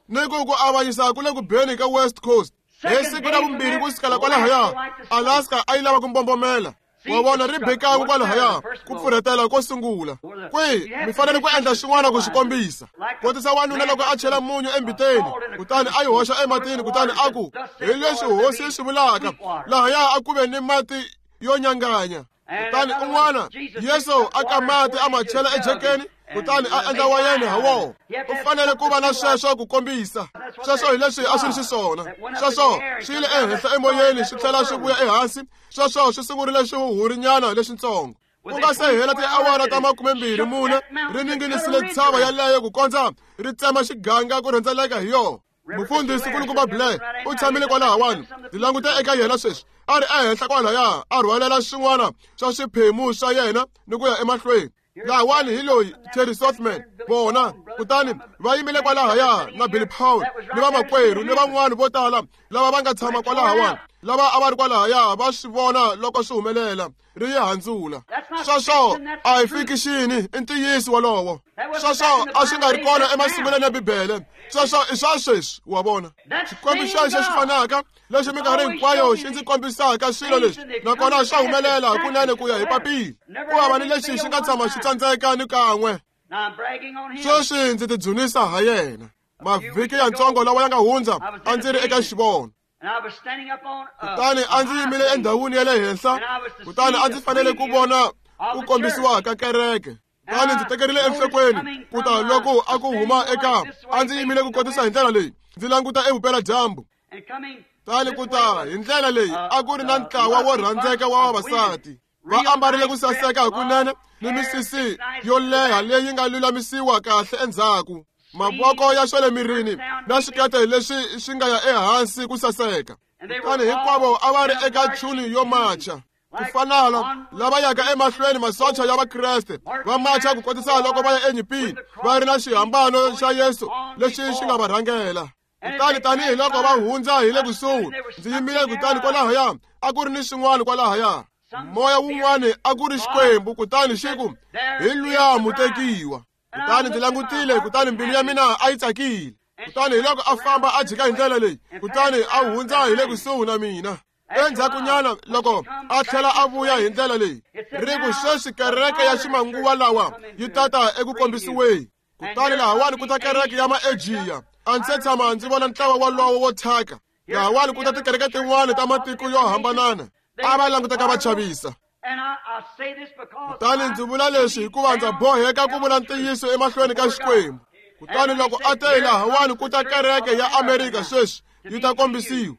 Ni ku ku avanyisa ku le ku beni ka West Coast. Hi siku ra vumbirhi ku sukela kwalahaya, Alaska a yi lava ku mbombomela. Wa vona, ri bekangu kwalahaya ku pfurhetela ko sungula. Kwihi mi fanele ku endla swin'wana ku swi kombisa. Kotisa wanuna loko a chela munyu embiteni, kutani a yi hoxa ematini, kutani a ku hi leswi hosi yi swi vulaka, lahaya a ku ve ni mati yo nyanganya. Kutani un'wana Yesu a ka mati a ma chela ejekeni, kutani a endla wayeni ha wona. U fanele ku va na sweswo ku kombisa. Sweswo hi leswi a swi ri xiswona. Sweswo swi yile ehenhla emoyeni swi tlhela swi vuya ehansi. Sweswo swi sungurile xihuhurinyana lexitsongo. Ku nga se hela tiawara ta makumembirhi mune, ri ninginisile ntshava yaleyo ku kondza ri tsema xiganga ku rhendzeleka hi yona. Mufundhisi nkulukumba Blair u tshamile kwalahawani. Ndzi langute eka yena sweswi, a ri ehenhla kwalahaya, a rhwalela swin'wana swa swiphemu swa yena ni ku ya emahlweni. Lahawani hi loyi Terry Sothman vona, kutani va yimile kwalahaya na Billy Paul ni vamakwerhu ni van'wana vo tala lava va nga tshama kwalahawani, lava a va ri kwalahaya va swi vona loko swi humelela ri yi handzula. Sweswo a hi fikixini, i ntiyiso wolowo. Sweswo a swi nga ri kona emasungulweni ya Bibele. Sweswo i swa sweswi, wa vona. Xikwembu xexo xi fanaka lexi minkarhi hinkwayo xi ndzi kombisaka swilo leswi, nakona swa humelela hakunene ku ya hi papila. Ku hava ni lexi xi nga tshama xi tsandzeka ni kan'we. Sweswi ndzi tidzunisa ha yena. Mavhiki yantsongo lawa ya nga hundza a ndzi ri eka xivono. Kutani a ndzi yimile endhawini ya le henhla, kutani a ndzi fanele ku vona ku kombisiwa ka kereke. Kutani ndzi tekerile enhlokweni ku ta loko a ku huma eka a ndzi yimile ku kotisa hi ndlela leyi, ndzi languta evupeladyambu. Kutani ku ta hi ndlela leyi a ku ri na ntlawa wo rhandzeka wa vavasati va ambarile ku saseka hakunene ni misisi yo leha leyi nga lulamisiwa kahle endzhaku, mavoko ya swa le mirini na swikete leswi swi nga ya ehansi ku saseka. Kutani hinkwavo a va ri eka chuni yo macha ku fanala lava yaka emahlweni masocha ya Vakreste va macha ku kotisa loko va ya enyimpini va ri na xihambano xa Yesu lexi xi nga va rhangela. Kutani tanihiloko va hundza hi le kusuhi ndzi yimile, kutani kwalahaya a ku ri ni swin'wana kwalahaya moya wun'wani a ku ri Xikwembu, kutani xi ku hi luya mutekiwa. Kutani ndzi langutile, kutani mbilu ya mina a yi tsakile. Kutani hi loko a famba a jika hi ndlela leyi, kutani a hundza hi le kusuhi na mina. Endzhakunyana loko a tlhela a vuya hi ndlela leyi, ri ku sweswi kereke ya ximanguva lawa yi tata eku kombisiweni. Kutani lahawani ku ta kereke ya Maejiya. A ndzi se tshama ndzi vona ntlawa wolowo wo thyaka. Lahawani ku ta tikereke tin'wani ta matiko yo hambanana, a va languteka va chavisa. Kutani ndzi vula leswi hikuva ndza boheka ku vula ntiyiso emahlweni ka Xikwembu. Kutani loko a te lahawani ku ta kereke ya Amerika sweswi yi ta kombisiwa.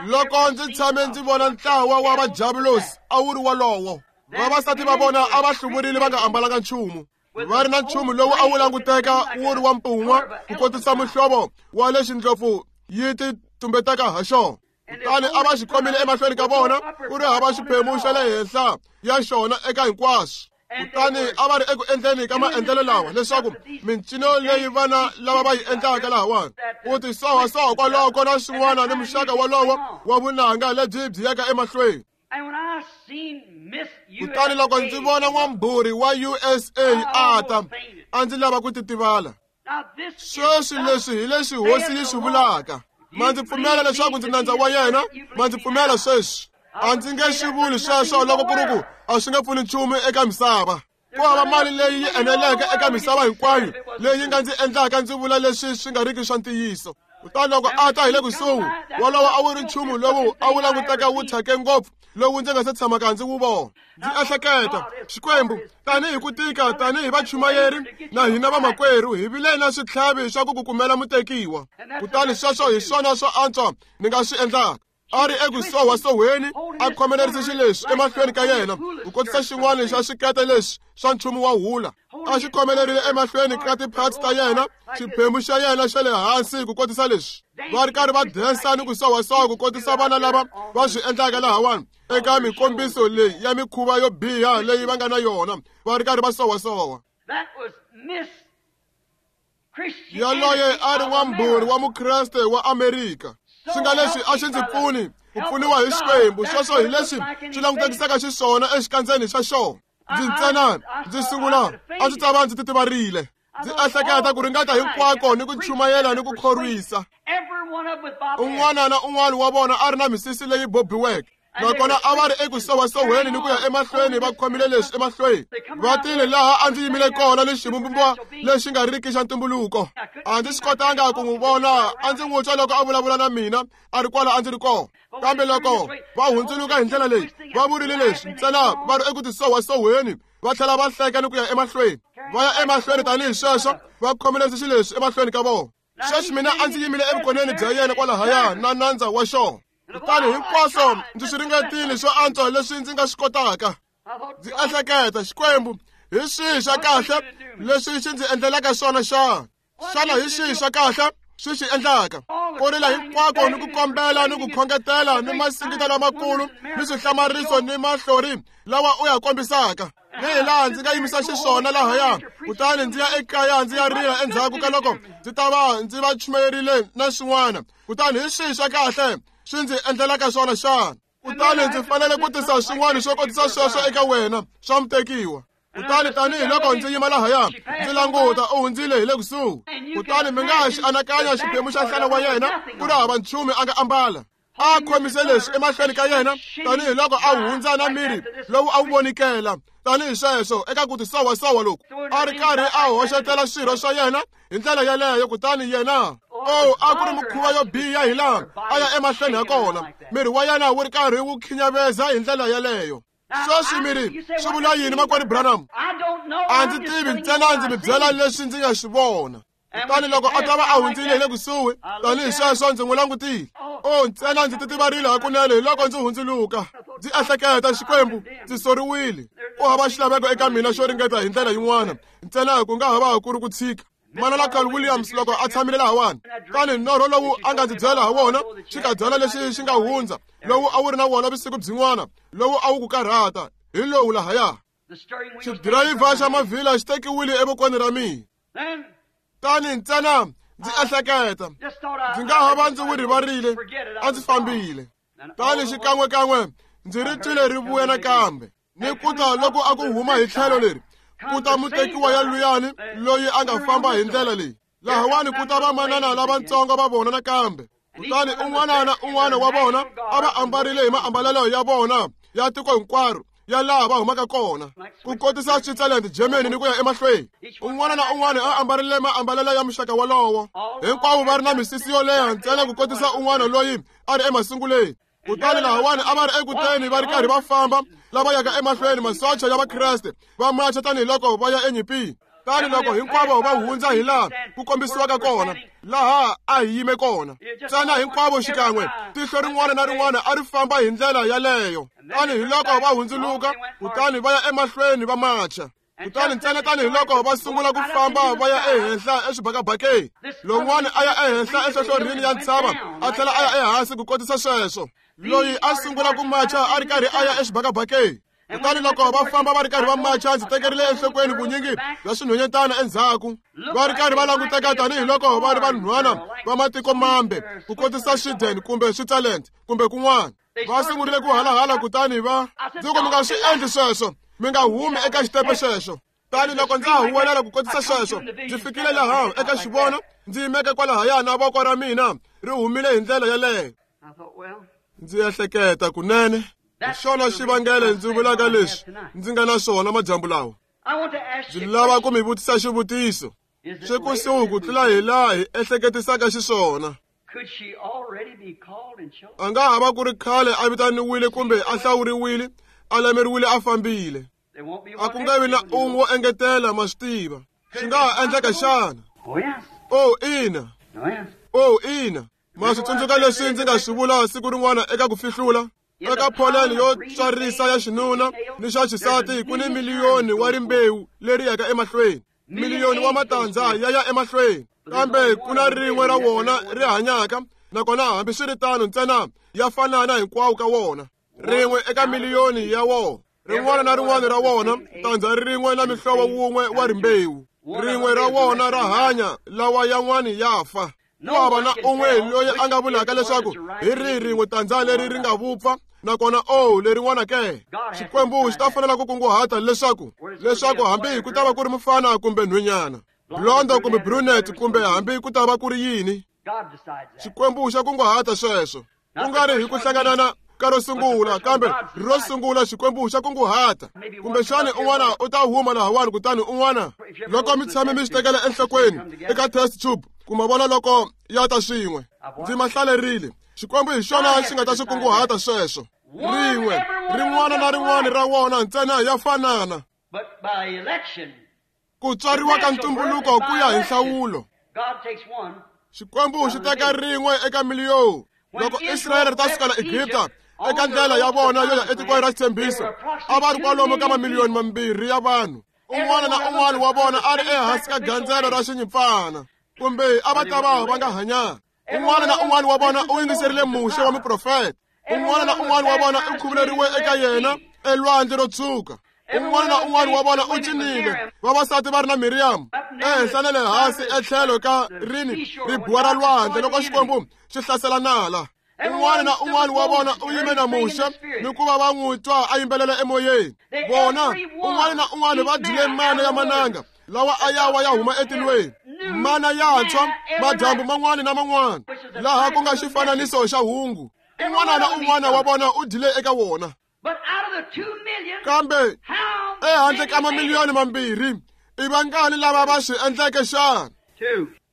Loko ndzi tshame ndzi vona ntlawa wa vajavulosi a wu ri wolowo. Vavasati va vona a va hluvurile va nga ambalanga nchumu, va ri na nchumu lowu a wu languteka wu ri wa mpun'wa ku kotisa muhlovo wa lexi ndlopfu yi ti tumbetaka ha xona. Kutani a va xi khomile emahlweni ka vona ku ri hava xiphemu xa le henhla ya xona eka hinkwaswo. Kutani a va ri eku endleni ka maendlelo lawa leswaku mincino leyi vana lava va yi endlaka lahawani ku ti sohasoha kwaloko na swin'wana ni muxaka wolowo wa vunanga lebyi byi yaka emahlweni. Kutani loko ndzi vona n'wambhuri wa U S A a ta, a ndzi lava ku titivala. Sweswi leswi hi leswi hosi yi swi vulaka. Ma ndzi pfumela leswaku ndzi nandza wa yena? Ma ndzi pfumela sweswi? A ndzi nge swi vuli sweswo loko ku ri ku a swi nge pfuni nchumu eka misava. Ku hava mali leyi yi eneleke eka misava hinkwayo leyi nga ndzi endlaka ndzi vula leswi swi nga riki swa ntiyiso. Kutani loko a ta hi le kusuhi, wolowo a wu ri nchumu lowu a wu languteka wu thyake ngopfu lowu ndzi nga se tshamaka ndzi wu vona. Ndzi ehleketa, Xikwembu, tanihi ku tika, tanihi vachumayeri na hina vamakwerhu hi vile na switlhavi swa ku ku kumela mutekiwa. Kutani sweswo hi swona swo antswa ni nga swi endlaka. A ri eku sohasohweni a khomelerise xileswi emahlweni ka yena ku kotisa xin'wana xa swikete leswi swa nchumu wa hula. A xi khomelerile emahlweni ka ti-parts ta yena, xiphemu xa yena xa le hansi ku kotisa leswi. Va ri karhi va densa ni ku sohasoha ku kotisa vana lava va swi endlaka lahawani eka mikombiso leyi ya mikhuva yo biha leyi va nga na yona, va ri karhi va sohasoha. Yaloye a ri n'wambhuri wa Mukreste wa Amerika. Swi nga leswi a xi ndzi pfuni ku pfuniwa hi Xikwembu, sweswo hi leswi swi langutekisaka xiswona exikandzeni xa xona. Ndzi ntsena ndzi sungula a ndzi ta va ndzi titivarile. Ndzi ehleketa ku ringata hinkwako ni ku chumayela ni ku khorwisa. Un'wana na un'wana wa vona a ri na misisi leyi bobiweke, nakona a va ri eku sohasohweni ni ku ya emahlweni va khomile leswi emahlweni. Va tile laha a ndzi yimile kona ni xivumbiwa lexi nga riki xa ntumbuluko. A ndzi swi kotanga ku n'wi vona, a ndzi n'wi twa loko a vulavula na mina a ri kwala a ndzi ri kona. Kambe loko va hundzuluka hi ndlela leyi, va vurile leswi ntsena va ri eku tisohasohweni, va tlhela va hleka ni ku ya emahlweni. Va ya emahlweni tanihi sweswo, va khomile xileswi emahlweni ka vona. Sweswi mina a ndzi yimile evukoneni bya yena kwalahaya na nandza wa xona. Kutani hinkwaswo ndzi swi ringetile swo antswa leswi ndzi nga swi kotaka. Ndzi ehleketa, Xikwembu, hi swihi swa kahle leswi xi ndzi endlelaka swona xana? Xana hi swihi swa kahle swi xi endlaka? Ku rila hinkwako ni ku kombela ni ku khongetela ni masingita lamakulu ni swihlamariso ni mahlori lawa u ya kombisaka. Ni hi laha ndzi nga yimisa xiswona lahaya, kutani ndzi ya ekaya ndzi ya rila endzhaku ka loko ndzi ta va ndzi va chumayerile na swin'wana. Kutani hi swihi swa kahle swi ndzi endlelaka swona xana? Kutani ndzi fanele ku tisa swin'wana swo kotisa sweswo eka wena swa mutekiwa. Kutani tanihiloko ndzi yima lahaya ndzi languta, u hundzile hi le kusuhi. Kutani mi nga ha xi anakanya xiphemu xa nhlana wa yena ku ri hava nchumu a nga ambala. A khomise leswi emahlweni ka yena tanihiloko a hundza na miri lowu a wu vonikela tanihi sweswo eka ku tisohasoha loku. A ri karhi a hoxetela swirho swa yena hi ndlela yeleyo, kutani yena O a ku ri mikhuva yo biha hi laha a ya emahlweni ha kona miri wa yena wu ri karhi wu khinyaveza hi ndlela yeleyo. Sweswi miri swi vula yini makwerhu Branham? A ndzi tivi, ntsena ndzi mi byela leswi ndzi nga swi vona. Kutani loko a ta va a hundzile hi le kusuhi tanihi sweswo ndzi n'wi langutile. O ntsena ndzi titivarile hakunene hi loko ndzi hundzuluka. Ndzi ehleketa, Xikwembu, ndzi soriwile. Ku hava xilaveko eka mina xo ringeta hi ndlela yin'wana, ntsena ku nga ha va ku ri ku tshika. Manana Carl Williams loko a tshamile lahawani, tani norho lowu a nga ndzi byela ha wona xikadyana lexi xi nga hundza, lowu a wu ri na wona vusiku byin'wana, lowu a wu ku karhata, hi lowu lahaya. Xidirayivha xa mavhila xi tekiwile evokweni ra mina. Tani ntsena ndzi ehleketa, ndzi nga ha va ndzi wu rivarile, a ndzi fambile. Tani xikan'wekan'we ndzi ri twile ri vuya nakambe, ni kuta loko a ku huma hi tlhelo leri, kuta mutekiwa ya luyani loyi a nga famba hi ndlela leyi. Lahawani ku ta vamanana lavatsongo va vona nakambe. Kutani un'wana na un'wana wa vona a va ambarile hi maambalelo ya vona ya tiko hinkwaro ya laha va humaka kona, ku kotisa Switzerland, Germany ni ku ya emahlweni. Un'wana na un'wana a ambarile maambalelo ya muxaka wolowo, hinkwavo va ri na misisi yo leha ntsena ku kotisa un'wana loyi a ri emasunguleni. Kutani lahawani a va ri ekuteni va ri karhi va famba lava yaka emahlweni, masocha ya Vakreste va macha tanihiloko va ya enyimpini. Tani loko hinkwavo va hundza hi laha ku kombisiwaka kona, laha a hi yime kona, ntsena hinkwavo xikan'we tihlo rin'wana na rin'wana a ri famba hi ndlela yaleyo. Tani hi loko va hundzuluka, kutani va ya emahlweni va macha. Kutani ntsena tanihiloko va sungula ku famba va ya ehenhla exibakabakeni, lowun'wana a ya ehenhla enhlohlorhini ya ntshava, a tlhela a ya ehansi ku kotisa sweswo. Loyi a sungula ku macha a ri karhi a ya exibakabakeni. Kutani loko va famba va ri karhi va macha, ndzi tekerile enhlokweni vunyingi bya swinhwanyetana endzhaku, va ri karhi va languteka tanihiloko va ri vanhwana va matiko mambe, ku kotisa Sweden kumbe Switzerland kumbe kun'wana. Va sungurile ku halahala, kutani va ndzi ku mi nga swi endli sweswo, mi nga humi eka xitepe xexo. Tani loko ndza ha huwelela ku kotisa sweswo, ndzi fikile laha eka xivono, ndzi yimeke kwalahaya na voko ra mina ri humile hi ndlela yeleyo. Ndzi ehleketa kunene, hi xona xivangelo ndzi vulaka leswi ndzi nga na swona madyambu lawa. Ndzi lava ku mi vutisa xivutiso. Swi kusuhi ku tlula hi laha hi ehleketisaka xiswona. A nga ha va ku ri khale a vitaniwile kumbe a hlawuriwile, a lemeriwile, a fambile. A ku nga vi na un'we wo engetela, ma swi tiva. Swi nga ha endleka xana? Oh ina. Oh ina. Ma swi tsundzuka leswi ndzi nga swi vula siku rin'wana eka ku fihlula? Eka pholeni yo tswarisa ya xinuna ni xa xisati ku ni miliyoni wa rimbewu leri yaka emahlweni, miliyoni wa matandza ya ya emahlweni, kambe ku na rin'we ra wona ri hanyaka, nakona hambiswiritano ntsena ya fanana hinkwawo ka wona. Rin'we eka miliyoni ya wona, rin'wana na rin'wana ra wona tandza rin'we na mihlovo wun'we wa rimbewu, rin'we ra wona ra hanya, lawa yan'wani ya fa. Ku hava na un'we loyi a nga vulaka leswaku hi rihi rin'we tandza leri ri nga vupfa, nakona o lerin'wana ke. Xikwembu xi ta fanela ku kunguhata leswaku leswaku hambi ku ta va ku ri mufana kumbe nhwenyana, blondo kumbe brunette, kumbe hambi ku ta va ku ri yini, Xikwembu xa kunguhata sweswo. Ku nga ri hi ku hlanganana ka ro sungula, kambe ro sungula Xikwembu xa kunguhata. Kumbexani un'wana u ta huma lahawani, kutani un'wana loko mi tshame mi swi tekela enhlokweni eka test tube, kuma vona loko ya ta swin'we. Ndzi ma hlalerile. Xikwembu hi xona xi nga ta swi kunguhata sweswo. Rin'we rin'wana na rin'wana ra wona ntsena ya fanana. Ku tswariwa ka ntumbuluko ku ya hi nhlawulo. Xikwembu xi teka rin'we eka miliyoni. Loko Israyele ri ta sukela Egipta eka ndlela ya vona yo ya etikweni ra xitshembiso, a va ri kwalomu ka mamiliyoni mambirhi ya vanhu. Un'wana na un'wana wa vona a ri ehansi ka gandzelo ra xinyimpfana, kumbe a va ta va va nga hanyanga. Un'wana na un'wana wa vona u yingiserile Muxe wa muprofeta. Un'wana na un'wana wa vona u khuvuleriwe eka yena elwandle ro tshuka. Un'wana na un'wana wa vona u cinile, vavasati va ri na Miriam ehenhla na le hansi etlhelo ka rini ribuwa ra lwandle loko Xikwembu xi hlasela nala. Un'wana na un'wana wa vona u yime na Muxe ni ku va va n'wi twa a yimbelela emoyeni. Vona un'wana na un'wana va dyile mana ya mananga lawa a ya wa ya huma etilweni, mana yantshwa madyambu man'wana na man'wana, laha ku nga xifananiso xa hungu. Un'wana na un'wana wa vona u dyile eka wona. Kambe ehandle ka mamiliyoni mambirhi, i vangani lava va swi endleke xana?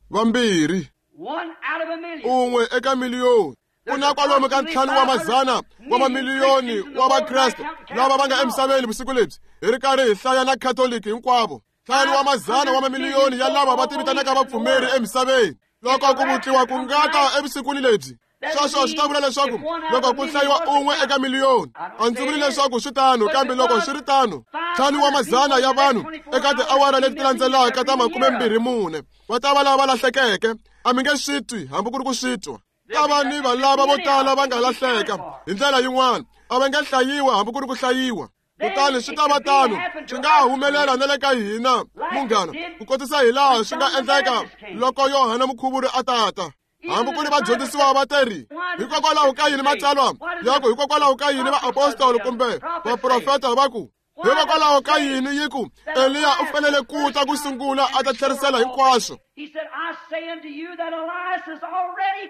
Vambirhi. Un'we eka miliyoni. Ku na kwalomu ka ntlhanu wa mazana wa mamiliyoni wa Vakreste lava va nga emisaveni vusiku lebyi, hi ri karhi hi hlaya na Khatoliki hinkwavo. Ntlhanu wa mazana wa mamiliyoni ya lava va tivitanaka vapfumeri emisaveni. Loko ku vutliwa ku nga ta evusikwini lebyi, sweswo swi ta vula leswaku loko ku hlayiwa un'we eka miliyoni, a ndzi vuli leswaku swi tano, kambe loko swi ri tano, ntlhanu wa mazana ya vanhu eka tiawara leti landzelaka ta makumembirhi mune va ta va lava lahlekeke. A mi nge swi twi hambi ku ri ku swi twa. Ta va ni valava vo tala va nga lahleka hi ndlela yin'wana, a va nge hlayiwa hambi ku ri ku hlayiwa. Kutani swi ta va tano, swi nga humelela na le ka hina, munghana, ku kotisa hi laha swi nga endleka loko Yohana Mukhuvuri a tata. Hambi ku ri vadyondzisiwa va teri, hikokwalaho ka yini matsalwa ya ku hikokwalaho ka yini vaapostolo kumbe vaprofeta va ku, hikokwalaho ka yini yi ku Eliya u fanele ku ta ku sungula a ta tlherisela hinkwaswo?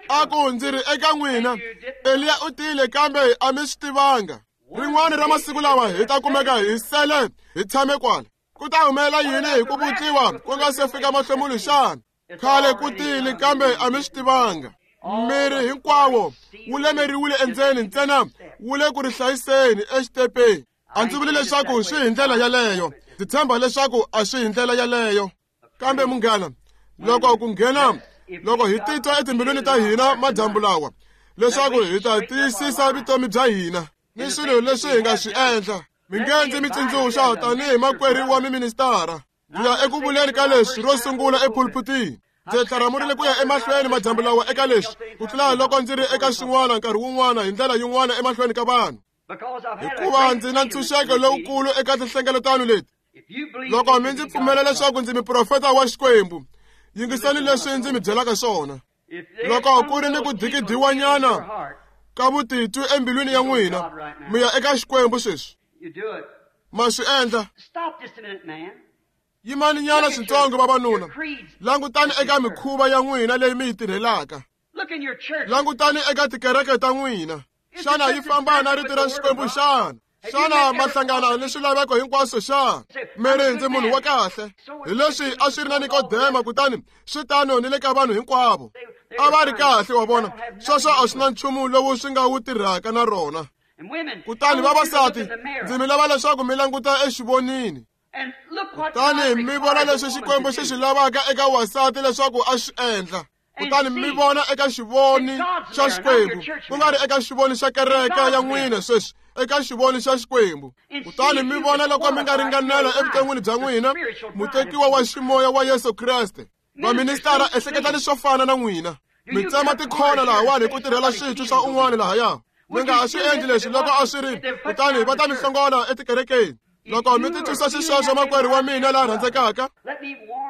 A ku, ndzi ri eka n'wina, Eliya u tile kambe a mi swi tivanga. Rin'wana ra masiku lawa hi ta kumeka hi sele hi tshame kwala. Ku ta humelela yini hi ku vutliwa ku nga se fika mahlomulo xana? Khale ku tile kambe a mi swi tivanga. Miri hinkwawo wu lemeriwile endzeni ntsena wu le ku ri hlayiseni exitepeni. A ndzi vuli leswaku swi hi ndlela yaleyo, ndzi tshemba leswaku a swi hi ndlela yaleyo. Kambe munghana, loko ku nghena, loko hi titwa etimbilwini ta hina madyambu lawa leswaku hi ta tiyisisa vutomi bya hina ni swilo leswi hi nga swi endla, mi nge ndzi mi tsundzuxa tanihi makwerhu wa miministara. Ndzi ya eku vuleni ka leswi ro sungula epulpitini. Ndzi tlharamurile ku ya emahlweni madyambu lawa eka leswi ku tlula loko ndzi ri eka swin'wana nkarhi wun'wana hi ndlela yin'wana emahlweni ka vanhu, hikuva ndzi na ntshunxeko lowukulu eka tinhlengeletano leti. Loko mi ndzi pfumela leswaku ndzi muprofeta wa Xikwembu, yingisani leswi ndzi mi byelaka swona. Loko ku ri ni ku dikidiwanyana ka vutitwi embilwini ya n'wina, mi ya eka Xikwembu sweswi. Ma swi endla. Yimani nyana switsongo vavanuna, langutani eka mikhuva ya n'wina leyi mi yi tirhelaka. Langutani eka tikereke ta n'wina. Xana yi famba na rito ra Xikwembu xana? Xana ma hlangana ni swilaveko hinkwaswo xana? Mi ri ndzi munhu wa kahle. Hi leswi a swi ri na Nikodema, kutani swi tano ni le ka vanhu hinkwavo. A va ri kahle, wa vona. Sweswo a swi na nchumu lowu swi nga wu tirhaka na rona. Kutani vavasati, ndzi mi lava leswaku mi languta exivonini, kutani mi vona leswi Xikwembu xi swi lavaka eka wasati leswaku a swi endla. Kutani mi vona eka xivoni xa Xikwembu, ku nga ri eka xivoni xa kereke ya n'wina sweswi, eka xivoni xa Xikwembu. Kutani mi vona loko mi nga ringanela evuton'wini bya n'wina mutekiwa wa ximoya wa Yesu Kreste. Vaministara, ehleketani swo fana na n'wina. Mi tsema tikhona lahawani hi ku tirhela switwi swa un'wana lahaya. Mi nga ha swi endli leswi loko a swi ri, kutani va ta mi hlongola etikerekeni. Loko mi titwisa xisweswo, makwerhu wa mina la rhandzekaka,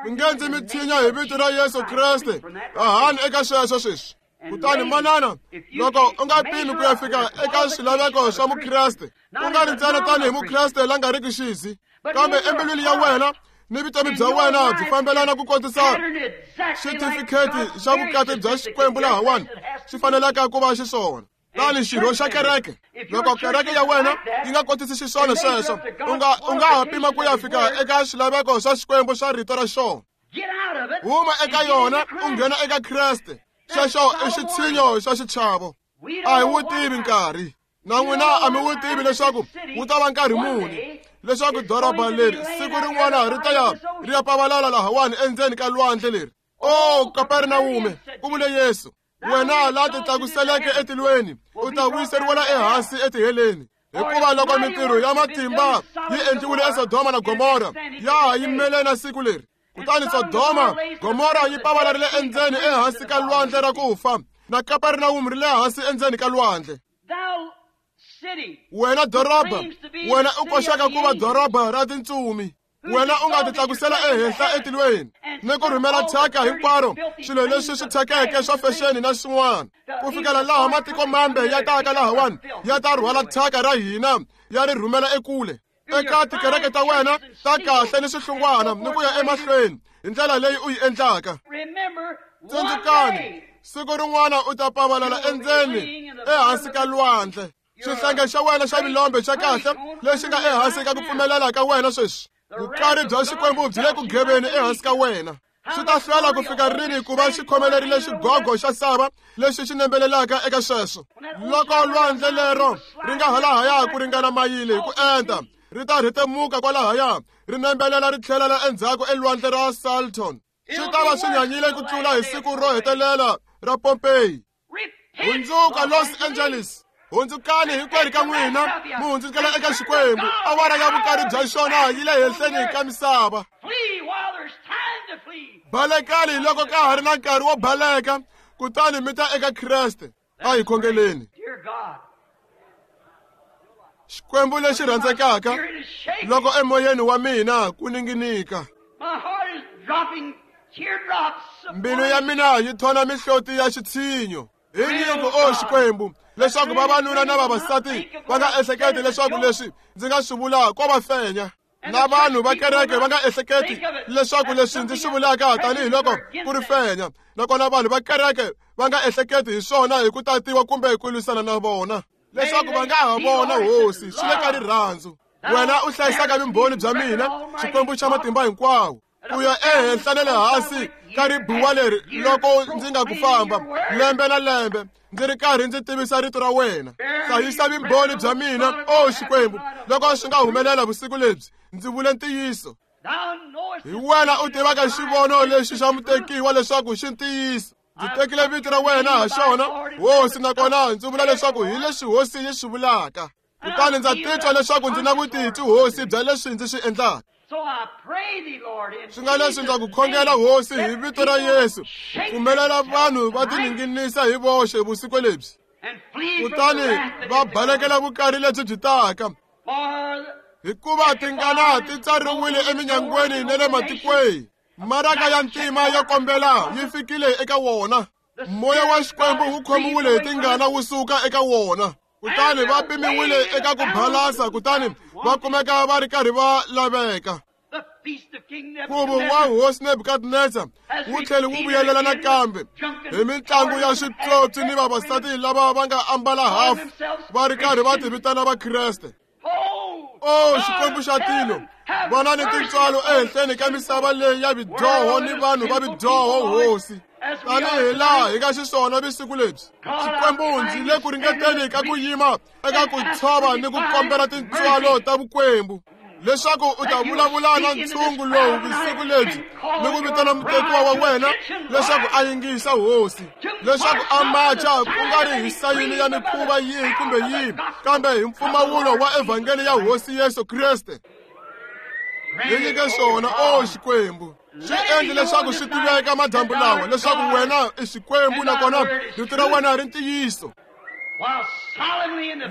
mi nge ndzi mi tshinya hi vito ra Yesu Kreste. Hahani eka sweswo sweswi. Kutani manana, loko u nga pimi ku ya fika eka swilaveko swa Mukreste, ku nga ri ntsena tanihi Mukreste la nga riki xisi, kambe embilwini ya wena ni vutomi bya wena byi fambelana ku kotisa xitifikheti xa vukati bya Xikwembu lahawani xi fanelaka ku va xiswona. Tani xirho xa kereke, loko kereke ya wena yi nga kotisi xiswona sweswo, u nga u nga ha pima ku ya fika eka swilaveko swa Xikwembu swa rito ra xona. Huma eka yona u nghena eka Kreste. Xexo i xitshinyo xa xichavo. A hi wu tivi nkarhi. Na n'wina a mi wu tivi leswaku wu ta va nkarhi muni, leswaku doroba leri siku rin'wana ri ta ya ri ya pavalala lahawani endzeni ka lwandle leri. O Kapernawume, ku vule Yesu, wena la titlakuseleke etilweni, u ta vuyiseriwela ehansi etiheleni. Hikuva loko mintirho ya matimba yi endliwile eSodoma na Gomora, ya ha yimele na siku leri. Kutani Sodoma, Gomora yi pavalarile endzeni ehansi ka lwandle ra ku fa, na Kapernawume ri le hansi endzeni ka lwandle. Wena doroba, wena u koxaka ku va doroba ra tintsumi, wena u nga titlakusela ehenhla etilweni ni ku rhumela thyaka hinkwaro, swilo leswi swi thyakeke swa fexeni na swin'wana, ku fikela laha matiko mambe ya taka lahawani ya ta rhwala thyaka ra hina ya ri rhumela ekule. Eka tikereke ta wena ta kahle ni swihlungwana ni ku ya emahlweni hi ndlela leyi u yi endlaka. Tsundzukani, siku rin'wana u ta pavalala endzeni ehansi ka lwandle. Xihlange xa wena xa milombe xa kahle lexi nga ehansi ka ku pfumelela ka wena sweswi, vukari bya Xikwembu byi le ku geveni ehansi ka wena. Swi ta hlwela ku fika rini ku va xi khomelerile xigogo xa sava lexi xi nembelelaka eka sweswo? Loko lwandle lero ri nga halahaya ku ringana mayili hi ku enta, ri ta rhetemuka kwalahaya, ri nembelela ri tlhelela endzhaku elwandle ra Salton. Swi ta va swi nyanyile ku tlula hi siku ro hetelela ra Pompeii. Hundzuka Los Angeles, hundzukani hinkwerhu ka n'wina, mi hundzukela eka Xikwembu. Awara ya vukari bya xona yi le henhleni ka misava. Balekani loko ka ha ri na nkarhi wo baleka, kutani mi ta eka Kreste. A hi khongeleni. Xikwembu lexi rhandzekaka, loko emoyeni wa mina ku ninginika, mbilu ya mina yi thona mihloti ya xitshinyo. Hi nyiko, o Xikwembu, leswaku vavanuna na vavasati va nga ehleketi leswaku leswi ndzi nga swi vulaka ko va fenya, na vanhu va kereke va nga ehleketi leswaku leswi ndzi swi vulaka tanihiloko ku ri fenya, nakona vanhu va kereke va nga ehleketi hi swona hi ku tatiwa kumbe ku lwisana na vona, leswaku va nga ha vona Hosi swi le ka rirhandzu. Wena u hlayisaka vumbhoni bya mina, Xikwembu xa matimba hinkwawo, ku ya ehenhla na le hansi ka ribuwa leri loko ndzi nga ku famba lembe na lembe ndzi ri karhi ndzi tivisa rito ra wena. Hlayisa vumbhoni bya mina, o Xikwembu, loko swi nga humelela vusiku lebyi ndzi vule ntiyiso. Hi wena u tivaka xivono lexi xa mutekiwa leswaku xi ntiyiso. Ndzi tekile vito ra wena ha xona, Hosi, nakona ndzi vula leswaku hi leswi Hosi yi swi vulaka. Kutani ndza titwa leswaku ndzi na vutitwi, Hosi, bya leswi ndzi swi endlaka. Swi nga leswi ndza ku khongela, Hosi, hi vito ra Yesu, pfumelela vanhu va tininginisa hi voxe vusiku lebyi, kutani va balekela vukari lebyi byi taka, hikuva tingana ti tsariwile eminyangweni na le matikweni. Maraka ya ntima yo kombela yi fikile eka wona. Moya wa Xikwembu wu khomiwile hi tingana wu suka eka wona, kutani va pimiwile eka ku balasa, kutani va kumeka va ri karhi va laveka. Nkhuvo wa Hosi Nebukadnezar wu tlhele wu vuyelela nakambe hi mitlangu ya switsotsi ni vavasati lava va nga ambala hafu va ri karhi va ti vitana Vakreste. O Xikwembu xa tilo, vona ni tintswalo ehenhleni ka misava leyi ya vidyoho ni vanhu va vidyoho, Hosi, tanihi laha hi nga xiswona vusiku lebyi. Xikwembu, ndzi le ku ringeteni ka ku yima eka ku tshova ni ku kombela tintswalo ta Vukwembu, leswaku u ta vulavula na ntshungu lowu vusiku lebyi ni ku vitana mutekiwa wa wena leswaku a yingisa, Hosi, leswaku a macha ku nga ri hi sayini ya mikhuva yihi kumbe yihi, kambe hi mpfumawulo wa evhangeli ya Hosi Yesu Kreste. Hi nyike swona, o Xikwembu. Swi endle leswaku swi tiveka madyambu lawa leswaku wena i Xikwembu nakona rito ra wena ri ntiyiso.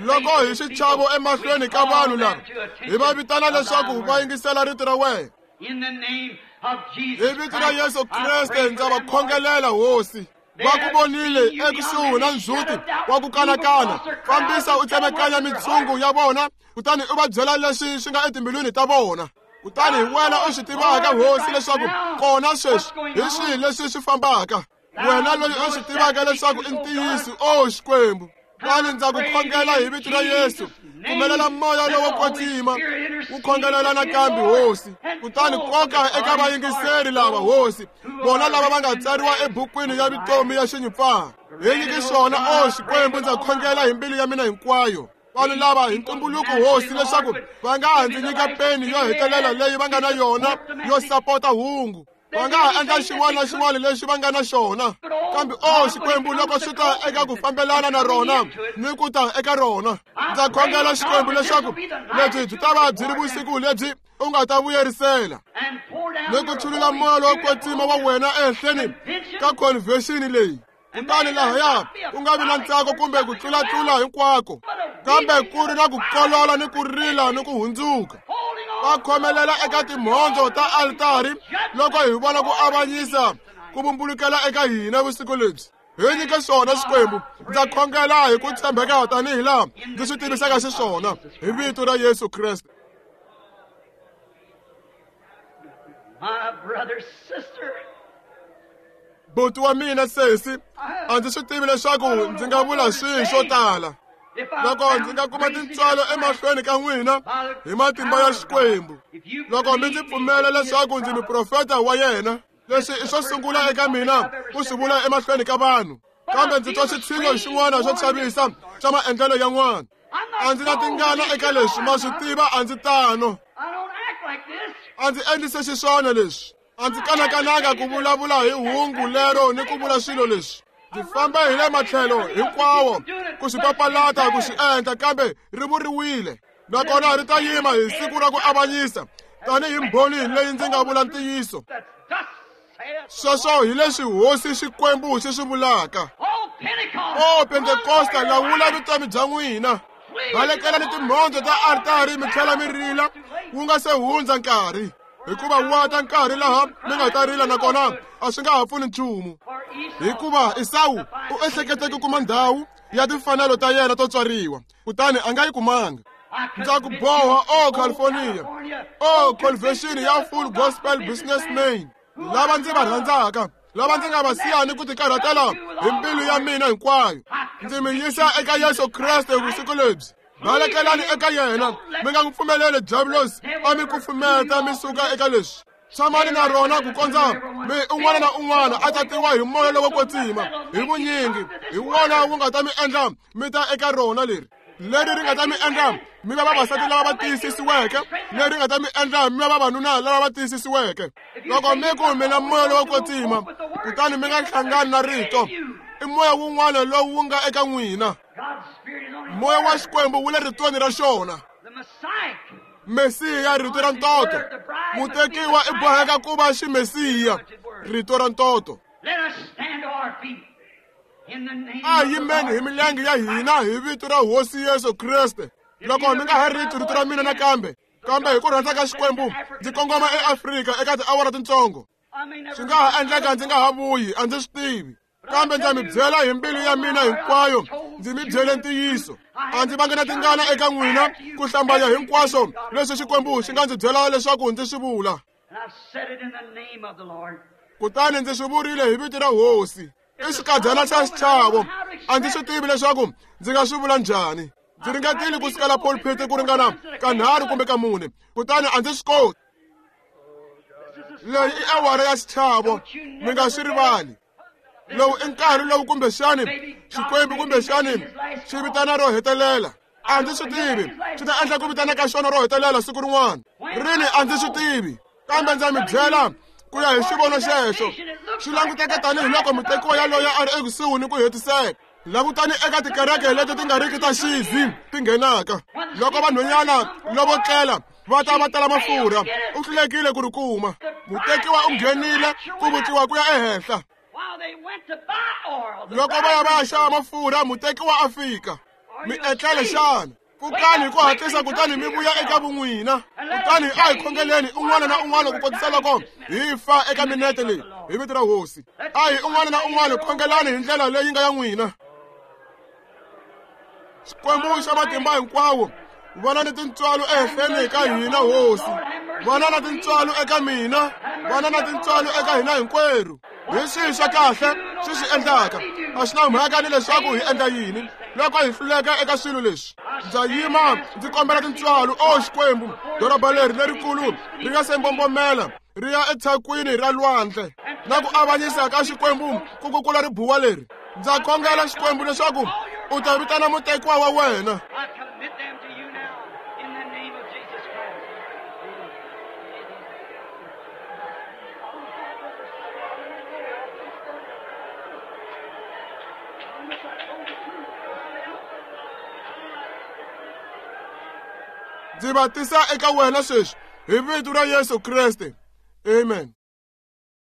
Loko hi xichavo emahlweni ka vanhu lava, hi va vitana leswaku va yingisela rito ra wena. Hi vito ra Yesu Kreste ndza va khongelela, Hosi. Va ku vonile ekusuhi na ndzhuti wa ku kanakana. Fambisa u tsemekanya mitshungu ya vona, kutani u va byela leswi swi nga etimbilwini ta vona. Kutani hi wena u swi tivaka, Hosi, leswaku kona sweswi hi swihi leswi swi fambaka. Wena loyi u swi tivaka leswaku i ntiyiso, o Xikwembu. Kutani ndza ku khongela hi vito ra Yesu, pfumelela moya lowo kwetsima wu khongelela nakambe, Hosi. Kutani koka eka vayingiseri lava, Hosi, vona lava va nga tsariwa ebukwini ya vutomi ya xinyimpfana. Hi nyike swona, o Xikwembu, ndza khongela hi mbilu ya mina hinkwayo. Vanhu lava hi ntumbuluko, Hosi, leswaku va nga ha ndzi nyika peni yo hetelela leyi va nga na yona yo sapota hungu. Va nga ha endla xin'wana na xin'wana lexi va nga na xona, kambe o Xikwembu, loko swi ta eka ku fambelana na rona ni ku ta eka rona, ndza khongela, Xikwembu, leswaku lebyi byi ta va byi ri vusiku lebyi u nga ta vuyerisela ni ku chulula moya lowo kwetsima wa wena ehenhleni ka convention leyi. Kutani lahaya ku nga vi na ntsako kumbe ku tlulatlula hinkwako, kambe ku ri na ku kolola ni ku rila ni ku hundzuka. Va khomelela eka timhondzo ta altari loko hi vona ku avanyisa ku vumbulukela eka hina vusiku lebyi. Hi nyike swona, Xikwembu. Ndza khongela hi ku tshembeka tanihi laha ndzi swi tivisaka xiswona, hi vito ra Yesu Kreste. Buti wa mina sesi, a ndzi swi tivi leswaku ndzi nga vula swihi swo tala. Loko ndzi nga kuma tintswalo emahlweni ka n'wina hi matimba ya Xikwembu, loko mi ndzi pfumela leswaku ndzi muprofeta wa yena, Leswi i swo sungula eka mina ku swi vula emahlweni ka vanhu, kambe ndzi twa xitshingo xin'wana xo chavisa xa maendlelo yan'wana. A ndzi na tingana eka leswi, ma swi tiva a ndzi tano. A ndzi endlise xiswona leswi. A ndzi kanakananga ku vulavula hi hungu lero ni ku vula swilo leswi. Ndzi famba hi le matlhelo hinkwawo ku swi papalata ku swi endla, kambe ri vuriwile. Nakona ri ta yima hi siku ra ku avanyisa tanihi mbhoni leyi ndzi nga vula ntiyiso. Sweswo hi leswi Hosi Xikwembu xi swi vulaka. O Pentekosta, lawula vutomi bya n'wina. Balekelani timhondzo ta altari mi tlhela mi rila wu nga se hundza nkarhi, hikuva wa ta nkarhi laha mi nga ta rila nakona a swi nga ha pfuni nchumu. Hikuva Esawu u ehlekete ku kuma ndhawu ya timfanelo ta yena to tswariwa, kutani a nga yi kumanga. Ndza ku boha, o California, o convention ya Full Gospel Businessmen, lava ndzi va rhandzaka, lava ndzi nga va siya ni ku tikarhatela hi mbilu ya mina hinkwayo. Ndzi mi yisa eka Yesu Kreste vusiku lebyi. Balekelani eka yena, mi nga n'wi pfumeleli diabulosi a mi kufumeta mi suka eka leswi. Tshamani na rona ku kondza mi un'wana na un'wana a tatiwa hi moya lowo kwetsima hi vunyingi, hi wona wu nga ta mi endla mi ta eka rona leri. Leri ri nga ta mi endla mi va vavasati lava va tiyisisiweke, leri nga ta mi endla mi va vavanuna lava va tiyisisiweke. Loko mi ku mi na moya lowo kwetsima, kutani mi nga hlangani na rito, i moya wun'wana lowu wu nga eka n'wina. Moya wa Xikwembu wu le ritweni ra xona. Mesiya, rito ra ntoto. Mutekiwa i boheka ku va ximesiya, rito ra ntoto. A yimeni hi milenge ya hina hi vito ra Hosi Yesu Kreste. Loko mi nga ha riti rito ra mina nakambe, kambe hi ku rhandza ka Xikwembu ndzi kongoma eAfrika eka tiawara tintsongo. Swi nga ha endleka ndzi nga ha vuyi, a ndzi swi tivi, kambe ndza mi byela hi mbilu ya mina hinkwayo, ndzi mi byele ntiyiso. A ndzi vangi na tingana eka n'wina ku hlambanya hinkwaswo leswi Xikwembu xi nga ndzi byela leswaku ndzi swi vula. Kutani ndzi swi vurile hi vito ra Hosi. I xikadyana xa xichavo, a ndzi swi tivi leswaku ndzi nga swi vula njhani. Ndzi ringetile ku sukela pulpit ku ringana kanharhu kumbe ka mune, kutani a ndzi swi koti. Leyi i awara ya xichavo, mi nga swi rivali. Lowu i nkarhi lowu kumbexani Xikwembu kumbexani xi vitana ro hetelela. A ndzi swi tivi xi ta endla ku vitana ka xona ro hetelela siku rin'wana rini, a ndzi swi tivi, kambe ndza mi byela ku ya hi xivono xexo xi languteka tanihiloko mutekiwa yaloye a ri ekusuhi ni ku hetiseka. Langutani eka tikereke leti ti nga riki ta xizi ti nghenaka. Loko vanhwanyana lovo tlela va ta va tala mafurha, u hlulekile ku ri kuma. Mutekiwa u nghenile ku vutliwa ku ya ehenhla. Loko va ya va ya xava mafurha, mutekiwa a fika. Mi etlele xana? Pfukani hi ku hatlisa kutani mi vuya eka vun'wina. Kutani a hi khongeleni un'wana na un'wana ku kotisa loko hi fa eka minete leyi hi vito ra Hosi. A hi un'wana na un'wana khongelani hi ndlela leyi nga ya n'wina. Xikwembu xa matimba hinkwawo, vana ni tintswalo ehenhleni ka hina Hosi. Vana na tintswalo eka mina, vana na tintswalo eka hina hinkwerhu. Hi swihi swa kahle swi swi endlaka, a swi na mhaka ni leswaku hi endla yini loko hi hluleka eka swilo leswi. Ndza yima ndzi kombela tintswalo, o Xikwembu, doroba leri lerikulu ri nga se mbombomela ri ya etshakwini ra lwandle na ku avanyisa ka Xikwembu ku kukula ribuwa leri. Ndza khongela Xikwembu leswaku u ta vitana mutekiwa wa wena. Ndzi va tisa eka wena sweswi hi vito ra Yesu Kreste. Amen.